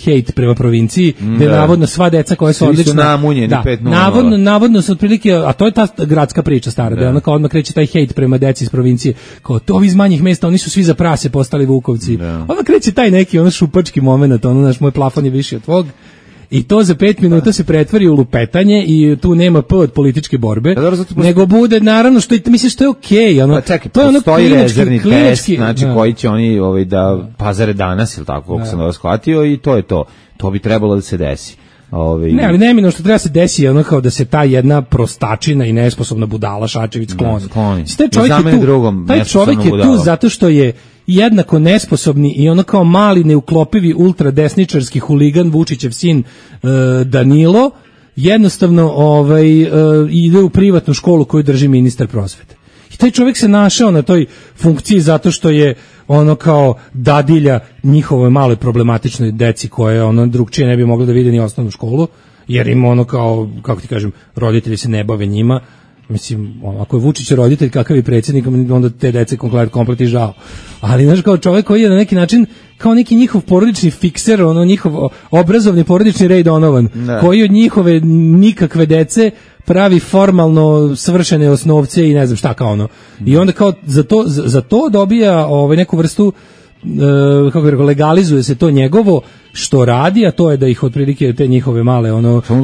S6: hejt prema provinciji, gde navodno sva deca koja su odlična,
S5: namunjeni 5:0.
S6: Navodno su otprilike, a to je ta gradska priča stara, da ono kao odmah kreće taj hejt prema deci iz provincije, kao to ovi iz manjih mesta, oni su svi za prase postali Vukovci. Odmah kreće taj neki šupački moment, naš moj plafon je viši od tvog. I to za 5 minuta se pretvori u lupetanje i tu nema p od političke borbe, nego bude naravno što misliš što je okej,
S5: to je ono rezervni test, znači koji će oni da pazare danas ili tako, kako sam da shvatio, i to je to. To bi trebalo da se desi.
S6: Ne, ali neminovno što treba se desi ono kao da se ta jedna prostačina i nesposobna budala Šačević skloni. Taj čovjek je tu zato što je jednako nesposobni i ono kao mali neuklopivi ultradesničarski huligan Vučićev sin Danilo jednostavno ide u privatnu školu koju drži ministar prosvete. I taj čovjek se našao na toj funkciji zato što je ono kao dadilja njihovoj maloj problematičnoj deci koje ono drugčije ne bi mogli da vide ni osnovnu školu, jer im ono kao, kako ti kažem, roditelji se ne bave njima. Mislim, ako je Vučić roditelj, kakav je predsjednik, onda te dece komplet i žao. Ali, znaš, kao čovjek koji je na neki način, kao neki njihov porodični fikser, njihov obrazovni porodični Ray Donovan, koji od njihove nikakve dece pravi formalno svršene osnovce i ne znam šta kao ono. I onda kao za to dobija neku vrstu, kako bih rekao, legalizuje se to njegovo što radi, a to je da ih otprilike te njihove male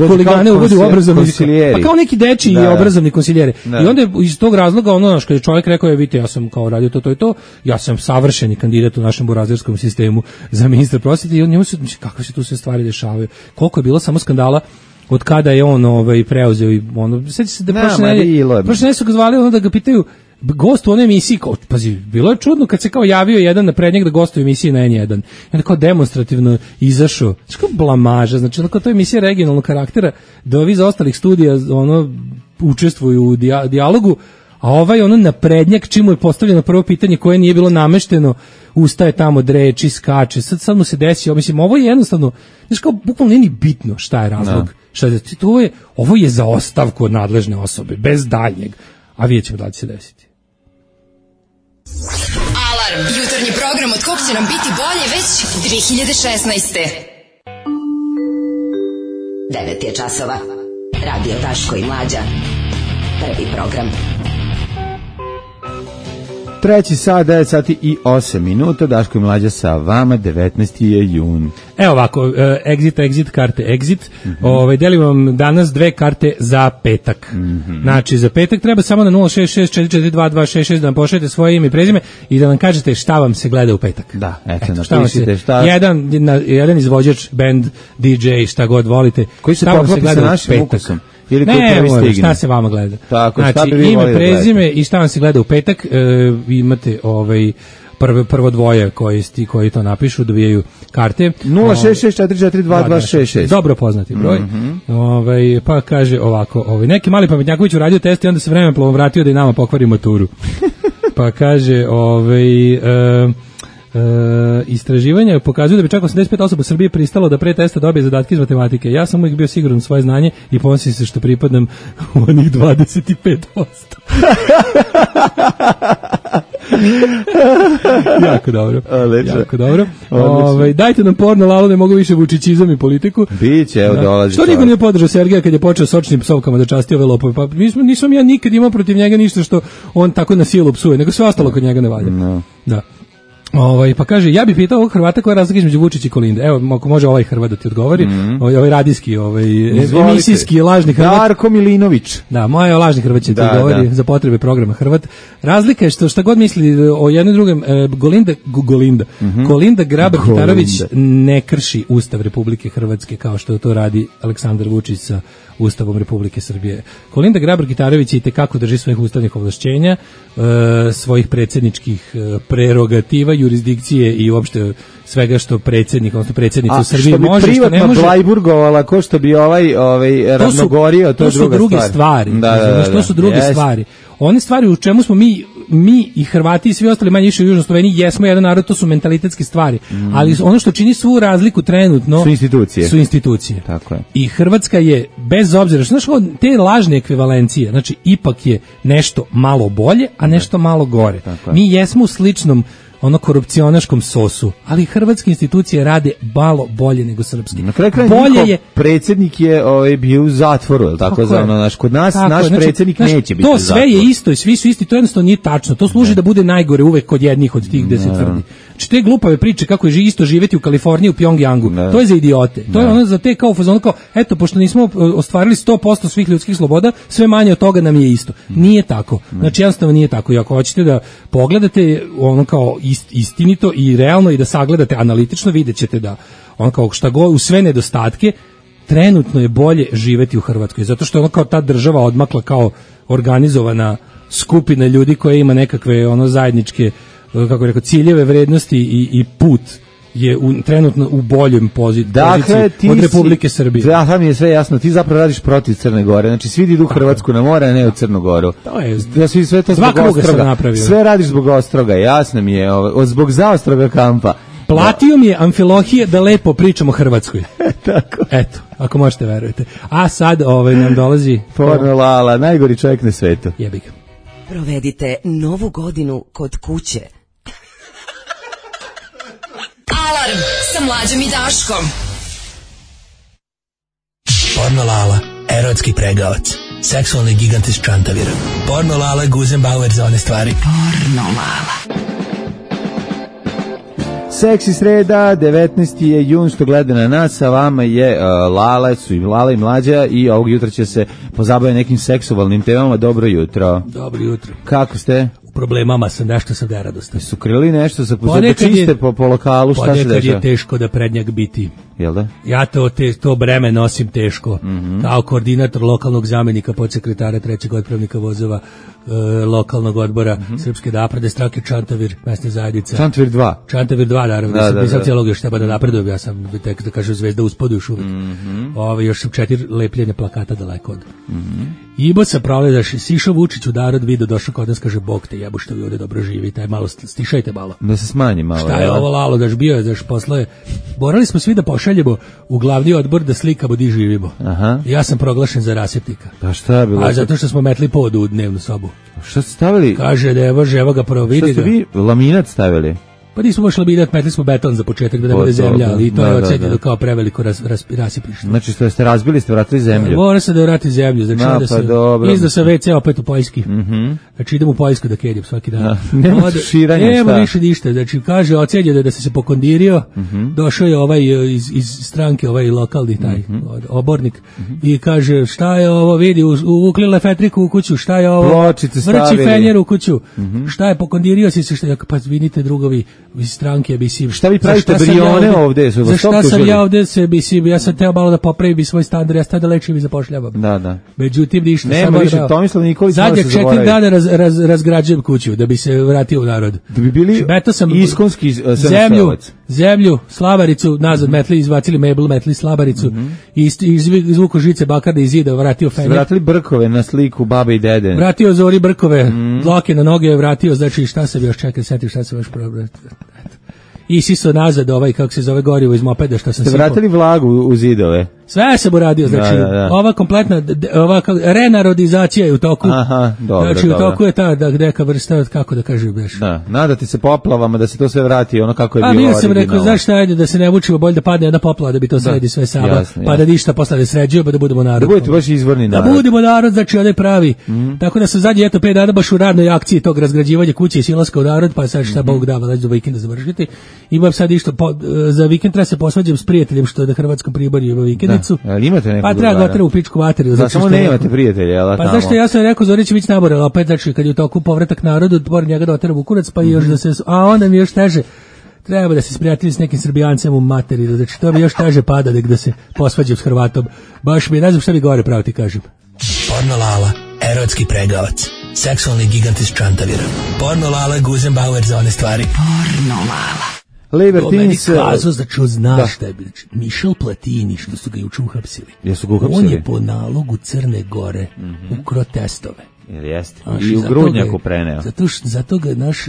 S6: huligane uvodi u obrazovni, pa kao neki dečiji obrazovni konsiljeri. I onda iz tog razloga što je čovjek rekao, vidite, ja sam kao radio to i to, ja sam savršeni kandidat u našem burazerskom sistemu za ministra prosvete i njemu se, kakve se tu sve stvari dešavaju, koliko je bilo samo skandala od kada je on preuzeo i sjeti se da prošle ne su ga zvali da ga pitaju gost u onoj emisiji, pazi, bilo je čudno kad se kao javio jedan na prednjeg da gostuje u emisiji na N1 i onda kao demonstrativno izašao, znači kao blamaža, znači kao to je emisija regionalnog karaktera da ovi za ostalih studija učestvuju u dijalogu, a na prednjak čim je postavljeno prvo pitanje koje nije bilo namešteno, ustaje tamo, dreči, skače, sad mu se desio, mislim, ovo je jednostavno, znači kao bukvalno nije ni bitno šta je razlog, ovo je za ostavku od nadležne osobe, bez daljnjeg, a vidjet ćemo da će se desiti.
S7: Alarm, jutarnji program od kog će nam biti bolje već 2016. 9 je časova. Radio Daško i Mlađa. Prvi program.
S5: 3 sat, 9 sati i 8 minuta, Daško i Mlađa sa vama, 19. je jun.
S6: Evo ovako, exit, karte exit, delim vam danas 2 karte za petak. Znači, za petak treba samo na 066-442-266 da nam pošaljete svoje ime i prezime i da nam kažete šta vam se gleda u petak.
S5: Da, napišite šta.
S6: Jedan izvođač, band, DJ, šta god volite.
S5: Koji se poklopi sa našim ukusom?
S6: Ne, šta se vama gleda.
S5: Tako,
S6: znači, ime, prezime i šta vam se gleda u petak, imate prvo dvoje koji to napišu, dobijaju karte.
S5: 066442266.
S6: Dobro poznati broj. Pa kaže ovako, neki mali pametnjaković uradio test i onda se vremenplovom vratio da i nama pokvari maturu. Pa kaže, Istraživanja pokazuju da bi čak 85 osoba u Srbiji pristalo da pre testa dobije zadatke iz matematike. Ja sam uvijek bio siguran u svoje znanje i ponosim se što pripadam u onih 25%. Jako dobro. Jako dobro. Dajte nam porno Lalo, ne mogu više vučićizam i politiku.
S5: Biće, evo dolazi.
S6: Što niko nije podržao Sergeja kad je počeo sočnim psovkama da časti ove lopove? Pa nisam ja nikad imao protiv njega ništa što on tako na silu psuje, nego sve ostalo kod njega ne valja. Da. Pa kaže, ja bih pitao ovog Hrvata koja je razlika između Vučića i Kolinde. Evo, ako može ovaj Hrvat da ti odgovori, ovaj radijski, emisijski lažni Hrvat.
S5: Darko Milinović.
S6: Da, moj lažni Hrvat će ti odgovori za potrebe programa Hrvat. Razlika je što šta god misli o jednom drugom, Kolinda Grabar-Kitarović ne krši Ustav Republike Hrvatske kao što to radi Aleksandar Vučić sa Ustavom Republike Srbije. Kolinda Grabar-Kitarović i tekako drži svojih ustavnih ovlašćenja, svojih predsjedničkih prerogativa, jurisdikcije i uopšte svega što predsjednik, odnosno predsjednica u Srbiji može, što ne može.
S5: Što bi privatno Blajburgovala, ko što bi ravnogorio, to je druga
S6: stvar. To su druge stvari. One stvari u čemu smo mi i Hrvati i svi ostali manje više u Južnoj Sloveniji jesmo jedan narod, to su mentalitetske stvari. Ali ono što čini svu razliku trenutno su institucije.
S5: Tako je.
S6: I Hrvatska je, bez obzira, znaš, te lažne ekvivalencije, znači ipak je nešto malo bolje, a nešto malo gore. Mi jesmo u sličnom korupcionaškom sosu, ali hrvatske institucije rade malo bolje nego srpski.
S5: Na kraju je predsjednik je bio u zatvoru, je li tako zvano, kod nas naš predsjednik neće biti u zatvoru.
S6: To sve je isto i svi su isti, to jednostavno nije tačno. To služi da bude najgore uvek kod jednih od tih gde se tvrdi. Znači te glupave priče kako je isto živjeti u Kaliforniji, u Pjongjangu, to je za idiote. To je ono za te kao fazon, kao eto, pošto nismo ostvarili 100% svih ljudskih sloboda, sve manje od toga nam je isto. Nije tako. Znači jednostavno nije tako. I ako hoćete da pogledate ono kao istinito i realno i da sagledate analitično, vidjet ćete da on kao šta god, u sve nedostatke, trenutno je bolje živeti u Hrvatskoj, zato što je ono kao ta država odmakla kao organizovana skupina ljudi koja ima nekakve zajedničke, kako bih rekao, ciljeve, vrednosti i put je trenutno u boljem poziciji od Republike Srbije.
S5: Da, mi je sve jasno, ti zapravo radiš protiv Crne Gore, znači svi idu u Hrvatsku na more, a ne u Crnu Goru.
S6: To je,
S5: sve to zbog Ostroga. Sve radiš zbog Ostroga, jasno mi je, zbog zaostroga kampa.
S6: Platio mi je Amfilohije da lepo pričam o Hrvatskoj.
S5: Tako.
S6: Eto, ako možete verujete. A sad nam dolazi...
S5: Porno Lala, najgori čovjek na svetu.
S6: Jebi ga.
S7: Provedite novu godinu kod kuće. Alarm sa Mlađom i Daškom.
S11: Porno Lala, erotski pregavac, seksualni gigant iz Čantavira. Porno Lala, Guzenbauer za one stvari.
S7: Porno Lala.
S5: Seksi sreda, 19. je jun, što gleda na nas, a vama je Lala i Mlađa i ovog jutra će se pozabaviti nekim seksualnim temama. Dobro jutro.
S6: Dobro jutro.
S5: Kako ste?
S6: U problemama sam, nešto sam neradostan.
S5: Su krili nešto, da čiste po lokalu, šta se dešava?
S6: Ponekad je teško da prednjak biti.
S5: Jel da?
S6: Ja to breme nosim teško. Kao koordinator lokalnog zamjenika podsekretara trećeg otpravnika vozova lokalnog odbora Srpske napredne stranke Čantavir, mesna zajednica.
S5: Čantavir 2.
S6: Čantavir 2, naravno. Da, sam cijelog još treba da napredujem. Ja sam, tek da kažem, zvezda uspodu još uvijek. Još sam 4 lepljenja plakata daleko od. Ibo sa proledaš, sišao Vučić u narod, video, došao kod nas, kaže, Bog te jebu što vi ovdje dobro živite, aj malo, stišajte malo.
S5: Da se smanji malo.
S6: Šta je ovo Lalo, daš bio je, daš posle, morali smo svi da pošaljemo u glavni odbor da slikamo di živimo. Ja sam proglašen za rasipnika.
S5: Pa šta je bilo?
S6: A zato što smo metli pod u dnevnu sobu.
S5: Šta ste stavili?
S6: Kaže da evo ga prvo vidi ga.
S5: Šta ste vi laminat stavili?
S6: Pa nismo baš laminat, metli smo beton za početak da ne bude zemlja, ali to je ocenjeno kao preveliko rasipište.
S5: Znači što ste razbili, ste vratili zemlju?
S6: Mora se da vrati zemlju, znači da se izda sa WC opet u Poljski. Znači idem u Poljsku da kedim svaki dan.
S5: Nema širanja, šta?
S6: Nema više ništa, znači kaže ocenjeno da se pokondirio, došao je ovaj iz stranke, ovaj lokalni taj obornik i kaže šta je ovo, vidi, uvukli lefetriku u kuću, šta je ovo, vrći fenjer u kuću, šta je, pokondirio si se, šta je, pa vidite drugovi iz stranke, mislim.
S5: Šta vi pravite brione ovde?
S6: Za šta sam ja ovde se, mislim, ja sam teo malo da popravim svoj standard, ja sad da lečim i zapošljavam.
S5: Da.
S6: Međutim, ništa.
S5: Nema više, Tomislav Nikolić
S6: zadnjeg 4 dana razgrađujem kuću da bi se vratio u narod.
S5: Da bi bili iskonski
S6: zemlju, slavaricu, nazad metli, izvacili mebel, metli slavaricu i izvuko žice bakarne iz zida, vratio fenjer.
S5: Vratili brkove na sliku babe i dede.
S6: Vratio Zori brkove, dlake na noge, vratio, znači šta se još čeka, seti šta se još probati. isiso nazad kako se zove gorivo iz mopeda što sam
S5: Ste vratili vlagu u zidove?
S6: Sve sam uradio, znači ova kompletna renarodizacija je u toku.
S5: Aha, dobro,
S6: znači u toku je ta neka vrsta, kako da kažem beš.
S5: Da, nadati se poplavama da se to sve vrati ono kako je bilo
S6: originalno.
S5: A
S6: sam rekao, znaš šta, ajde da se ne vučimo, bolje da padne jedna poplava da bi to sredi sve sama,
S5: jasne,
S6: pa da ništa posle ne sređuje, pa da budemo narod.
S5: Da budete baš izvorni narod.
S6: Da budemo narod, znači onaj pravi. Tako da sam zadnji 5 dana baš u radnoj akciji tog razgrađivanja kuće i silaska u narod, pa sad šta Bog da, već do vikenda završiti. Imam sad isto za vikend treba se posvađam s prijateljem što je na Hrvatskom Priborju ima vikendicu.
S5: Pa
S6: treba ga u pičku materiju.
S5: Da, samo nemate prijatelja,
S6: pa zašto ja sam rekao Zorić Vić naborila opet, znači kad je u toku povratak narodu, pored njega da otera Vukurac, pa još da se, a onda mi još teže, treba da se sprijatelji s nekim Srbijancem u materiju, znači to mi još teže pada da se posvađam s Hrvatom, baš mi ne znam šta mi gore pravo ti kažem.
S11: Porno Lala, erotski pregavac, seksualni gigant iz Čantavira, Porno Lala, Guzenbauer za one stvari.
S7: Porno Lala.
S5: Libertines...
S6: To meni kazao, znači znaš šta je bilo. Michel Platini, što su ga juče uhapsili.
S5: Jesu ga uhapsili?
S6: On je po nalogu Crne Gore ukro testove.
S5: Jeste. I u grudnjaku preneo.
S6: Zato ga naš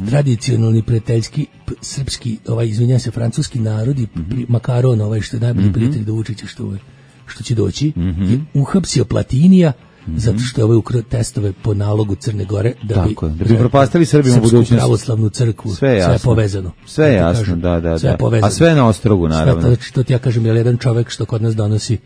S6: tradicionalni prijateljski srpski, izvinjam se, francuski narod i Makaron, što je najbolji prijatelj do Vučića što će doći, je uhapsio Platinija zato što je ukro testove po nalogu Crne Gore da
S5: bi propastili Srbima u budućnosti.
S6: Srpsku pravoslavnu crkvu, sve je povezano.
S5: Sve je jasno, da.
S6: Sve je povezano.
S5: A sve na Ostrogu, naravno.
S6: Znači, to ti ja kažem, je jedan čovek što kod nas donosi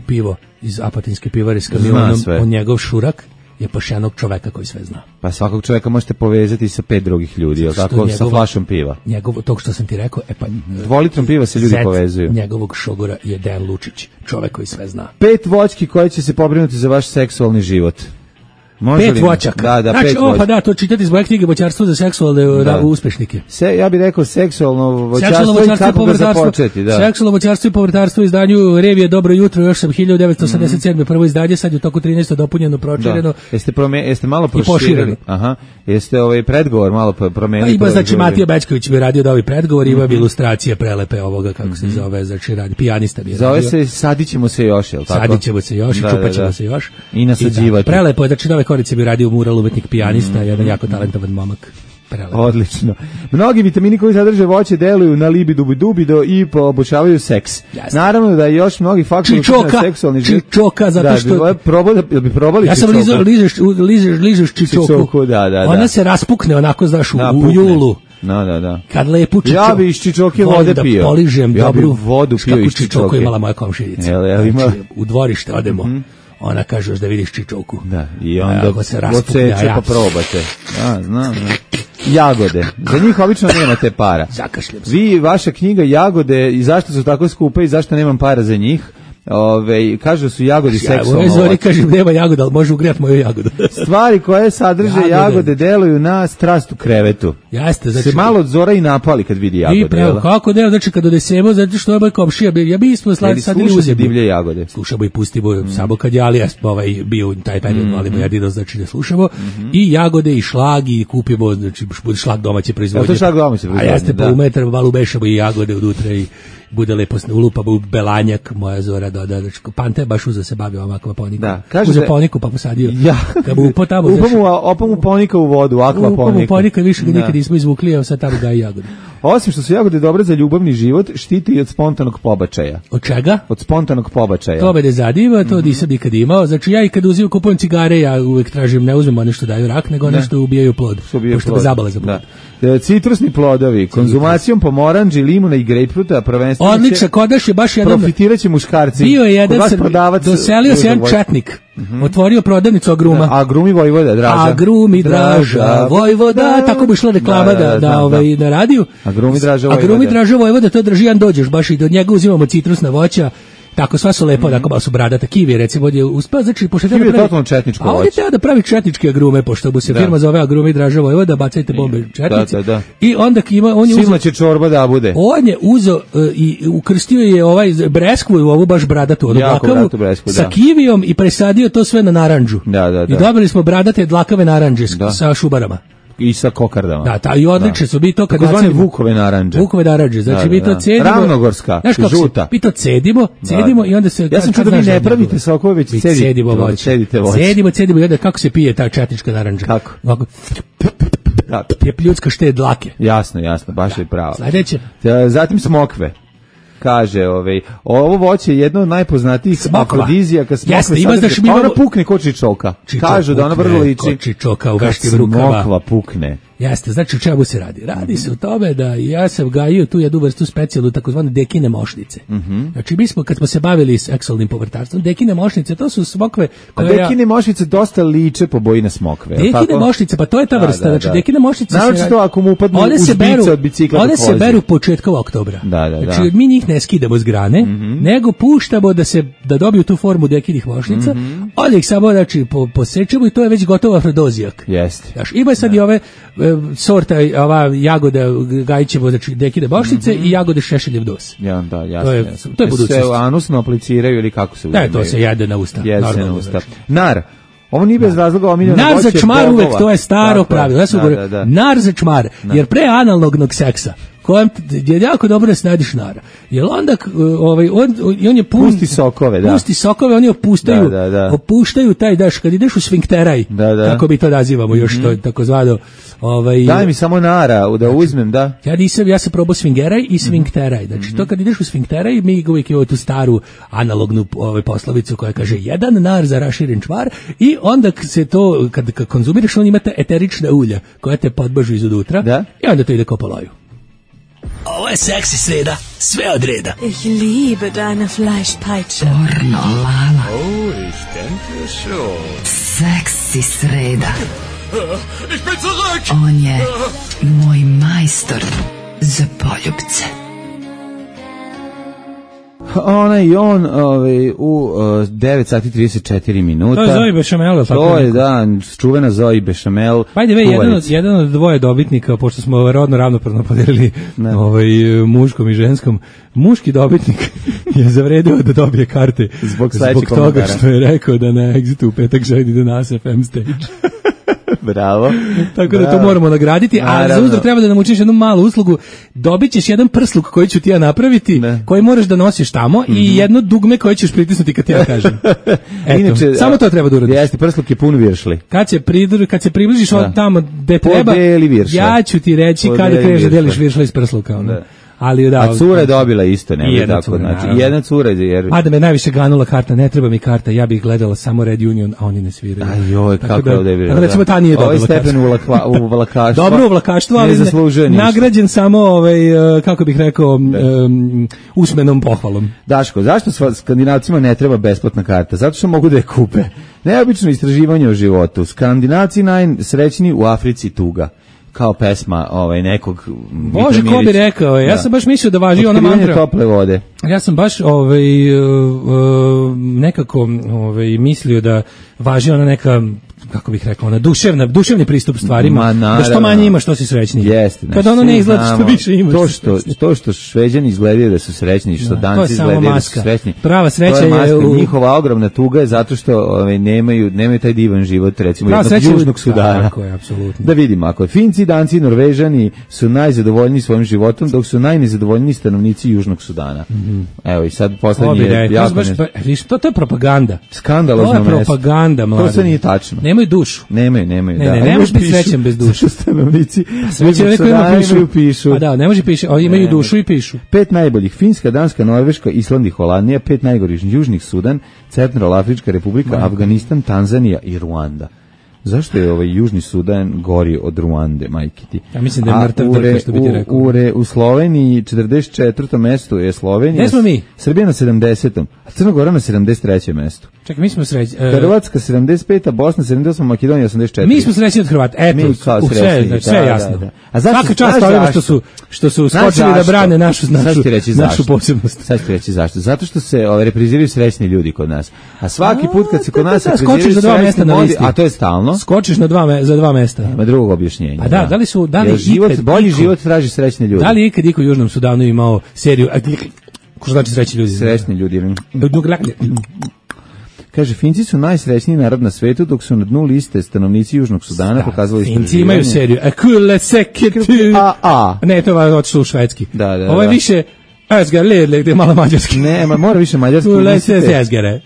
S6: pivo iz Apatinske pivare s kamionom, on njegov šurak je poštenog čoveka koji sve zna.
S5: Pa svakog čoveka možete povezati sa 5 drugih ljudi, jel tako, sa flašom piva.
S6: Tog što sam ti rekao,
S5: 2 litrom piva se ljudi povezuju.
S6: Njegovog šogora je Dejan Lučić, čovek koji sve zna.
S5: 5 voćki koje će se pobrinuti za vaš seksualni život.
S6: 5 voćaka.
S5: Da,
S6: znači,
S5: 5 voćaka.
S6: Pa da, to čitati iz moje knjige Voćarstvo za seksualne uspešnike.
S5: Ja bih rekao seksualno voćarstvo i kako ga započeti. Da.
S6: Seksualno voćarstvo i povrtarstvo u izdanju Revije Dobro jutro, još sam 1987. prvo izdanje, sad je u toku 13. dopunjeno, pročireno.
S5: Jeste malo proširili. Aha. Jeste predgovor malo promenili.
S6: Ima, znači, Matija Bečković bi radio da ovi predgovor, ima ilustracije prelepe ovoga, kako se zove, znači radi, pijanista bi radio.
S5: Zove se Sadićemo se još, jel tako?
S6: Sadićemo se još, čupaćemo se još.
S5: I nasađivati.
S6: Prelepo je, znači, Nove Korice bi radio mural umetnik pijanista, jedan jako talentovan momak. Prelepo.
S5: Odlično. Mnogi vitamini koji sadrže voće deluju na libido i poboljšavaju seks.
S6: Jasne.
S5: Naravno da je još mnogi faktori na seksualni život.
S6: Čičoka, zato što...
S5: Jel bi probali
S6: ja
S5: čičoku?
S6: Ja sam ližeš čičoku.
S5: Da.
S6: Ona se raspukne, onako, znaš, u julu.
S5: Da.
S6: Kad lepu čičoku.
S5: Ja bi iz čičoke vode pio.
S6: Da poližem dobru.
S5: Vodu pio iz
S6: čičoku imala moja komšinica.
S5: Znači,
S6: u dvorište odemo. Ona kaže da vidiš čičoku.
S5: Da, i onda
S6: se raspukne,
S5: pa probate. Znam. Jagode. Za njih obično nemate para.
S6: Zakašljam se.
S5: Vi, vaša knjiga Jagode, i zašto su tako skupe i zašto nemam para za njih, kažu su jagodi seksualno.
S6: Zori kažem nema jagoda, ali može ugrijati moju jagodu.
S5: Stvari koje sadrže jagode deluju na strast u krevetu.
S6: Jeste, znači
S5: se malo Zora i napali kad vidi jagode.
S6: Kako ne, znači kad odesemo, zato što je moj komšija, ja bi smo sadili uzem
S5: divlje jagode.
S6: Slušamo i pustimo samo kad je Alija bio taj period, ali ja dido znači da slušamo i jagode i šlag i kupimo, znači šlag domaće proizvodnje.
S5: To šlag domaće proizvodnje.
S6: A jeste po metar, malo bešamo i jagode unutra i bude lepo ulupamo belanjak, moja Zora doda, znači Pante baš uza se bavio ovako akvaponikom. Uza poniku pa posadio. Kad mu upo tamo.
S5: Upamo ponika u vodu, akvaponika.
S6: Upamo ponika, više ga nikad nismo izvukli, evo sad tamo ga i jagode.
S5: Osim što su jagode dobre za ljubavni život, štiti i od spontanog pobačaja.
S6: Od čega?
S5: Od spontanog pobačaja.
S6: To me ne zanima, to nisam nikad imao. Znači ja i kad kupujem cigare, ja uvek tražim, ne uzmem one što daju rak, nego one što ubijaju plod. Pošto me zabale za plod.
S5: Citrusni plodovi, konzumacijom pomoranđi, limuna i grejpfruta, prvenstveno
S6: odlično, kodaš je baš jedan.
S5: Profitiraće muškarci.
S6: Bio je jedan doselio se jedan četnik. Otvorio prodavnicu Agruma.
S5: Agrumi Vojvoda, Draža.
S6: Agrumi Draža, Vojvoda, tako bi išla reklama na radiju.
S5: Agrumi Draža Vojvoda.
S6: Agrumi Draža Vojvoda, to drži jedan dođeš, baš i do njega uzimamo citrusna voća. Tako, sva su lepo, tako malo su bradata. Kivi, recimo, je uspeo, znači, pošto
S5: Kivi je totalno četničko voće.
S6: A on je teo da pravi četničke agrume, pošto mu se firma zove Agrumi Draža Vojvoda, bacajte bombe četnici.
S5: Da.
S6: I onda on je
S5: Silna će čorba da bude.
S6: On je uzeo i ukrstio je breskvu, ovu baš bradatu dlakavu, sa kivijom i presadio to sve na narandžu.
S5: Da.
S6: I dobili smo bradate dlakave narandže sa šubarama.
S5: I sa kokardama.
S6: Da, i odlične su, mi to kad
S5: nacedimo. Tako zvane Vukove narandže.
S6: Vukove narandže, znači mi to cedimo.
S5: Ravnogorska, žuta.
S6: Mi to cedimo i onda se...
S5: Ja sam čuo da vi ne pravite sokove, već cedite voće.
S6: Cedimo i onda kako se pije ta četnička narandža?
S5: Kako?
S6: Ovako.
S5: Da.
S6: je pljucka šte dlake.
S5: Jasno, baš je pravo.
S6: Sledeće.
S5: Zatim smokve. Kaže, ovo voće je jedno od najpoznatijih afrodizijaka.
S6: Jeste, ima znaš
S5: ona pukne ko čičoka. Kažu da ona vrlo liči.
S6: Čičoka u veškim rukava.
S5: Smokva pukne.
S6: Jeste, znači o čemu se radi? Radi se o tome da ja sam gajio tu jednu vrstu specijalnu takozvane dekine mošnice. Znači mi smo, kad smo se bavili seksualnim povrtarstvom, dekine mošnice, to su smokve koje...
S5: dekine mošnice dosta liče po boji na smokve.
S6: Dekine mošnice, pa to je ta vrsta. Znači dekine mošnice
S5: naročito ako mu upadnu uz bice od bicikla.
S6: One se beru početkom oktobra. Znači mi njih ne skidamo s grane, nego puštamo da dobiju tu formu dekinih mošnica, onda ih samo posečemo i to je već gotov afrodozijak.
S5: Jeste.
S6: Ima sad i ove sorta, ova jagoda gajićevo, znači dekine mošnice i jagode šešeljev dos.
S5: Ja, da, jasno.
S6: To je budućnost.
S5: Se anusno apliciraju ili kako se uzimaju?
S6: Da, to se jede na usta.
S5: Jede se na usta. Nar. Ovo nije bez razloga omiljeno.
S6: Nar za čmar uvek, to je staro pravilo. Nar za čmar, jer pre analognog seksa, kojem je jako dobro da se nadiš nara. Jer onda on je
S5: pusti sokove, da.
S6: Pusti sokove, oni opuštaju taj daš kad ideš u sfinkteraj. Kako mi to nazivamo još to takozvano
S5: daj mi samo nara da uzmem, da.
S6: Ja sam probao sfingeraj i sfinkteraj. Znači to kad ideš u sfinkteraj, mi uvijek imamo tu staru analognu poslovicu koja kaže jedan nar za raširen čvar i onda se to kad konzumiraš on imate eterična ulja koja te podbažu izunutra i onda to ide ko po loju.
S11: Ovo je seksi sreda, sve od reda.
S12: Ich liebe deine Fleischpeitsche.
S7: Pornolala.
S4: Oh, ich denke schon.
S7: Seksi sreda.
S4: Ich bin zurück!
S7: On je moj majstor za poljubce.
S5: Ona i on u 9 sati 34 minuta.
S6: To je Zoe Bešamel.
S5: To je, da, čuvena Zoe Bešamel.
S6: Jedan od dvoje dobitnika, pošto smo rodno ravnopravno podelili muškom i ženskom, muški dobitnik je zavredio da dobije karte zbog toga što je rekao da na Exitu u petak želi da nas FM stage.
S5: Bravo.
S6: Tako da to moramo nagraditi, a za uzor treba da nam učiniš jednu malu uslugu. Dobit ćeš jedan prsluk koji ću ti ja napraviti, koji moraš da nosiš tamo i jedno dugme koje ćeš pritisnuti kad ti ja kažem. Inače, samo to treba da uradiš.
S5: Jeste, prsluk je pun viršli.
S6: Kad se približiš od tamo gde treba, ja ću ti reći kada kreneš da deliš viršle iz prsluka. Ali
S5: a cura je dobila isto, ne tako, znači jedna cura jer
S6: da me najviše ganula karta, ne treba mi karta, ja bih gledala samo Red Union, a oni ne sviraju.
S5: Ajoj, kako je ovdje bilo.
S6: Recimo ta nije dobila.
S5: Ovaj stepen u vlakaštvu.
S6: Dobro u vlakaštvu, ali nagrađen samo kako bih rekao usmenom pohvalom.
S5: Daško, zašto Skandinavcima ne treba besplatna karta? Zato što mogu da je kupe. Neobično istraživanje o životu. Skandinavci najsrećniji u Africi tuga. Kao pesma nekog
S6: Bože, ko bi rekao, ja sam baš mislio da važi ona mantra
S5: tople vode.
S6: Ja sam baš nekako mislio da važi ona neka, kako bih rekao, ona duševni pristup stvarima, da što manje ima što si srećniji.
S5: Jeste,
S6: kada ono ne izgleda što više imaš.
S5: To što Šveđani izgledaju da su srećni, što Danci izgledaju da su srećni.
S6: Prava sreća je
S5: njihova ogromna tuga je zato što nemaju taj divan život, recimo jednog Južnog Sudana.
S6: Tako je, apsolutno.
S5: Da vidimo, ako Finci, Danci i Norvežani su najzadovoljniji svojim životom, dok su najnezadovoljniji stanovnici Južnog Sudana. Evo i sad poslednji je jako
S6: to je propaganda.
S5: Skandalozno mesto.
S6: To je propaganda, mlade.
S5: To sve nije tačno.
S6: Nemaju dušu.
S5: Nemaju.
S6: Ne možeš biti srećan bez duše.
S5: Stanovnici
S6: pišu. Pa da, ne može piše, imaju dušu i pišu.
S5: 5 najboljih: Finska, Danska, Norveška, Island i Holandija. 5 najgorih: Južni Sudan, Centralnoafrička Republika, Afganistan, Tanzanija i Ruanda. Zašto je Južni Sudan gori od Ruande, majke ti?
S6: Ja mislim da je mrtav drka, što bi ti rekao.
S5: U Sloveniji 44. mesto je Slovenija.
S6: Gde smo mi?
S5: Srbija na 70. A Crna Gora na 73. mestu.
S6: Čekaj, mi smo srećni.
S5: Hrvatska 75. Bosna 78. Makedonija 84.
S6: Mi smo srećni od Hrvata. Eto, sve jasno.
S5: Da.
S6: A svaka čast ovima što su skočili da brane našu posebnost.
S5: Sad ću reći zašto. Zato što se repriziraju srećni ljudi kod nas. A svaki put kad se kod nas repriziraju srećni ljudi, a to je stalno,
S6: skočiš za dva mesta.
S5: Nema drugog objašnjenja.
S6: A da li
S5: bolji život traži srećne ljudi.
S6: Da li ikad iko u Južnom Sudanu imao seriju ko znači srećni ljudi?
S5: Srećni ljudi. Kaže, Finci su najsrećniji narod na svetu, dok su na dnu liste stanovnici Južnog Sudana pokazali istraživanje.
S6: Finci imaju seriju. Ne, to je otišlo u švedski.
S5: Da.
S6: Ovo je više Esgere, gde je malo mađarski.
S5: Ne, mora više mađarski.
S6: Esgere.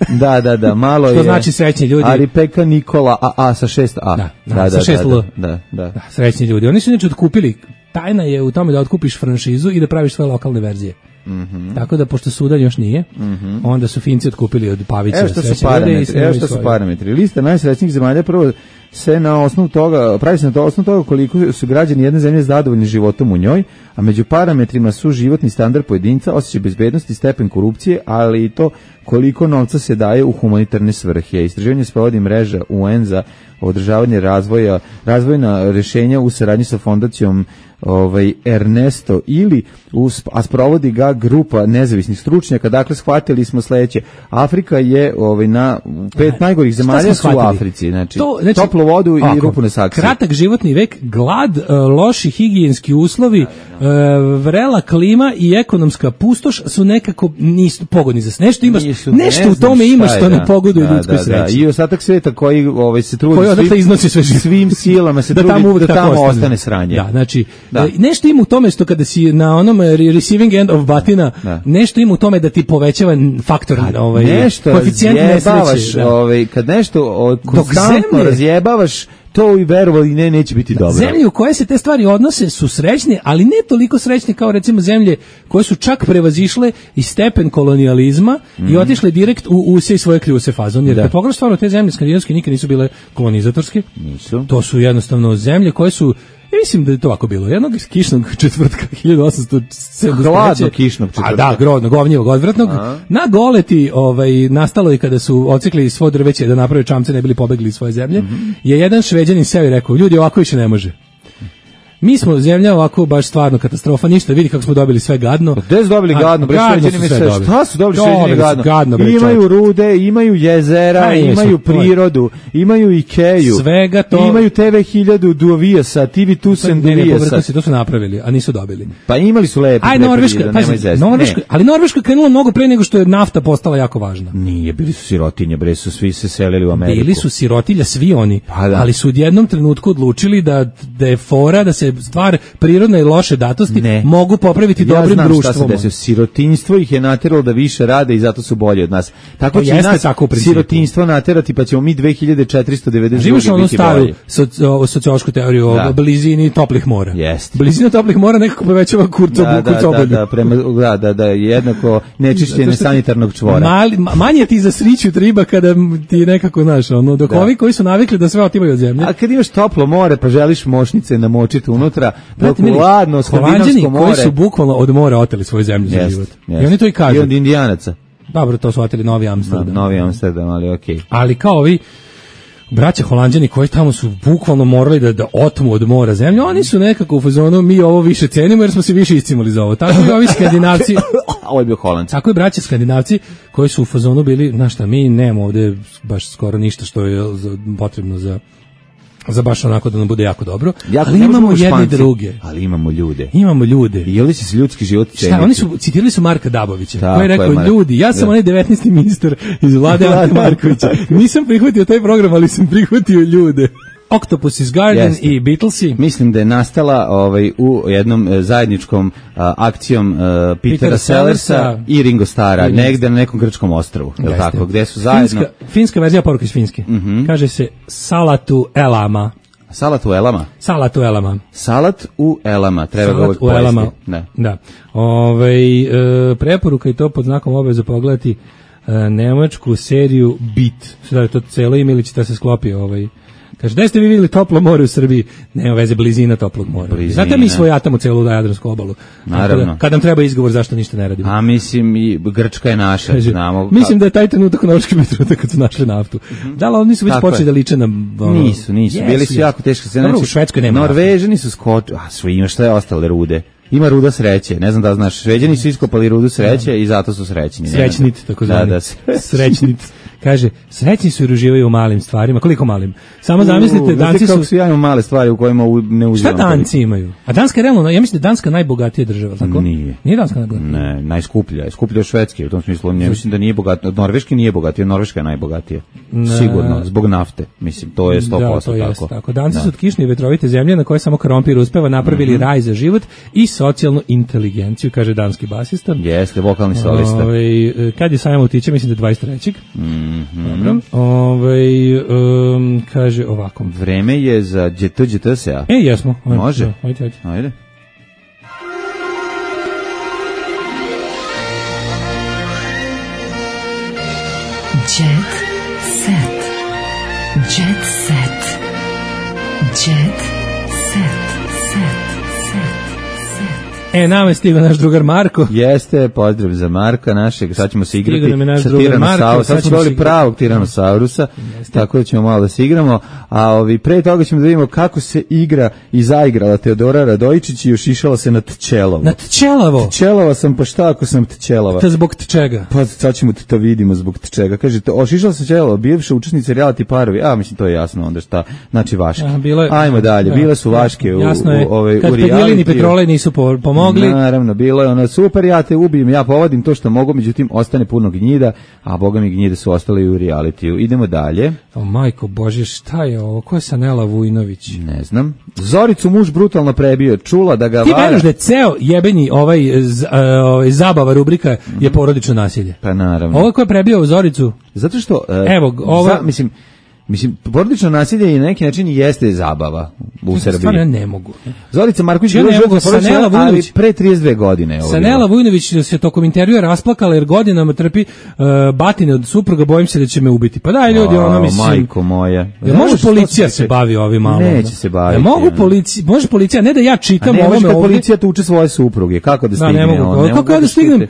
S5: Da, malo je.
S6: To znači srećni ljudi.
S5: Ali Peka Nikola A sa 6A.
S6: Da, sa 6L.
S5: Da,
S6: srećni ljudi. Oni su inače otkupili, tajna je u tome da otkupiš franšizu i da praviš svoje lokalne verzije. Tako da, pošto sudan još nije, onda su Finci otkupili od Pavića.
S5: Evo što su parametri. Lista najsrećnijih zemalja prvo se na osnovu toga, pravi se na osnovu toga koliko su građani jedne zemlje zadovoljni životom u njoj, a među parametrima su životni standard pojedinca, osjećaj bezbednosti, stepen korupcije, ali i to koliko novca se daje u humanitarne svrhe. Istraživanje sprovodi mreža UN za održavanje razvojna rešenja u saradnji sa fondacijom Ernesto a sprovodi ga grupa nezavisnih stručnjaka. Dakle, shvatili smo sledeće. Afrika je na 5 najgorih zemalja su u Africi. Znači toplu vodu i rupu na saksiji.
S6: Kratak životni vek, glad, loši higijenski uslovi, vrela klima i ekonomska pustoš su nekako nisu pogodni za nešto. Nešto u tome ima što ne pogoduje ljudskoj sreći.
S5: I ostatak sveta koji se trudi svim silama se trudi da tamo ostane sranje.
S6: Da, znači nešto ima u tome što kada si na onom receiving end of batina, nešto ima u tome da ti povećava faktor koeficijent nesreće.
S5: Kad nešto konstantno razjebavaš, to i verovali neće biti dobro.
S6: Zemlje u koje se te stvari odnose su srećne, ali ne toliko srećne kao recimo zemlje koje su čak prevazišle i stepen kolonijalizma i otišle direkt u use i svoje kljuse fazon. Jer kad pogledaš stvarno, te zemlje skandinavske nikad nisu bile kolonizatorske.
S5: Nisu.
S6: To su jednostavno zemlje koje su, ja mislim da je to ovako bilo. Jednog kišnog četvrtka 1873.
S5: Hladno kišnog četvrtka.
S6: A da, grodnog, govnjivog, odvratnog. Na Goleti, nastalo i kada su ocikli svo drveće da naprave čamce, ne bili pobegli iz svoje zemlje, je jedan Šveđanin seo i rekao, ljudi, ovako više ne može. Mi smo zemlja ovako baš stvarno katastrofa, ništa, vidi kako smo dobili sve gadno.
S5: Gde su dobili gadno? Šta su dobili Šveđani gadno? Imaju rude, imaju jezera, imaju prirodu, imaju Ikeju.
S6: Svega to.
S5: Imaju TV 1000 Duvijasa, TV Tusen Duvijasa.
S6: To su napravili, a nisu dobili.
S5: Pa imali su lepi.
S6: Ali Norveška je krenula mnogo pre nego što je nafta postala jako važna.
S5: Nije, bili su sirotinje, bre, su svi se selili u Ameriku.
S6: Bili su sirotilja svi oni, ali su u jednom trenutku odlučili da je fora, da se stvar prirodne i loše datosti mogu popraviti dobrim društvom. Ja znam šta se desilo.
S5: Sirotinjstvo ih je nateralo da više rade i zato su bolji od nas. Tako će nas sirotinjstvo naterati, pa ćemo mi 2490
S6: živiš onu staru sociološku teoriju o blizini toplih mora. Blizina toplih mora nekako povećava kurcobolju.
S5: Da, jednako nečišćenje sanitarnog čvora.
S6: Manje ti zasriću triba kada ti nekako, znaš, dok ovi koji su navikli da sve otimaju od zemlje.
S5: A kad imaš toplo more, pa želiš mošnice namočiti unutra, dok ladno skandinavsko more.
S6: Koji su bukvalno od mora oteli svoju zemlju za život. I oni to i kažu.
S5: I od Indijanaca.
S6: Dobro, to su oteli Novi Amsterdam.
S5: Novi Amsterdam, ali okej.
S6: Ali kao ovi braća Holanđani koji tamo su bukvalno morali da otmu od mora zemlju, oni su nekako u fazonu, mi ovo više cenimo jer smo se više iscimali za ovo. Tako i ovi Skandinavci.
S5: Ovo je bio Holandci.
S6: Tako i braća Skandinavci koji su u fazonu bili, znaš šta, mi nemamo ovde baš skoro ništa što je potrebno za baš onako da nam bude jako dobro, ali imamo jedne druge.
S5: Ali imamo ljude.
S6: I
S5: ovdje će se ljudski život ceniti.
S6: Oni su citirali su Marka Dabovića, koji je rekao, ljudi, ja sam onaj 19. ministar iz vlade Ante Markovića. Nisam prihvatio taj program, ali sam prihvatio ljude. Octopus's Garden i Beatlesi.
S5: Mislim da je nastala u jednom zajedničkom akcijom Petera Sellersa i Ringo Starra, negde na nekom grčkom ostrvu, je tako, gde su zajedno.
S6: Finska verzija poruke iz Finske. Kaže se Salatu Elama.
S5: Salat u elama?
S6: Salat u elama.
S5: Salat u elama, treba ga uvijek pojesti.
S6: Da. Preporuka i to pod znakom obaveza pogledati nemačku seriju Beat. Šta je to celo ime ili će da se sklopi Kaže, da ste vi vidjeli toplo more u Srbiji? Nema veze, blizina toplog mora. Znate, mi svojatamo celu Jadransku obalu.
S5: Naravno.
S6: Kad nam treba izgovor zašto ništa ne radimo.
S5: A mislim, i Grčka je naša.
S6: Kaže, znamo. Mislim da je taj trenutak u Norveškom trenutak kad su našli naftu. Da, ali oni su već počeli da liče na...
S5: Nisu. Bili su jako teške scene.
S6: U Švedskoj nema naftu.
S5: Norvežani su skočili. Ima šta je ostale rude. Ima ruda sreće, ne znam da znaš, Šveđani su iskopali rudu sreće i zato su srećni.
S6: Srećnit, tako zvani. Srećnit. Kaže, srećni su jer uživaju u malim stvarima. Koliko malim? Samo zamislite, Danci
S5: kako su jako male stvari u kojima ne uživamo.
S6: Šta Danci imaju? A Danska je realno, ja mislim da je Danska najbogatija država, tako?
S5: Nije.
S6: Nije Danska najbogatija?
S5: Ne, najskuplja je. Skuplja od Švedske, u tom smislu. Ja mislim da nije bogatija. Od Norveške nije bogatija, Norveška je najbogatija. Sigurno, zbog nafte. Mislim, to je 100%
S6: da, to
S5: tako.
S6: Tako. Danci su od kišne i vetrovite zemlje na koje samo krompir uspeva, napravili raj za život i socijalnu inteligenciju, kaže danski basista.
S5: Jeste, vokalni solista.
S6: Kad je sajam utiče, mislim da je 23. Dobro. Kaže ovako.
S5: Vreme je za GTGTSA.
S6: Jesmo.
S5: Može.
S6: Ajde.
S3: Jet set. Jet set. Jet set.
S6: Nama je stigao naš drugar Marko.
S5: Jeste, pozdrav za Marka našeg. Sad ćemo se igrati sa
S6: Tiranosaurusom.
S5: Sad smo dobili pravog Tiranosaurusa, tako da ćemo malo da se igramo. A pre toga ćemo da vidimo kako se igra i zaigrala Teodora Radojičić i ošišala se na Tčelovo.
S6: Na Tčelavo?
S5: Tčelava sam, pa šta ako sam Tčelava?
S6: To zbog čega?
S5: Pa sad ćemo to vidimo zbog čega. Kaže, ošišala se Tčelava, bivša učesnica reality parovi. Mislim, to je jasno onda šta. Znači Vaške. Ajmo dalje, bile su Vaške u reality.
S6: Kad Pedilin i Petrolej nisu pomogli.
S5: Naravno, bilo je ono super, ja te ubijem, ja povodim to što mogu, međutim ostane puno gnjida, a boga mi gnjide su ostale i u realitiju. Idemo dalje.
S6: Majko Bože, šta je ovo? Ko je Sanela Vujnović?
S5: Ne znam. Zoricu muž brutalno prebio, čula da ga vara.
S6: Ti veruješ da je ceo jebeni zabava rubrika je porodično nasilje?
S5: Pa naravno.
S6: Ovo ko je prebio Zoricu?
S5: Zato što, mislim, porodično nasilje i na neki način jeste zabava u Srbiji.
S6: Stvarno ne mogu.
S5: Zorica Marković bila žrtva porodično, ali pre 32 godine.
S6: Sanela Vujnović se tokom intervjua rasplakala jer godinama trpi batine od supruga, bojim se da će me ubiti. Pa daj ljudi, mislim.
S5: Majko moja.
S6: Može policija se bavi ovim malo?
S5: Neće se baviti.
S6: Može policija, ne da ja čitam
S5: ovome ovdje. A ne može policija tuče svoje supruge, kako da stigne?
S6: Da, ne mogu. Kako ja da stignem?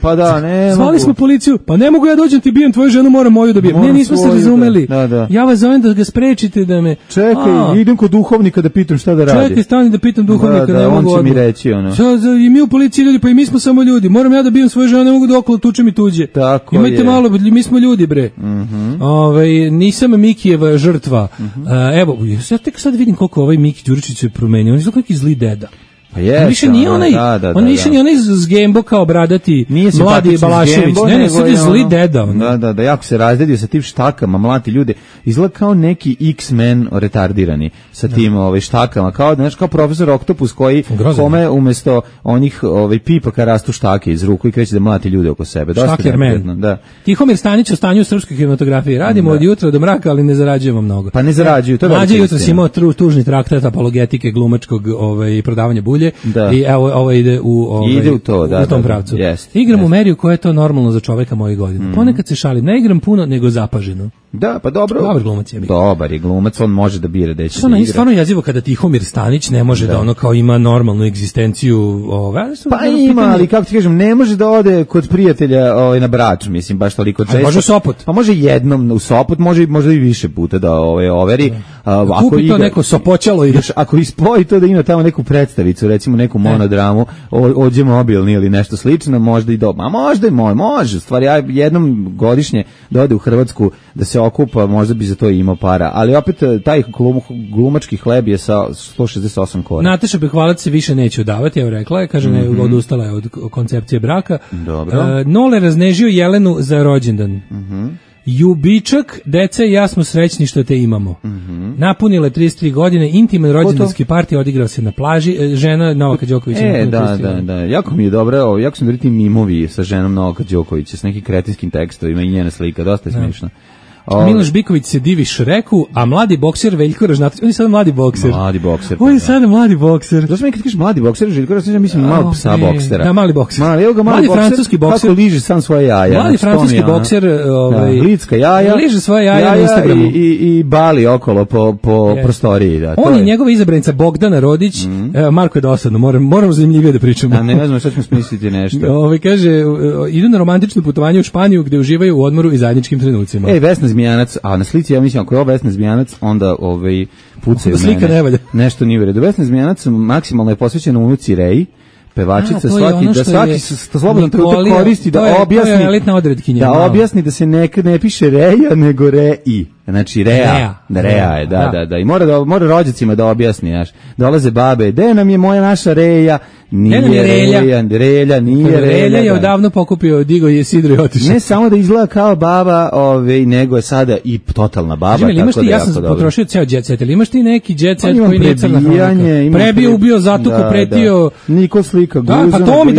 S5: Pa da, ne mogu.
S6: Zvali smo policiju, pa ne mogu ja dođem ti bijem tvoju ženu, moram moju da bijem. Ne, nismo se razumeli. Ja vas zovem da ga sprečite da me...
S5: Čekaj, idem kod duhovnika da pitam šta da radi.
S6: Čekaj, stani da pitam duhovnika, ne mogu odmah.
S5: On će mi reći ono.
S6: I mi u policiji ljudi, pa i mi smo samo ljudi. Moram ja da bijem svoje žene, ne mogu da okolo tučem i tuđe.
S5: Tako
S6: imajte malo, mi smo ljudi, bre. Nisam Mikijeva žrtva. Evo, ja tek sad vidim koliko ovaj Miki Đuričić se promenio. On je neki zli deda.
S5: Pa je,
S6: on više nije onaj, on više nije onaj zgembo kao bradati mladi Balašević, ne, sad je zli deda.
S5: Da, jako se razredio sa tim štakama, mlati ljude, izgleda kao neki X-Men retardirani sa tim štakama, kao profesor Oktopus kome umjesto onih pipaka rastu štake iz ruku i kreće da mlati ljude oko sebe.
S6: Štakerman. Tihomir Stanić o stanju u srpskoj kinematografiji. Radimo od jutra do mraka, ali ne zarađujemo mnogo.
S5: Pa ne zarađuju, to je
S6: Mlađe jutro si imao tužni traktat apologetike glumačkog prodavanja bulje. I evo ovo ide u tom pravcu. Igram u meri u kojoj je to normalno za čoveka mojih godina. Ponekad se šalim, ne igram puno, nego zapaženo.
S5: Da, pa dobro.
S6: Dobar glumac je.
S5: Dobar je glumac, on može da bira da će da igra.
S6: Stvarno jezivo kada Tihomir Stanić ne može da ono kao ima normalnu egzistenciju.
S5: Pa ima, ali kako ti kažem, ne može da ode kod prijatelja na Brač, mislim, baš toliko često.
S6: Može u Sopot.
S5: Pa može jednom u Sopot, možda i više puta da overi.
S6: Kupi to neko sopoćalo i
S5: ako ispoji to da ima tamo neku predstavicu, recimo neku monodramu, Ođe mobilni ili nešto slično, možda i dobro. A možda i može. Stvari, ja jednom godišnje da ode u Hrvatsku da se okupa, možda bi za to imao para. Ali opet, taj glumački hleb je sa 168 koraka.
S6: Nataša Bekvalac se više neće udavati, evo rekla je, kaže, odustala je od koncepcije braka.
S5: Dobro.
S6: Nole raznežio Jelenu za rođendan. Jubičak, deca i ja smo srećni što te imamo. Napunile 33 godine, intiman rođendanski parti odigrao se na plaži, žena Novaka Đokovića.
S5: Da. Jako mi je dobro, jako sam dobiti mimovi sa ženom Novaka Đokovića, s nekim kretinskim tekstovima i njena slika, dosta je smiješno.
S6: Miloš Biković se divi Šreku, a mladi bokser Veljko Ražnatović, on je sada mladi bokser. On je sada mladi bokser.
S5: Zašto mi kad kažeš mladi bokser, Željko Ražnatović, mislim malo psa boksera.
S6: Da, mali bokser.
S5: Mali
S6: francuski bokser.
S5: Kako liže sam svoje jaja.
S6: Mali francuski bokser.
S5: Litska jaja.
S6: Liže svoje jaja na Instagramu.
S5: I bali okolo po prostoriji.
S6: On je njegova izabranica Bogdana Rodić. Marko je dosadno, moramo zanimljivije da pričamo.
S5: A ne znam šta ćemo smisliti nešto.
S6: Kaže, idu na romantično putovanje u Španiju gde uživaju u odmoru i zajedničkim trenucima.
S5: Vesna Zmijanac, a na slici ja mislim ako je ovo Vesna Zmijanac, onda pucaju
S6: slika
S5: mene.
S6: Ne valja.
S5: Nešto nije u redu. Vesna Zmijanac maksimalno je posvećena unuci Reji, pevačica, da svaki slobodno trenutak koristi da objasni.
S6: To je elitna odredkinja.
S5: Da objasni da se ne piše Reja, nego Rei. Znači Rea je, da. I mora rođacima da objasni, znaš. Dolaze babe, gde nam je naša Reja? Nije Relja, nije Relja.
S6: Relja je odavno pokupio, digo je sidro i otišao.
S5: Ne samo da izgleda kao baba, nego je sada i totalna baba. Tako da
S6: ja sam potrošio ceo jet set, ali imaš ti neki jet set koji nije crna hronika? Prebio, ubio, zatuko, pretio.
S5: Nikol slika guzu.
S6: Pa to mi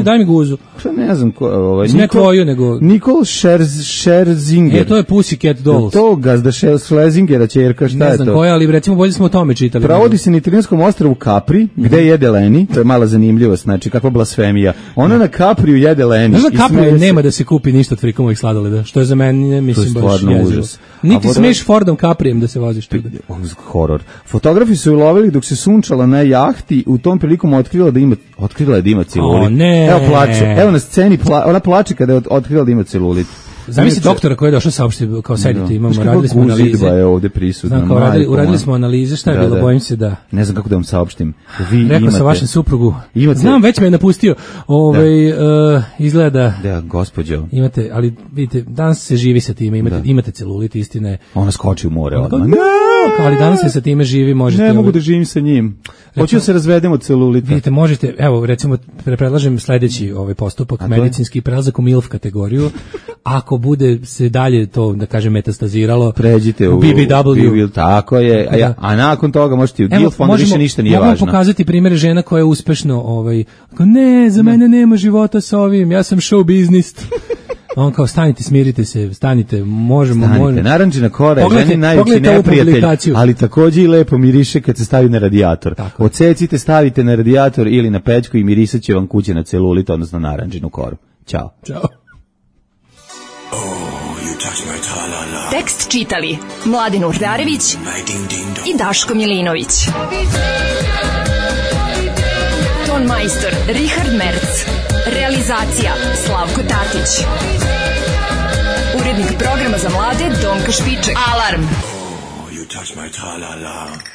S6: daj mi guzu.
S5: Ne znam ko,
S6: ne tvoju, nego
S5: Nikol Scherzinger.
S6: To je Pussycat Dolls.
S5: To gazda Schlesingera ćerka, šta je to?
S6: Ne znam koja, ali recimo bolje smo o tome čitali.
S5: Provodi se na italijanskom ostrvu Capri, gde jede Leni, to je mala zanimljivost, znači kakva blasfemija. Ona na Capriju jede Leni.
S6: Znaš da Capriju nema da se kupi ništa od Frikomovih sladoleda, što je za mene, mislim, baš jezivo. Niti smiješ Fordom Caprijem da se voziš tuda.
S5: Horor. Fotografi su ju lovili dok se sunčala na jahti, u tom prilikom otkrila da ima celulit. Evo plače, evo na sceni, ona plače kada je otkrila da ima celulit.
S6: Zamisli doktora koji je došao saopštiti, kao sedite, radili smo analize.
S5: Je ovde prisutna.
S6: Uradili smo analize, šta je bilo, bojim se da...
S5: Ne znam kako da vam saopštim.
S6: Rekao sam vašem suprugu, znam, već me je napustio, izgleda...
S5: Da, gospođo.
S6: Imate, ali vidite, danas se živi sa time, imate celulit, istine.
S5: Ona skoči u more odmah.
S6: Ali danas se sa time živi, možete...
S5: Ne mogu da živim sa njim. Hoću da se razvedem od celulita.
S6: Vidite, možete, evo, recimo, predlažem sledeći postupak, medicinski prelazak u MILF kategoriju. Ako bude se dalje to, da kažem, metastaziralo,
S5: pređite u BBW. Tako je, a nakon toga možete u DILF, onda više ništa nije važno.
S6: Mogu pokazati primjere žena koja je uspešno, ne, za mene nema života sa ovim, ja sam show business. On kao, stanite, smirite se, možemo.
S5: Narančina kora je ženi najveći neprijatelj, ali takođe i lepo miriše kad se stavi na radijator. Odsecite, stavite na radijator ili na pećku i mirisat će vam kuće na celulit, odnosno narančinu koru. Ćao.
S7: Tekst čitali Mladin Urdarević i Daško Milinović. Ton majstor Richard Merc. Realizacija Slavko Tatić. Urednik programa za mlade Donka Špiček. Alarm! You touch my tra-la-la.